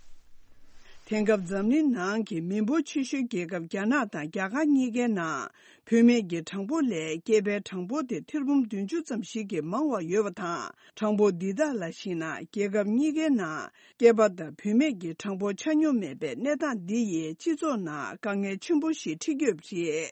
དེང་སྐབས་འཛམ་གླིང་ནང་གི་མི་འབོར་ཆེ་ཤོས་རྒྱལ་ཁབ་རྒྱ་ནག་དང་རྒྱ་གར་གཉིས་ཀའི་ནང་། བུད་མེད་ཀྱི་གྲངས་འབོར་ལས་སྐྱེས་པའི་གྲངས་འབོར་དེ་ཐེར་འབུམ་བདུན་ཅུ་ཙམ་ཞིག་གིས་མང་བ་ཡོད་པ་དང་། གྲངས་འབོར་འདི་དག་ལ་གཞིགས་ན། རྒྱལ་ཁབ་གཉིས་ཀའི་ནང་སྐྱེས་པ་དང་བུད་མེད་ཀྱི་གྲངས་འབོར་ཆ་སྙོམས་མེད་པའི་གནས་སྟངས་འདི་ཡིས་སྤྱི་ཚོགས་ནང་དཀའ་ངལ་ཆེན་པོ་ཞིག་འཕྲད་ཀྱི་ཡོད་པ་རེད།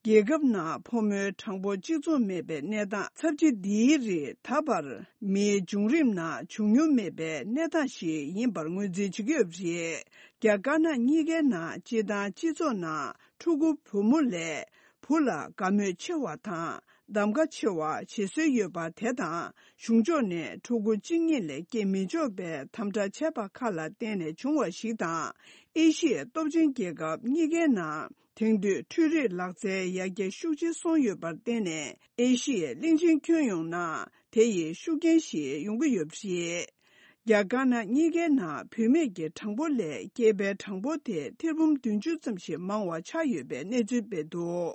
རྒྱལ་ཁབ་ནང་ཕོ་མོའི་གྲངས་འབོར་གཅིག་མཚུངས་མེད་པའི་གནས་སྟངས་ཚབས་ཆེ་འདིའི་རིགས་ད་བར་མིའི་བྱུང་རིམ་ནང་བྱུང་མྱོང་མེད་པའི་གནས་སྟངས་ཤིག་ཡིན་པར་ངོས་འཛིན་བྱེད་ཀྱི་ཡོད་པ་རེད། རྒྱ་དཀར་ནག་གཉིས་ཀའི་ནང་སྤྱིར་བཏང་སྤྱི་ཚོགས་ནང་ཕྲུ་གུ་བུ་མོ་ལས་བུ་ལ་དགའ་མོས་ཆེ་བ་དང་གདམ་ག་ཆེ་བ་བྱེད་སྲོལ་ཡོད་པ་དེ་དང་། གཞུང་ཕྱོགས་ནས་ཕྲུ་གུ་གཅིག་གཉིས་ལས་སྐྱེ་མི་ཆོག་པའི་དམ་དྲག་བྱས་པ་ཁག་ལ་བརྟེན་ནས་བྱུང་བ་ཞིག་དང་། ཨེ་ཤི་ཡའི་སྟོབས་ཆེན་རྒྱལ་ཁབ་གཉིས་ཀའི་ནང་དེང་དུས་འཕྲུལ་རིག་ལག་རྩལ་ཡར་རྒྱས་ཤུགས་ཆེ་སོང་ཡོད་པར་བརྟེན་ནས། ཨེ་ཤི་ཡའི་གླིང་ཆེན་ཁྱོན་ཡོངས་ནང་དེ་ཡི་ཤུགས་རྐྱེན་ཞིག་ཡོང་གི་ཡོད་པ་རེད། རྒྱ་དཀར་ནག་གཉིས་ཀའི་ནང་བུད་མེད་ཀྱི་གྲངས་འབོར་ལས་སྐྱེས་པའི་གྲངས་འབོར་དེ་ཐེར་འབུམ་བདུན་ཅུ་ཙམ་ཞིག་མང་བ་ཆགས་ཡོད་པའི་གནས་ཚུལ་སྤེལ་འདུག།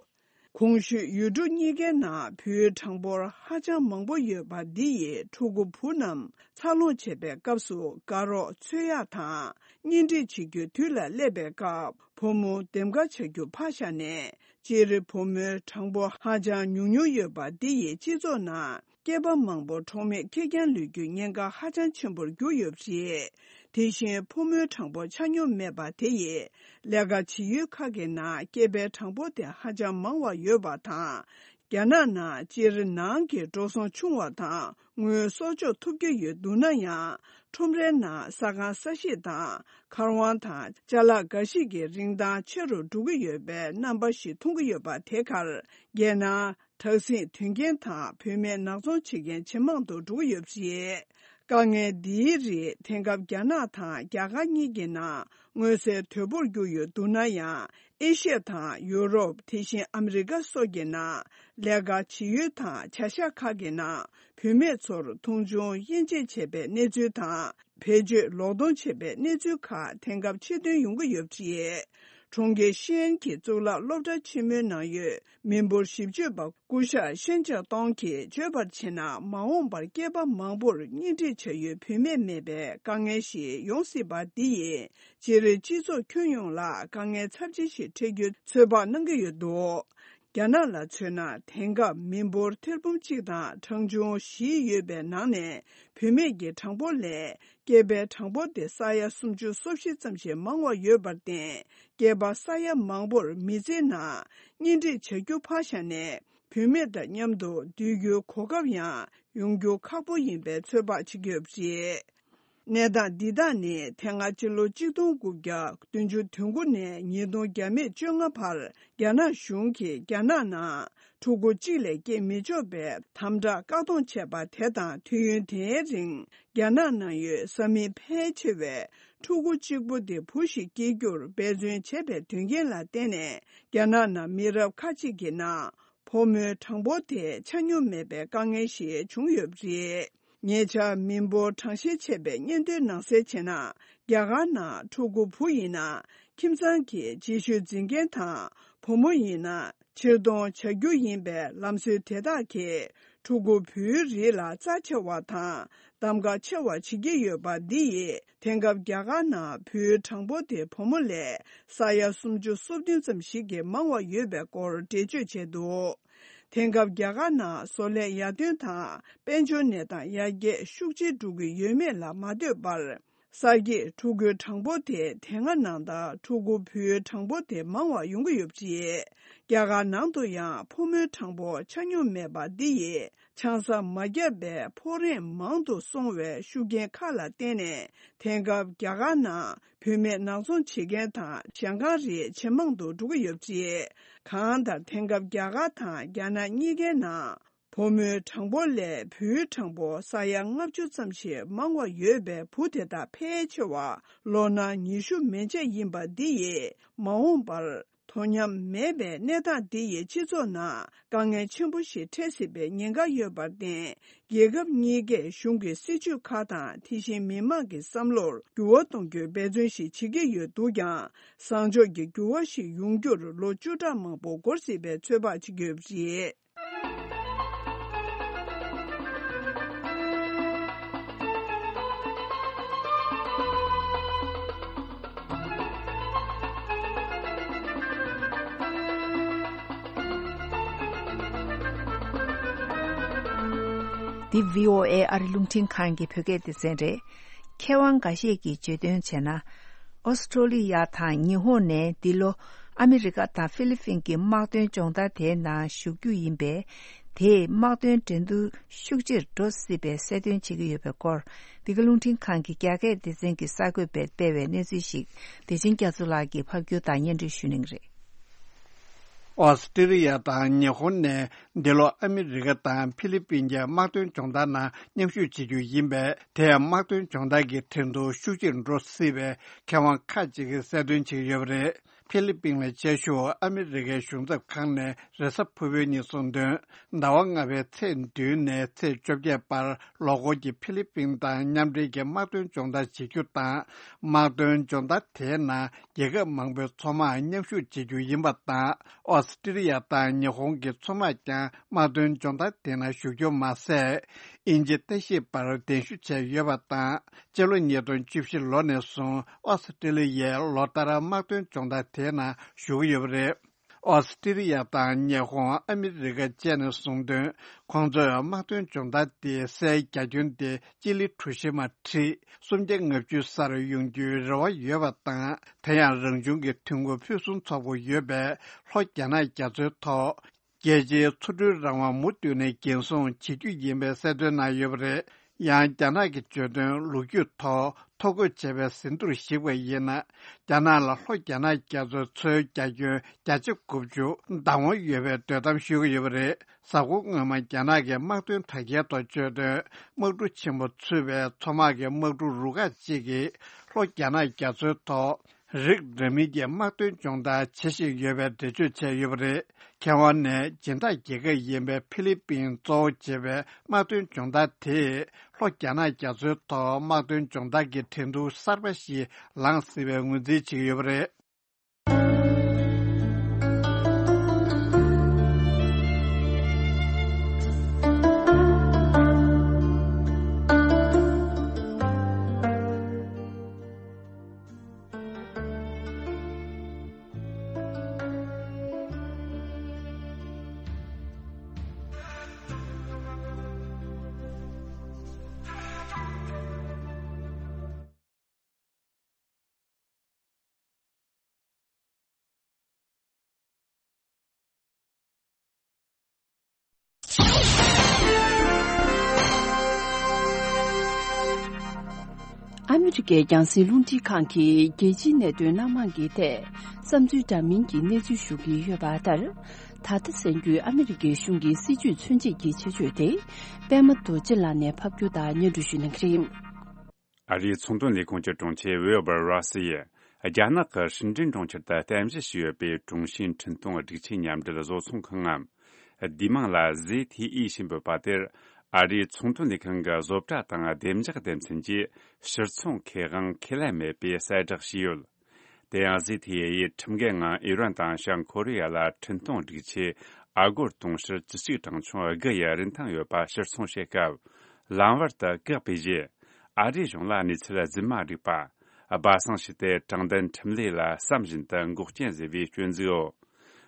གོང་ཞུས་ཡུལ་གྲུ་གཉིས་ཀའི་ནང་བུའི་གྲངས་འབོར་ཧ་ཅང་མང་པོ་ཡོད་པ་འདི་ཡིས་ཕྲུ་གུ་བུ་རྣམས་འཚར་ལོངས་བྱེད་པའི་སྐབས་སུ་དགའ་རོགས་འཚོལ་ཡག་དང་། གཉེན་སྒྲིག་བྱེད་རྒྱུའི་དུས་ལ་སླེབས་པའི་སྐབས་བུ་མོ་འདེམས་ཀ་བྱ་རྒྱུ་ཕར་བཞག་ནས། སྤྱིར་བུ་མོའི་གྲངས་འབོར་ཧ་ཅང་ཉུང་ཉུང་ཡོད་པ་འདི་ཡིས་སྤྱི་ཚོགས་ནང་སྐྱེས་པ་མང་པོ་གྲོགས་མེད་ཁེར་རྐྱང་ལུས་རྒྱུའི་ཉེན་ཁ་ཧ་ཅང་ཆེན་པོར་གྱུར་ཡོད་པ་རེད། དེ་བཞིན་ཕོ་མོའི་གྲངས་འབོར་ཆ་སྙོམས་མེད་པ་དེ་ཡིས་ལས་ཀ་བྱེད་ཡུལ་ཁག་གི་ནང་སྐྱེས་པའི་གྲངས་འབོར་དེ་ཧ་ཅང་མང་བ་ཡོད་པ་དང་། རྒྱ་ནག་ནང་སྤྱིར་ནང་གི་འགྲོ་སོང་ཆུང་བ་དང་དངུལ་གསོག་འཇོག་ཐུབ་ཀྱི་ཡོད་འདུག་ན་ཡང་། ཁྲོམ་རའི་ནང་ས་ཁང་ས་གཞིས་དང་མཁར་དབང་དང་ཅ་ལག་འགའ་ཞིག་གི་རིན་ཐང་ཆེ་རུ་འགྲོ་གི་ཡོད་པའི་རྣམ་པ་ཞིག་མཐོང་གི་ཡོད་པ་དེ་གར། རྒྱལ་ནང་དྲག་ཟིང་དོན་རྐྱེན་དང་བུད་མེད་ནག་ཚོང་བྱེད་མཁན་ཇེ་མང་དུ་འགྲོ་གི་ཡོད་པ་རེད། དཀའ་ངལ་འདིའི་རིགས་དེང་སྐབས་རྒྱ་ནག་དང་རྒྱ་གར་གཉིས་ཀྱི་ནང་མངོན་གསལ་དོད་པོར་གྱུར་ཡོད་འདུག་ན་ཡང་། ཨེ་ཤི་ཡ་དང་ཡུ་རོབ། དེ་བཞིན་ཨ་མི་རི་ཀ་སོགས་ཀྱི་ནང་ལས་ཀ་བྱེད་ཡུལ་དང་བྱ་གཞག་ཁག་གི་ནང་བུད་མེད་ཚོར་མཐོང་ཆུང་དབྱེ་འབྱེད་བྱས་པའི་གནས་ཚུལ་དང་། བེད་སྤྱོད་ལོག་གཏོང་བྱས་པའི་གནས་ཚུལ་ཁག་དེང་སྐབས་ཆེད་ཐོན་ཡོང་གི་ཡོད་པ་རེད། གྲོང་ཁྱེར་ཤེས་ཡན་གྱི་གཙུག་ལག་སློབ་གྲྭ་ཆེན་མོའི་ནང་ཡོད་མི་འབོར་ཞིབ་དཔྱོད་པ་སྐུ་ཞབས་ཤན་ཅང་ཏོང་གིས་བརྗོད་པར་བྱས་ན། མ་འོངས་པར་སྐྱེས་པ་མང་པོར་གཉེན་སྒྲིག་བྱ་ཡུལ་བུད་མེད་མེད་པའི་དཀའ་ངལ་ཞིག་ཡོང་སྲིད་པ་འདི་ཡིས་སྤྱིར་སྤྱི་ཚོགས་ཁྱོན་ཡོངས་ལ་དཀའ་ངལ་ཚབས་ཆེ་ཞིག་འཕྲད་རྒྱུ་ཚོད་དཔག་གནང་གི་ཡོད་འདུག། རྒྱ་ནག་ལ་མཚོན་ན། དེང་སྐབས་མི་འབོར་ཐེར་འབུམ་གཅིག་དང་གྲངས་ཆུང་བཞི་ཡོད་པའི་ནང་ནས་བུད་མེད་ཀྱི་གྲངས་འབོར་ལས་སྐྱེས་པའི་གྲངས་འབོར་དེ་ས་ཡ་སུམ་ཅུ་སོ་བཞི་ཙམ་ཞིག་མང་བ་ཡོད་པར་བརྟེན། སྐྱེས་པ་ས་ཡ་མང་པོར་མི་ཚེའི་ནང་གཉེན་སྒྲིག་བྱ་རྒྱུ་ཕར་བཞག་ནས། བུད་མེད་དང་མཉམ་དུ་སྡོད་རྒྱུའི་གོ་སྐབས་ཡང་ཡོང་རྒྱུ་ཁག་པོ་ཡིན་པའི་ཚོད་དཔག་བྱེད་ཀྱི་ཡོད་པ་རེད། གནས་སྟངས་འདི་དག་ནི་དེ་སྔ་ཕྱི་ལོ་གཅིག་སྟོང་དགུ་བརྒྱ་བདུན་ཅུ་དོན་དགུ་ནས་ཉིས་སྟོང་བརྒྱ་མེད་བཅོ་ལྔ་བར་རྒྱ་ནག་གཞུང་གིས་རྒྱ་ནག་ནང་ཕྲུ་གུ་གཅིག་ལས་སྐྱེ་མི་ཆོག་པའི་དམ་དྲག་བཀག་སྡོམ་བྱས་པ་དེ་དང་། དུས་ཡུན་དེའི་རིང་རྒྱ་ནག་ནང་ཡོད་ས་མིག་ཕལ་ཆེ་བས་ཕྲུ་གུ་གཅིག་པུ་དེ་བུ་ཞིག་སྐྱེ་རྒྱུར་འབད་བརྩོན་བྱས་པའི་དོན་རྐྱེན་ལ་བརྟེན་ནས། རྒྱ་ནག་ནང་མི་རབས་ཁ་ཅིག་གི་ནང་ཕོ་མོའི་གྲངས་འབོར་དེ་ཆ་སྙོམས་མེད་པའི་དཀའ་ངལ་ཞིག་བྱུང་ཡོད་པ་རེད། ཉེ་ཆར་མི་འབོར་གྲངས་བཤེར་བྱས་པའི་སྙན་ཐོའི་ནང་གསལ་བྱས་ན། རྒྱ་གར་ནང་ཕྲུ་གུ་བུ་ཡིན་ན་ཁྱིམ་ཚང་གི་རྗེས་ཤུལ་འཛིན་མཁན་དང་། བུ་མོ་ཡིན་ན་ཕྱིར་གཏོང་བྱ་རྒྱུ་ཡིན་པའི་ལམ་སྲོལ་དེ་དག་གིས་ཕྲུ་གུ་བུའི་རིགས་ལ་རྩ་ཆེ་བ་དང་གདམ་ག་ཆེ་བ་བྱེད་ཀྱི་ཡོད་པ་འདི་ཡིས། དེང་སྐབས་རྒྱ་གར་ནང་བུའི་གྲངས་འབོར་དེ་བུ་མོ་ལས་ས་ཡ་སུམ་ཅུ་སོ་བདུན་ཙམ་ཞིག་གིས་མང་བ་ཡོད་པའི་སྐོར་འགྲེལ་བརྗོད་བྱས་འདུག། དེང་སྐབས་རྒྱ་གར་ནང་བཟོ་ལས་ཡར་ཐོན་དང་དཔལ་འབྱོར་གནས་སྟངས་ཡར་རྒྱས་ཤུགས་ཆེ་འགྲོ་གི་ཡོད་མེད་ལ་མ་ལྟོས་པར། གསར་སྐྱེས་ཕྲུ་གུའི་གྲངས་འབོར་དེ་དེ་སྔ་ནང་ལྟར་ཕྲུ་གུ་བུའི་གྲངས་འབོར་དེ་མང་བ་ཡོང་གི་ཡོད་པ་རེད། རྒྱ་གར་ནང་དུ་ཡང་ཕོ་མོའི་གྲངས་འབོར་ཆ་སྙོམས་མེད་པ་འདི་ཡིས་ཆང་ས་མ་བརྒྱབ་པའི་ཕོ་རེངས་མང་དུ་སོང་བའི་ཤུགས་རྐྱེན་ཁག་ལ་བརྟེན་ནས། དེང་སྐབས་རྒྱ་གར་ནང་བུད་མེད་ནག་ཚོང་བྱེད་མཁན་དང་ཞང་ཁང་རིགས་ཇེ་མང་དུ་འགྲོ་གི་ཡོད་པ་རེད། གང་ལྟར་དེང་སྐབས་རྒྱ་གར་དང་རྒྱ་ནག་གཉིས་ཀའི་ནང་ཕོ་མོའི་གྲངས་འབོར་ལས་བུའི་གྲངས་འབོར་ས་ཡ་ལྔ་བཅུ་ཙམ་ཞིག་མང་བ་ཡོད་པའི་བུ་དེ་དག་ཕལ་ཆེ་བ་ལོ་ན་ཉི་ཤུ་མན་ཆད་ཡིན་པ་འདི་ཡིས་མ་འོངས་པར་དོ་མཉམ་མེད་པའི་གནས་སྟངས་འདི་ཡིས་སྤྱི་ཚོགས་ནང་དཀའ་ངལ་ཆེན་པོ་ཞིག་འཕྲད་སྲིད་པའི་ཉེན་ཁ་ཡོད་པར་བརྟེན། རྒྱལ་ཁབ་གཉིས་ཀས་གཞུང་གི་སྲིད་ཇུས་ཁག་དང་དེ་བཞིན་མི་མང་གི་བསམ་བློར་འགྱུར་བ་གཏོང་རྒྱུའི་འབད་བརྩོན་ཞིག་བྱེད་ཀྱི་ཡོད་འདུག་ཀྱང་། བཟང་ཕྱོགས་ཀྱི་འགྱུར་བ་ཞིག་ཡོང་རྒྱུར་ལོ་བཅུ་ཕྲག་མང་པོ་འགོར་སྲིད་པའི་ཚོད་དཔག་བྱེད་ཀྱི་ཡོད་པ་རེད། འདི་བྷི་ཨོ་ཨེ་ཨ་རི་རླུང་འཕྲིན་ཁང་གི་བོད་སྐད་སྡེ་ཚན་རེད། མཁས་དབང་འགའ་ཤས་ཀྱིས་བརྗོད་དོན་བྱས་ན། ཨོ་སི་ཀྲོ་ལི་ཡ་དང་ཉི་ཧོང་ནས་འདི་ལོ་ཨ་མི་རི་ཀ་དང་ཧྥི་ལི་ཕིན་གྱི་དམག་དོན་སྦྱོང་བརྡར་དེའི་ནང་ཞུགས་རྒྱུ་ཡིན་པས། དེས་དམག་དོན་འགྲན་བསྡུར་ཤུགས་ཆེར་འགྲོ་སྲིད་པའི་གསལ་སྟོན་བྱེད་ཀྱི་ཡོད་པའི་སྐོར། འདི་ག་རླུང་འཕྲིན་ཁང་གི་རྒྱ་སྐད་སྡེ་ཚན་གྱི་གསར་འགོད་པས་སྤེལ་བའི་གནས་ཚུལ་ཞིག་བདེ་ཆེན་རྒྱ་མཚོ་ལགས་ཀྱིས་ཕབ་སྒྱུར་དང་སྙན་སྒྲོན་ཞུ་གནང་གི་རེད། ཨོ་སི་ཀྲི་ལི་ཡ་དང་ཉི་ཧོང་ནས་འདི་ལོ་ཨ་མི་རི་ཀ་དང་ཧྥི་ལི་པིན་གྱི་དམག་དོན་སྦྱོང་བརྡར་ནང་མཉམ་ཞུགས་བྱེད་རྒྱུ་ཡིན་པས། དེས་དམག་དོན་སྦྱོང་བརྡར་གྱི་འགྲན་བསྡུར་ཤུགས་ཆེར་འགྲོ་སྲིད་པའི་མཁས་དབང་ཁག་ཅིག་གིས་གསལ་སྟོན་བྱེད་ཀྱི་ཡོད་པ་རེད། ཧྥི་ལི་པིན་ལ་ཆེ་ཤོས་ཨ་མི་རི་ཀའི་གཞུང་ཚབ་ཁང་ནས་རེས་གཟའ་ཕུར་བུའི་ཉིན་གསུངས་དོན། ཟླ་བ་ལྔ་པའི་ཚེས་བདུན་ནས་ཚེས་བཅོ་བརྒྱད་བར་ལོ་འཁོར་གྱི་ཧྥི་ལི་པིན་དང་མཉམ་འབྲེལ་གྱི་དམག་དོན་སྦྱོང་བརྡར་བྱེད་རྒྱུ་དང་། དམག་དོན་སྦྱོང་བརྡར་དེའི་ནང་རྒྱལ་ཁབ་མང་པོའི་མཚོ་དམག་མཉམ་ཞུགས་བྱེད་རྒྱུ་ཡིན་པ་དང་། ཨོ་སི་ཀྲི་ལི་ཡ་དང་ཉི་ཧོང་གི་མཚོ་དམག་ཀྱང་དམག་དོན་སྦྱོང་བརྡར་དེ་ནང་ཞུགས་རྒྱུ་མ་ཟད། དབྱིན་ཇི་ལྟ་ཞིབ་པར་གདན་ཞུ་བྱས་ཡོད་པ་དང་། སྤྱི་ལོ་ཉིས་སྟོང་བཅུ་བཞི་ལོ་ནས་བཟུང་ཨོ་སི་ཀྲི་ལི་ཡས་ལོ་ལྟར་དམག་དོན་སྦྱོང་བརྡར་དེའི་ནང་ཞུགས་ཀྱི་ཡོད་པ་རེད། ཨོ་སི་ཀྲི་ལི་ཡ་དང་ཉི་ཧོང་། ཨ་མི་རི་ཀ་བཅས་ནས་གསུངས་དོན། ཁོང་ཚོས་དམག་དོན་སྦྱོང་བརྡར་དེ་སའི་རྒྱ་ཁྱོན་ཏེ་སྤྱི་ལེ་གྲུ་བཞི་མ་ཁྲི་སུམ་བརྒྱ་ལྔ་བཅུ་སར་ཡོང་རྒྱུའི་རེ་བ་ཡོད་པ་དང་། དེ་ཡང་རང་བྱུང་གི་ཐོན་ཁུངས་ཕུན་སུམ་ཚོགས་པོ་ཡོད་པས། ལྷོ་རྒྱ་ནག་རྒྱ་མཚོའི་ཐོག་རྒྱལ་སྤྱིའི་མཚོ་གྲུའི་རང་དབང་མུ་མཐུད་ནས་རྒྱུན་སྲུང་བྱེད་རྒྱུ་ཡིན་པའི་གསལ་སྟོན་གནང་ཡོད་པ་རེད། ཡང་རྒྱ་ནག་གི་བརྗོད་དོན་ལོ་རྒྱུས་ཐོག་ཐོ་འགོད་བྱས་པའི་ཟིན་ཐོར་གཞིགས་པ་ཡིན་ན། རྒྱ་ནག་ལ་ལྷོ་རྒྱ་ནག་རྒྱ་མཚོའི་མཚོའི་རྒྱ་ཁྱོན་བརྒྱ་ཆ་དགུ་བཅུ་བདག་དབང་ཡོད་པའི་འདོད་གཏམ་ཤོད་ཀྱི་ཡོད་པ་རེད། གཟའ་འཁོར་སྔོན་མ་རྒྱ་ནག་གི་དམག་དོན་དྲ་རྒྱའི་ཐོག་བརྗོད་དོན། དམག་གྲུ་ཆེན་པོ་ཚུད་པའི་མཚོ་དམག་གི་དམག་གྲུ་རུ་ཁག་ཅིག་གིས་ལྷོ་རྒྱ་ནག་རྒྱ་མཚོའི་ཐོག་རིགས་འདྲ་མིན་གྱི་དམག་དོན་སྦྱོང་བརྡར་བྱེད་བཞིན་ཡོད་པའི་འགྲེལ་བརྗོད་བྱས་ཡོད་པ་རེད། མཁས་དབང་ནས་སྦྱིན་བདག་རྒྱལ་ཁབ་ཡིན་པའི་ཧྥི་ལི་པིན་གཙོ་བོ་བྱས་པའི་དམག་དོན་སྦྱོང་བརྡར་དེས་ལྷོ་རྒྱ་ནག་རྒྱ་མཚོའི་ཐོག་དམག་དོན་སྦྱོང་བརྡར་གྱི་འགྲན་བསྡུར་གསར་པ་ཞིག་ལངས་སྲིད་པའི་ངོས་འཛིན་བྱེད་ཀྱི་ཡོད་པ་རེད། ཨ་མི་རི་ཀའི་རྒྱང་སྲིང་རླུང་འཕྲིན་ཁང་གིས་རྒྱལ་སྤྱིའི་གནད་དོན་སྣ་མང་གི་ཐད་བསམ་ཚུལ་འདྲ་མིན་གྱི་གནས་ཚུལ་ཞུ་གི་ཡོད་པ་ལྟར། ད་ལྟ་གསན་རྒྱུའི་ཨ་མི་རི་ཀའི་གཞུང་གི་སྲིད་ཇུས་མཚོན་བྱེད་ཀྱི་ཆེད་བརྗོད་དེ། པད་མ་རྡོ་རྗེ་ལགས་ནས་ཕབ་སྒྱུར་དང་སྙན་སྒྲོན་ཞུ་གནང་གི་རེད། ཨ་རིའི་ཚོང་དོན་ལས་ཁུངས་ཀྱི་དྲུང་ཆེ་ཝིལ་བར་རོ་སི་ཡིས། རྒྱ་ནག་གི་ཧྲིན་ཀྲིན་གྲོང་ཁྱེར་དུ་རྟེན་གཞི་བྱས་ཡོད་པའི་ཀྲུང་ཞིན་འཕྲིན་གཏོང་སྒྲིག་ཆས་མཉམ་འབྲེལ་བཟོ་ཚོང་ཁང་ངམ། བསྡུས་མིང་ལ་ཟེ་ཐི་ཨི་ཞེས་འབོད་པ་དེར། ཨ་རིའི་ཚོང་དོན་ལས་ཁུངས་ཀྱི་བཟོ་གྲྭ་དང་བདེ་འཇགས་སྡེ་ཚན་གྱིས་ཕྱིར་ཚོང་ཁེ་དབང་ཁས་ལེན་མེད་པའི་གསལ་བསྒྲགས་བྱས་ཡོད། དེ་ཡང་ཟེ་ཐི་ཨི་ཡིས་ཁྲིམས་འགལ་ངང་ཨི་རན་དང་བྱང་ཀོ་རི་ཡ་ལ་འཕྲིན་གཏོང་སྒྲིག་ཆས་ཨ་སྒོར་དུང་ཕྱུར་བཅུ་གཅིག་གྲངས་ཆུང་དགུ་ཡི་རིན་ཐང་ཡོད་པ་ཕྱིར་ཚོང་བྱེད་སྐབས། ལམ་བར་དུ་བཀག་པའི་རྗེས། ཨ་རིའི་གཞུང་ལ་གནས་ཚུལ་རྫུན་མ་བསྒྲིགས་པ། སྦ་གསང་བྱས་ཏེ་དྲང་བདེན་ཁྲིམས་ལུགས་ལ་བསམ་བཞིན་དུ་འགོག་རྐྱེན་བཟོས་པའི་སྐྱོན་འཛུགས་འོག་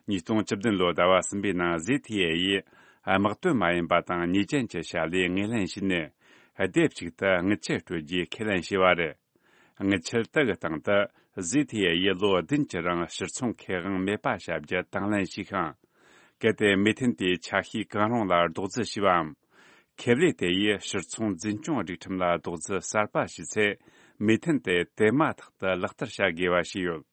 ཉིས་སྟོང་བཅུ་བདུན་ལོའི་ཟླ་བ་གསུམ་པའི་ནང་ཟེ་ཐི་ཨེ་ཡིས་དམག་དོན་མ་ཡིན་པ་དང་ཉེས་ཅན་གྱི་བྱ་ལས་ངོས་ལེན་བྱས་ནས། སྡེབ་གཅིག་ཏུ་དངུལ་ཆད་སྤྲོད་རྒྱུའི་ཁས་ལེན་བྱས་པ་རེད། དངུལ་ཆད་དེ་གི་སྟེང་དུ་ཟི་ཐི་ཨེ་ཡིས་ལོ་བདུན་གྱི་རིང་ཕྱིར་ཚོང་ཁེ་དབང་མེད་པ་བྱ་རྒྱུ་དང་ལེན་བྱས་ཤིང་། གལ་ཏེ་མོས་མཐུན་དེའི་ཆ་ཤས་གང་རུང་ལ་རྡོག་རྫིས་བྱས་པའམ། ཁེ་ལས་དེ་ཡིས་ཕྱིར་ཚོང་འཛིན་སྐྱོང་སྒྲིག་ཁྲིམས་ལ་རྡོག་རྫིས་གསར་པ་བྱས་ཚེ། མོས་མཐུན་དེ་དེ་མ་ཐག་ཏུ་ལག་བསྟར་བྱ་དགོས་པ་ཞིག་ཡོད།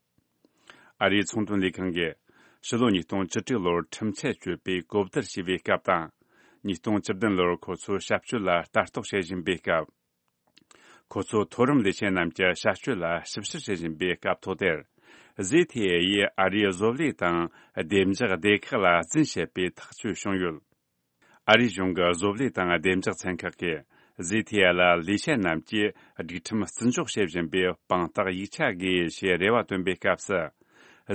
ཨ་རིའི་ཚོང་དོན་ལས་ཁང་གིས་ཕྱི་ལོ་ཉིས་སྟོང་བཅུ་དྲུག་ལོར་ཁྲིམས་ཆད་གཅོད་པའི་གོ་བསྡུར་བྱས་པའི་སྐབས་དང་། ཉིས་སྟོང་བཅུ་བདུན་ལོར་ཁོ་ཚོའི་ཞབས་སྤྱོད་ལ་ལྟ་རྟོག་བྱེད་བཞིན་པའི་སྐབས། ཁོ་ཚོའི་མཐོ་རིམ་ལས་བྱེད་རྣམས་ཀྱི་ཞབས་སྤྱོད་ལ་ཞིབ་བཤེར་བྱེད་བཞིན་པའི་སྐབས་ཐོག་དེར། ཟི་ཐི་ཨེ་ཡིས་ཨ་རིའི་བཟོ་ལས་དང་བདེ་འཇགས་སྡེ་ཁག་ལ་རྫུན་བཤད་པའི་ཐག་གཅོད་བྱུང་ཡོད། ཨ་རིའི་གཞུང་གི་བཟོ་ལས་དང་བདེ་འཇགས་ཚན་ཁག་གིས་ཟི་ཐི་ཨེ་ལ་ལས་བྱེད་རྣམས་ཀྱིས་སྒྲིག་ཁྲིམས་བརྩི་འཇོག་བྱེད་བཞིན་པའི་དཔང་རྟགས་ཡིག་ཆ་དགོས་ཞེས་རེ་བ་བཏོན་པའི་སྐབས་སུ།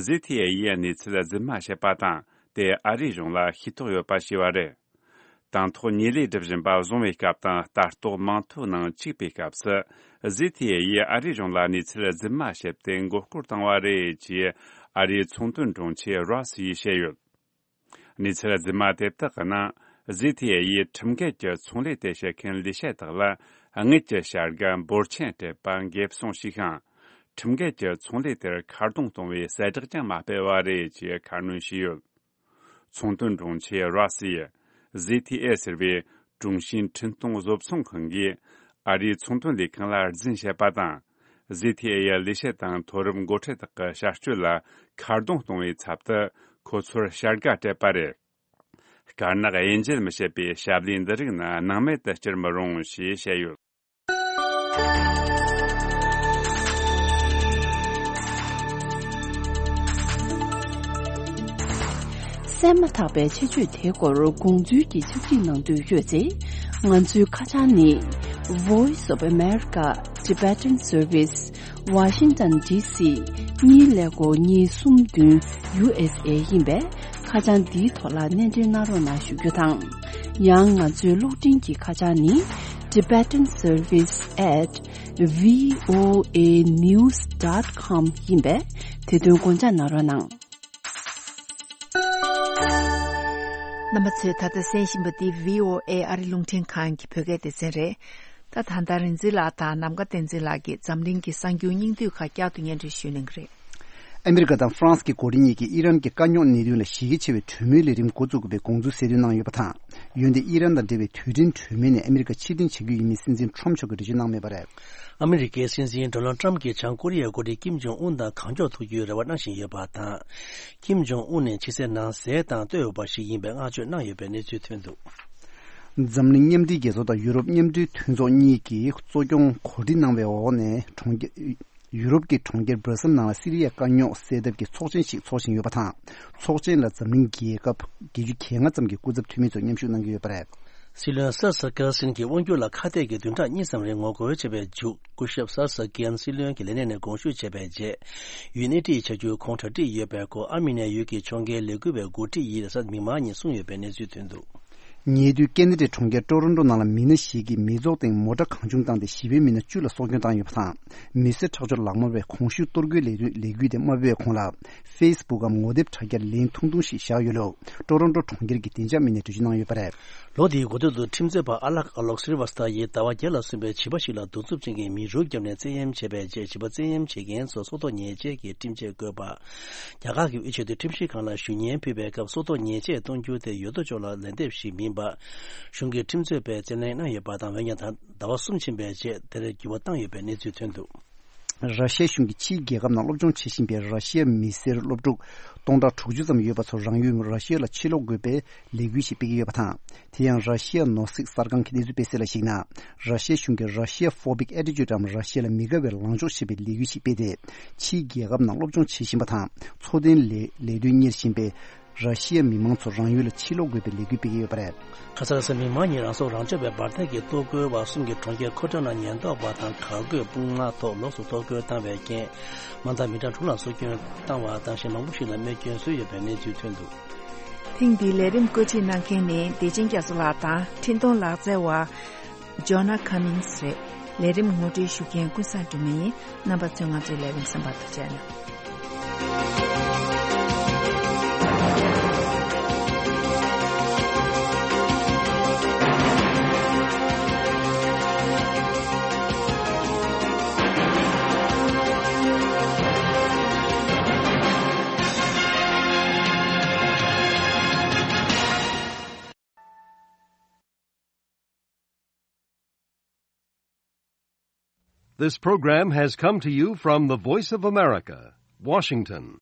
ཟི་ཐི་ཨེ་ཡིས་གནས་ཚུལ་རྫུན་མ་བཤད་པ་དང་དེ་ཨ་རིའི་གཞུང་ལ་ཤེས་རྟོགས་ཡོད་པ་ཞེས་པ་རེད། དང་ཐོག་ཉེས་ལས་སྒྲུབ་བཞིན་པ་བཟུང་བའི་སྐབས་དང་ལྟ་རྟོག་མིང་ཐོའི་ནང་བཅུག་པའི་སྐབས་སུ། ཟི་ཐི་ཨེ་ཡིས་ཨ་རིའི་གཞུང་ལ་གནས་ཚུལ་རྫུན་མ་བཤད་དེ་མགོ་སྐོར་བཏང་བ་རེད་ཅེས་ཨ་རིའི་ཚོང་དོན་དྲུང་ཆེ་རོས་ཡིས་བཤད་ཡོད། གནས་ཚུལ་རྫུན་མ་དེ་དག་གི་ནང་ཟི་ཐི་ཨེ་ཡིས་ཁྲིམས་འགལ་གྱི་ཚོང་ལས་དེ་བྱེད་མཁན་ལས་བྱེད་དག་ལ་དངུལ་གྱི་བྱ་དགའ་འབོར་ཆེན་སྤྲད་པ་འགེབས་སྲུང་བྱས་ཤིང་། ཁྲིམས་འགལ་གྱི་ཚོང་ལས་དེར་ཁ་རྡུང་གཏོང་བའི་གསལ་བསྒྲགས་ཀྱང་མ་སྤེལ་བ་རེད་ཅེས་ཁ་སྣོན་བྱས་ཡོད། ཚོང་དོན་དྲུང་ཆེ་རོས་ཡིས་ཟི་ཐི་ཨེ་ཟེར་བའི་ཀྲུང་ཞིན་འཕྲིན་གཏོང་བཟོ་ཚོང་ཁང་གིས་ཨ་རིའི་ཚོང་དོན་ལས་ཁང་ལ་རྫུན་བཤད་པ་དང་། ཟི་ཐི་ཨེ་ཡི་ལས་བྱེད་དང་མཐོ་རིམ་འགོ་ཁྲིད་དག་གི་བྱ་སྤྱོད་ལ་ཁ་རྡུང་གཏོང་བའི་ཚབ་ཏུ་ཁོ་ཚོར་བྱ་དགའ་སྤྲད་པ་རེད། དཀར་ནག་དབྱེ་འབྱེད་མི་བྱེད་པའི་ཞབས་ལས་འདི་རིགས་ནི་སྣང་མེད་དུ་བསྐྱུར་མི་རུང་ཞེས་བཤད་ཡོད། གསན་མ་ཐག་པའི་ཆེད་བརྗོད་དེའི་སྐོར་དགོངས་ཚུལ་གྱི་ཕྱག་བྲིས་གནང་འདོད་ཡོད་ཚེ། ང་ཚོའི་ཁ་བྱང་ནི། Voice of America Tibetan Service Washington D C གཉིས་ཀླད་ཀོར་གཉིས་གསུམ་བདུན་U S A ཡིན་པས། ཁ་བྱང་འདིའི་ཐོག་ལ་སྣེ་འདྲེན་གནང་རོགས་གནང་ཞུ་རྒྱུ་དང་། ཡང་ང་ཚོའི་གློག་འཕྲིན་གྱི་ཁ་བྱང་ནི། Tibetan Service at V O A news dot com ཡིན་པས། དེ་དོན་དགོངས་འཇགས་གནང་རོགས་གནང་། རྣམ་པ་ཚོས་ད་ལྟ་གསན་བཞིན་པ་འདི་V O A ཨ་རི་རླུང་འཕྲིན་ཁང་གི་བོད་སྐད་སྡེ་ཚན་རེད། ད་ད་ལྟ་རིག་འཛིན་ལགས་དང་ནམ་མཁའ་བསྟན་འཛིན་ལགས་ཀྱིས་འཛམ་གླིང་གི་གསར་འགྱུར་སྙིང་བསྡུས་ཁག་བསྐྱར་དུ་སྙན་སྒྲོན་ཞུ་གནང་གི་རེད། ཨ་མི་རི་ཀ་དང་ཧྥ་རན་སི་གི་འགོ་ཁྲིད་གཉིས་ཀྱིས་ཨི་རན་གྱི་དཀའ་རྙོག་གནད་དོན་ལ་གཞི་རྒྱ་ཆེ་བའི་གྲོས་མོལ་ལས་རིམ་འགོ་བཙུགས་དགོས་པའི་དགོངས་ཚུལ་གསལ་སྟོན་གནང་ཡོད་པ་དང་། འོན་ཏེ་ཨི་རན་དང་འབྲེལ་བའི་དུས་དྲན་གྲོས་མོལ་ནས་ཨ་མི་རི་ཀ་ཕྱིར་འཐེན་བྱ་རྒྱུ་ཡིན་མིན་སྲིད་འཛིན་ཁྲོམ་མཆོག་གིས་འགྲེལ་བརྗོད་གནང་མེད་པ་རེད། ཨ་མི་རི་ཀའི་སྲིད་འཛིན་ཌོ་ནལ་ཊམ་གྱིས་བྱང་ཀོ་རི་ཡའི་འགོ་ཁྲིད་ཀིམ་ཇོང་ཨུན་དང་གང་མགྱོགས་ཐུག་རྒྱུའི་རེ་བ་གནང་བཞིན་ཡོད་པ་དང་། ཀིམ་ཇོང་ཨུན་ནི་ཕྱི་གསལ་ནང་གསལ་དང་བསྟོད་འོས་པ་ཞིག་ཡིན་པའི་བསྔགས་བརྗོད་གནང་ཡོད་པའི་གནས་ཚུལ་ཐོན་འདུག་འཛམ་གླིང་མཉམ་འབྲེལ་རྒྱལ་ཚོགས་དང་ཡུ་རོབ་མཉམ་འབྲེལ་མཐུན་ཚོགས་གཉིས་ཀྱིས་གཙོ་སྐྱོང་གོ་སྒྲིག་གནང་བའི་འོག་ནས་གྲོང་ཁྱེར་ཡུ་རོབ་ཀྱི་གྲོང་ཁྱེར་སྦྲ་སིལ་ནང་ལ་སི་རི་ཡའི་དཀའ་རྙོག་སེལ་ཐབས་ཀྱི་ཚོགས་ཆེན་ཞིག་འཚོགས་བཞིན་ཡོད་པ་དང་། ཚོགས་ཆེན་ལ་འཛམ་གླིང་རྒྱལ་ཁབ་བརྒྱད་ཅུ་གྱ་ལྔ་ཙམ་གྱི་སྐུ་ཚབ་འཐུས་མི་ཚོ་མཉམ་ཞུགས་གནང་གི་ཡོད་པ་རེད། སྲིད་བློན་སར་སར་ཀེར་སིན་གྱི་དབང་སྒྱུར་ལ་ཁ་གཏད་ཀྱི་བདུན་ཕྲག་གཉིས་ཙམ་རིང་ངོ་རྒོལ་བྱས་པའི་མཇུག་སྐུ་ཞབས་སར་སར་ཀེར་སྲིད་བློན་གྱི་ལས་གནས་ནས་དགོངས་ཞུ་བྱས་པའི་རྗེས། ཡུལ་སྣེ་ཁྲིད་བྱ་རྒྱུ་ཁོང་གྲ་སྒྲིག་ཡོད་པའི་སྐོར་ཨར་མི་ནི་ཡ་ཡུལ་གྱི་ཕྱོགས་འགལ་ལས་འགུལ་བའི་འགོ་ཁྲིད་ཡིས་གཟའ་མིག་དམར་ཉིན་གསུངས་ཡོད་པའི་གནས་ཚུལ་ཐོན་འདུག་ཉེ་དུས་ཀེ་ན་ཌའི་གྲོང་ཁྱེར་ཀྲོ་རོན་ཀྲོ་ནང་ལ་མི་སྣ་ཞིག་གིས་མི་ཚོགས་སྟེང་མོ་ཊ་གང་བྱུང་བཏང་སྟེ་བྱིས་པའི་མི་སྣ་བཅུ་ལ་སྲོག་སྐྱོན་བཏང་ཡོད་པ་དང་། མི་སེར་ཁྲག་སྦྱོར་ལག་དམར་བས་གོང་ཞུས་གཏོར་རྒོལ་ལས་དོན་ལས་འགུལ་དེ་མ་སྤེལ་བའི་གོང་ལ། ཧྥེ་སི་བུག་གམ་ངོ་དེབ་དྲ་རྒྱར་ལན་ཐུང་ཐུང་ཞིག་བཞག་ཡོད་ལུགས་ཀྲོ་རོན་ཀྲོ་གྲོང་ཁྱེར་གྱི་བདེ་འཇགས་མི་སྣས་འགྲེལ་བརྗོད་གནང་ཡོད་པ་རེད། ལོ་འདིའི་འགོ་སྟོད་དུ་ཁྲིམས་རྩོད་པ་ཨ་ལག་ཨ་ལོག་སི་རི་ཝ་སི་ཐ་ཡིས་ཟླ་བ་བརྒྱད་ལ་སོན་པའི་བྱིས་པ་ཞིག་ལ་གདུག་རྩུབ་ཅན་གྱི་མེ་རུལ་བརྒྱབ་ནས་བཙན་གཡེམ་བྱས་པའི་རྗེས་བྱིས་པ་བཙན་གཡེམ་བྱེད་མཁན་ཚོར་སྲོག་ཐོག་ཉེས་ཆད་ཀྱི་ཁྲིམས་ཆད་བཀོད་པ། རྒྱ་གར་གྱི་དབུས་ཆེས་མཐོའི་ཁྲིམས་ཞིབ་ཁང་ལ་ཞུ་སྙན་ཕུལ་བའི་སྐབས་སྲོག་ཐོག་ཉེས་ཆད་གཏོང་རྒྱུ་དེ་ཡོད་དོ་ཅོག་ལ་ལན་འདེབས་ཤིག་མིན་པ། གཞུང་གི་ཁྲིམས་རྩོད་པས་བཙན་ལེན་གནང་ཡོད་པ་དང་། འོན་ཀྱང་ད་ཟླ་བ་གསུམ་ཕྱིན་པའི་རྗེས་དེར་འགྱུར་བ་བཏང་ཡོད་པའི་གནས་ཚུལ་ཐོན་འདུག་ར་ཤི་ཡ་གཞུང་གིས་ཕྱིའི་རྒྱལ་ཁབ་ནང་སློབ་སྦྱོང་བྱེད་བཞིན་པའི་ར་ཤི་ཡ་མི་སེར་སློབ་ཕྲུག་སྟོང་ཕྲག་དྲུག་ཅུ་ཙམ་ཡོད་པ་ཚོ་རང་ཡུལ་ར་ཤི་ཡ་ལ་ཕྱིར་ལོག་དགོས་པའི་ལས་འགུལ་ཞིག་སྤེལ་གྱི་ཡོད་པ་དང་། དེ་ཡང་ར་ཤི་ཡ་ནོ་སིག་གསར་ཁང་གིས་གནས་ཚུལ་སྤེལ་གསལ་ལ་གཞིགས་ན། ར་ཤི་ཡ་གཞུང་གིས་Russia phobic attitude འམ་ར་ཤི་ཡ་ལ་མི་དགའ་བའི་ལངས་ཕྱོགས་བྱེད་པའི་ལས་འགུལ་ཞིག་སྤེལ་ཏེ། ཕྱིའི་རྒྱལ་ཁབ་ནང་སློབ་སྦྱོང་བྱེད་བཞིན་པ་དང་འཚོ་རྟེན་ལས་ལས་དོན་གཉེར་བཞིན་པའི་ར་ཤི་ཡ་མི་མང་ཚོ་རང་ཡུལ་ལ་ཕྱིར་ལོག་དགོས་པའི་ལས་འགུལ་སྤེལ་གྱི་ཡོད་པ་རེད། ཁ་སང་གཟའ་མིག་དམར་ཉིན་རང་སྲོག་རང་སྐྱོབ་པའི་འབར་མདེལ་གྱི་གཏོར་རྒོལ་བ་གསུམ་གྱིས་གྲོང་ཁྱེར་ཁོ་ཊ་ན་ཉེན་རྟོག་པ་དང་གར་གོས་དཔུང་དམག་ཐོག་ལོགས་སུ་གཏོར་རྒོལ་བཏང་བའི་རྐྱེན། མ་མཐའ་མི་གྲངས་དྲུག་ལ་སྲོག་སྐྱོན་བཏང་བ་དང་གཞན་མང་པོ་ཞིག་ལ་རྨས་སྐྱོན་བཟོས་ཡོད་པའི་གནས་ཚུལ་ཐོན་འདུག་ཐེངས་འདིའི་ལས་རིམ་བཀོད་སྒྲིག་གནང་མཁན་ནི་བདེ་ཆེན་རྒྱ་མཚོ་ལགས་དང་འཕྲིན་གཏོང་ལག་རྩལ་བ་Jonah Cummings རེད། ལས་རིམ་ངོ་སྤྲོད་ཞུ་མཁན་ཀུན་བཟང་སྒྲོལ་མ་ཡིན། རྣམ་པ་ཚོས་ང་ཚོའི་ལས་རིམ་གསན་པར་ཐུགས་རྗེ་གནང་། This program has come to you from the Voice of America, Washington.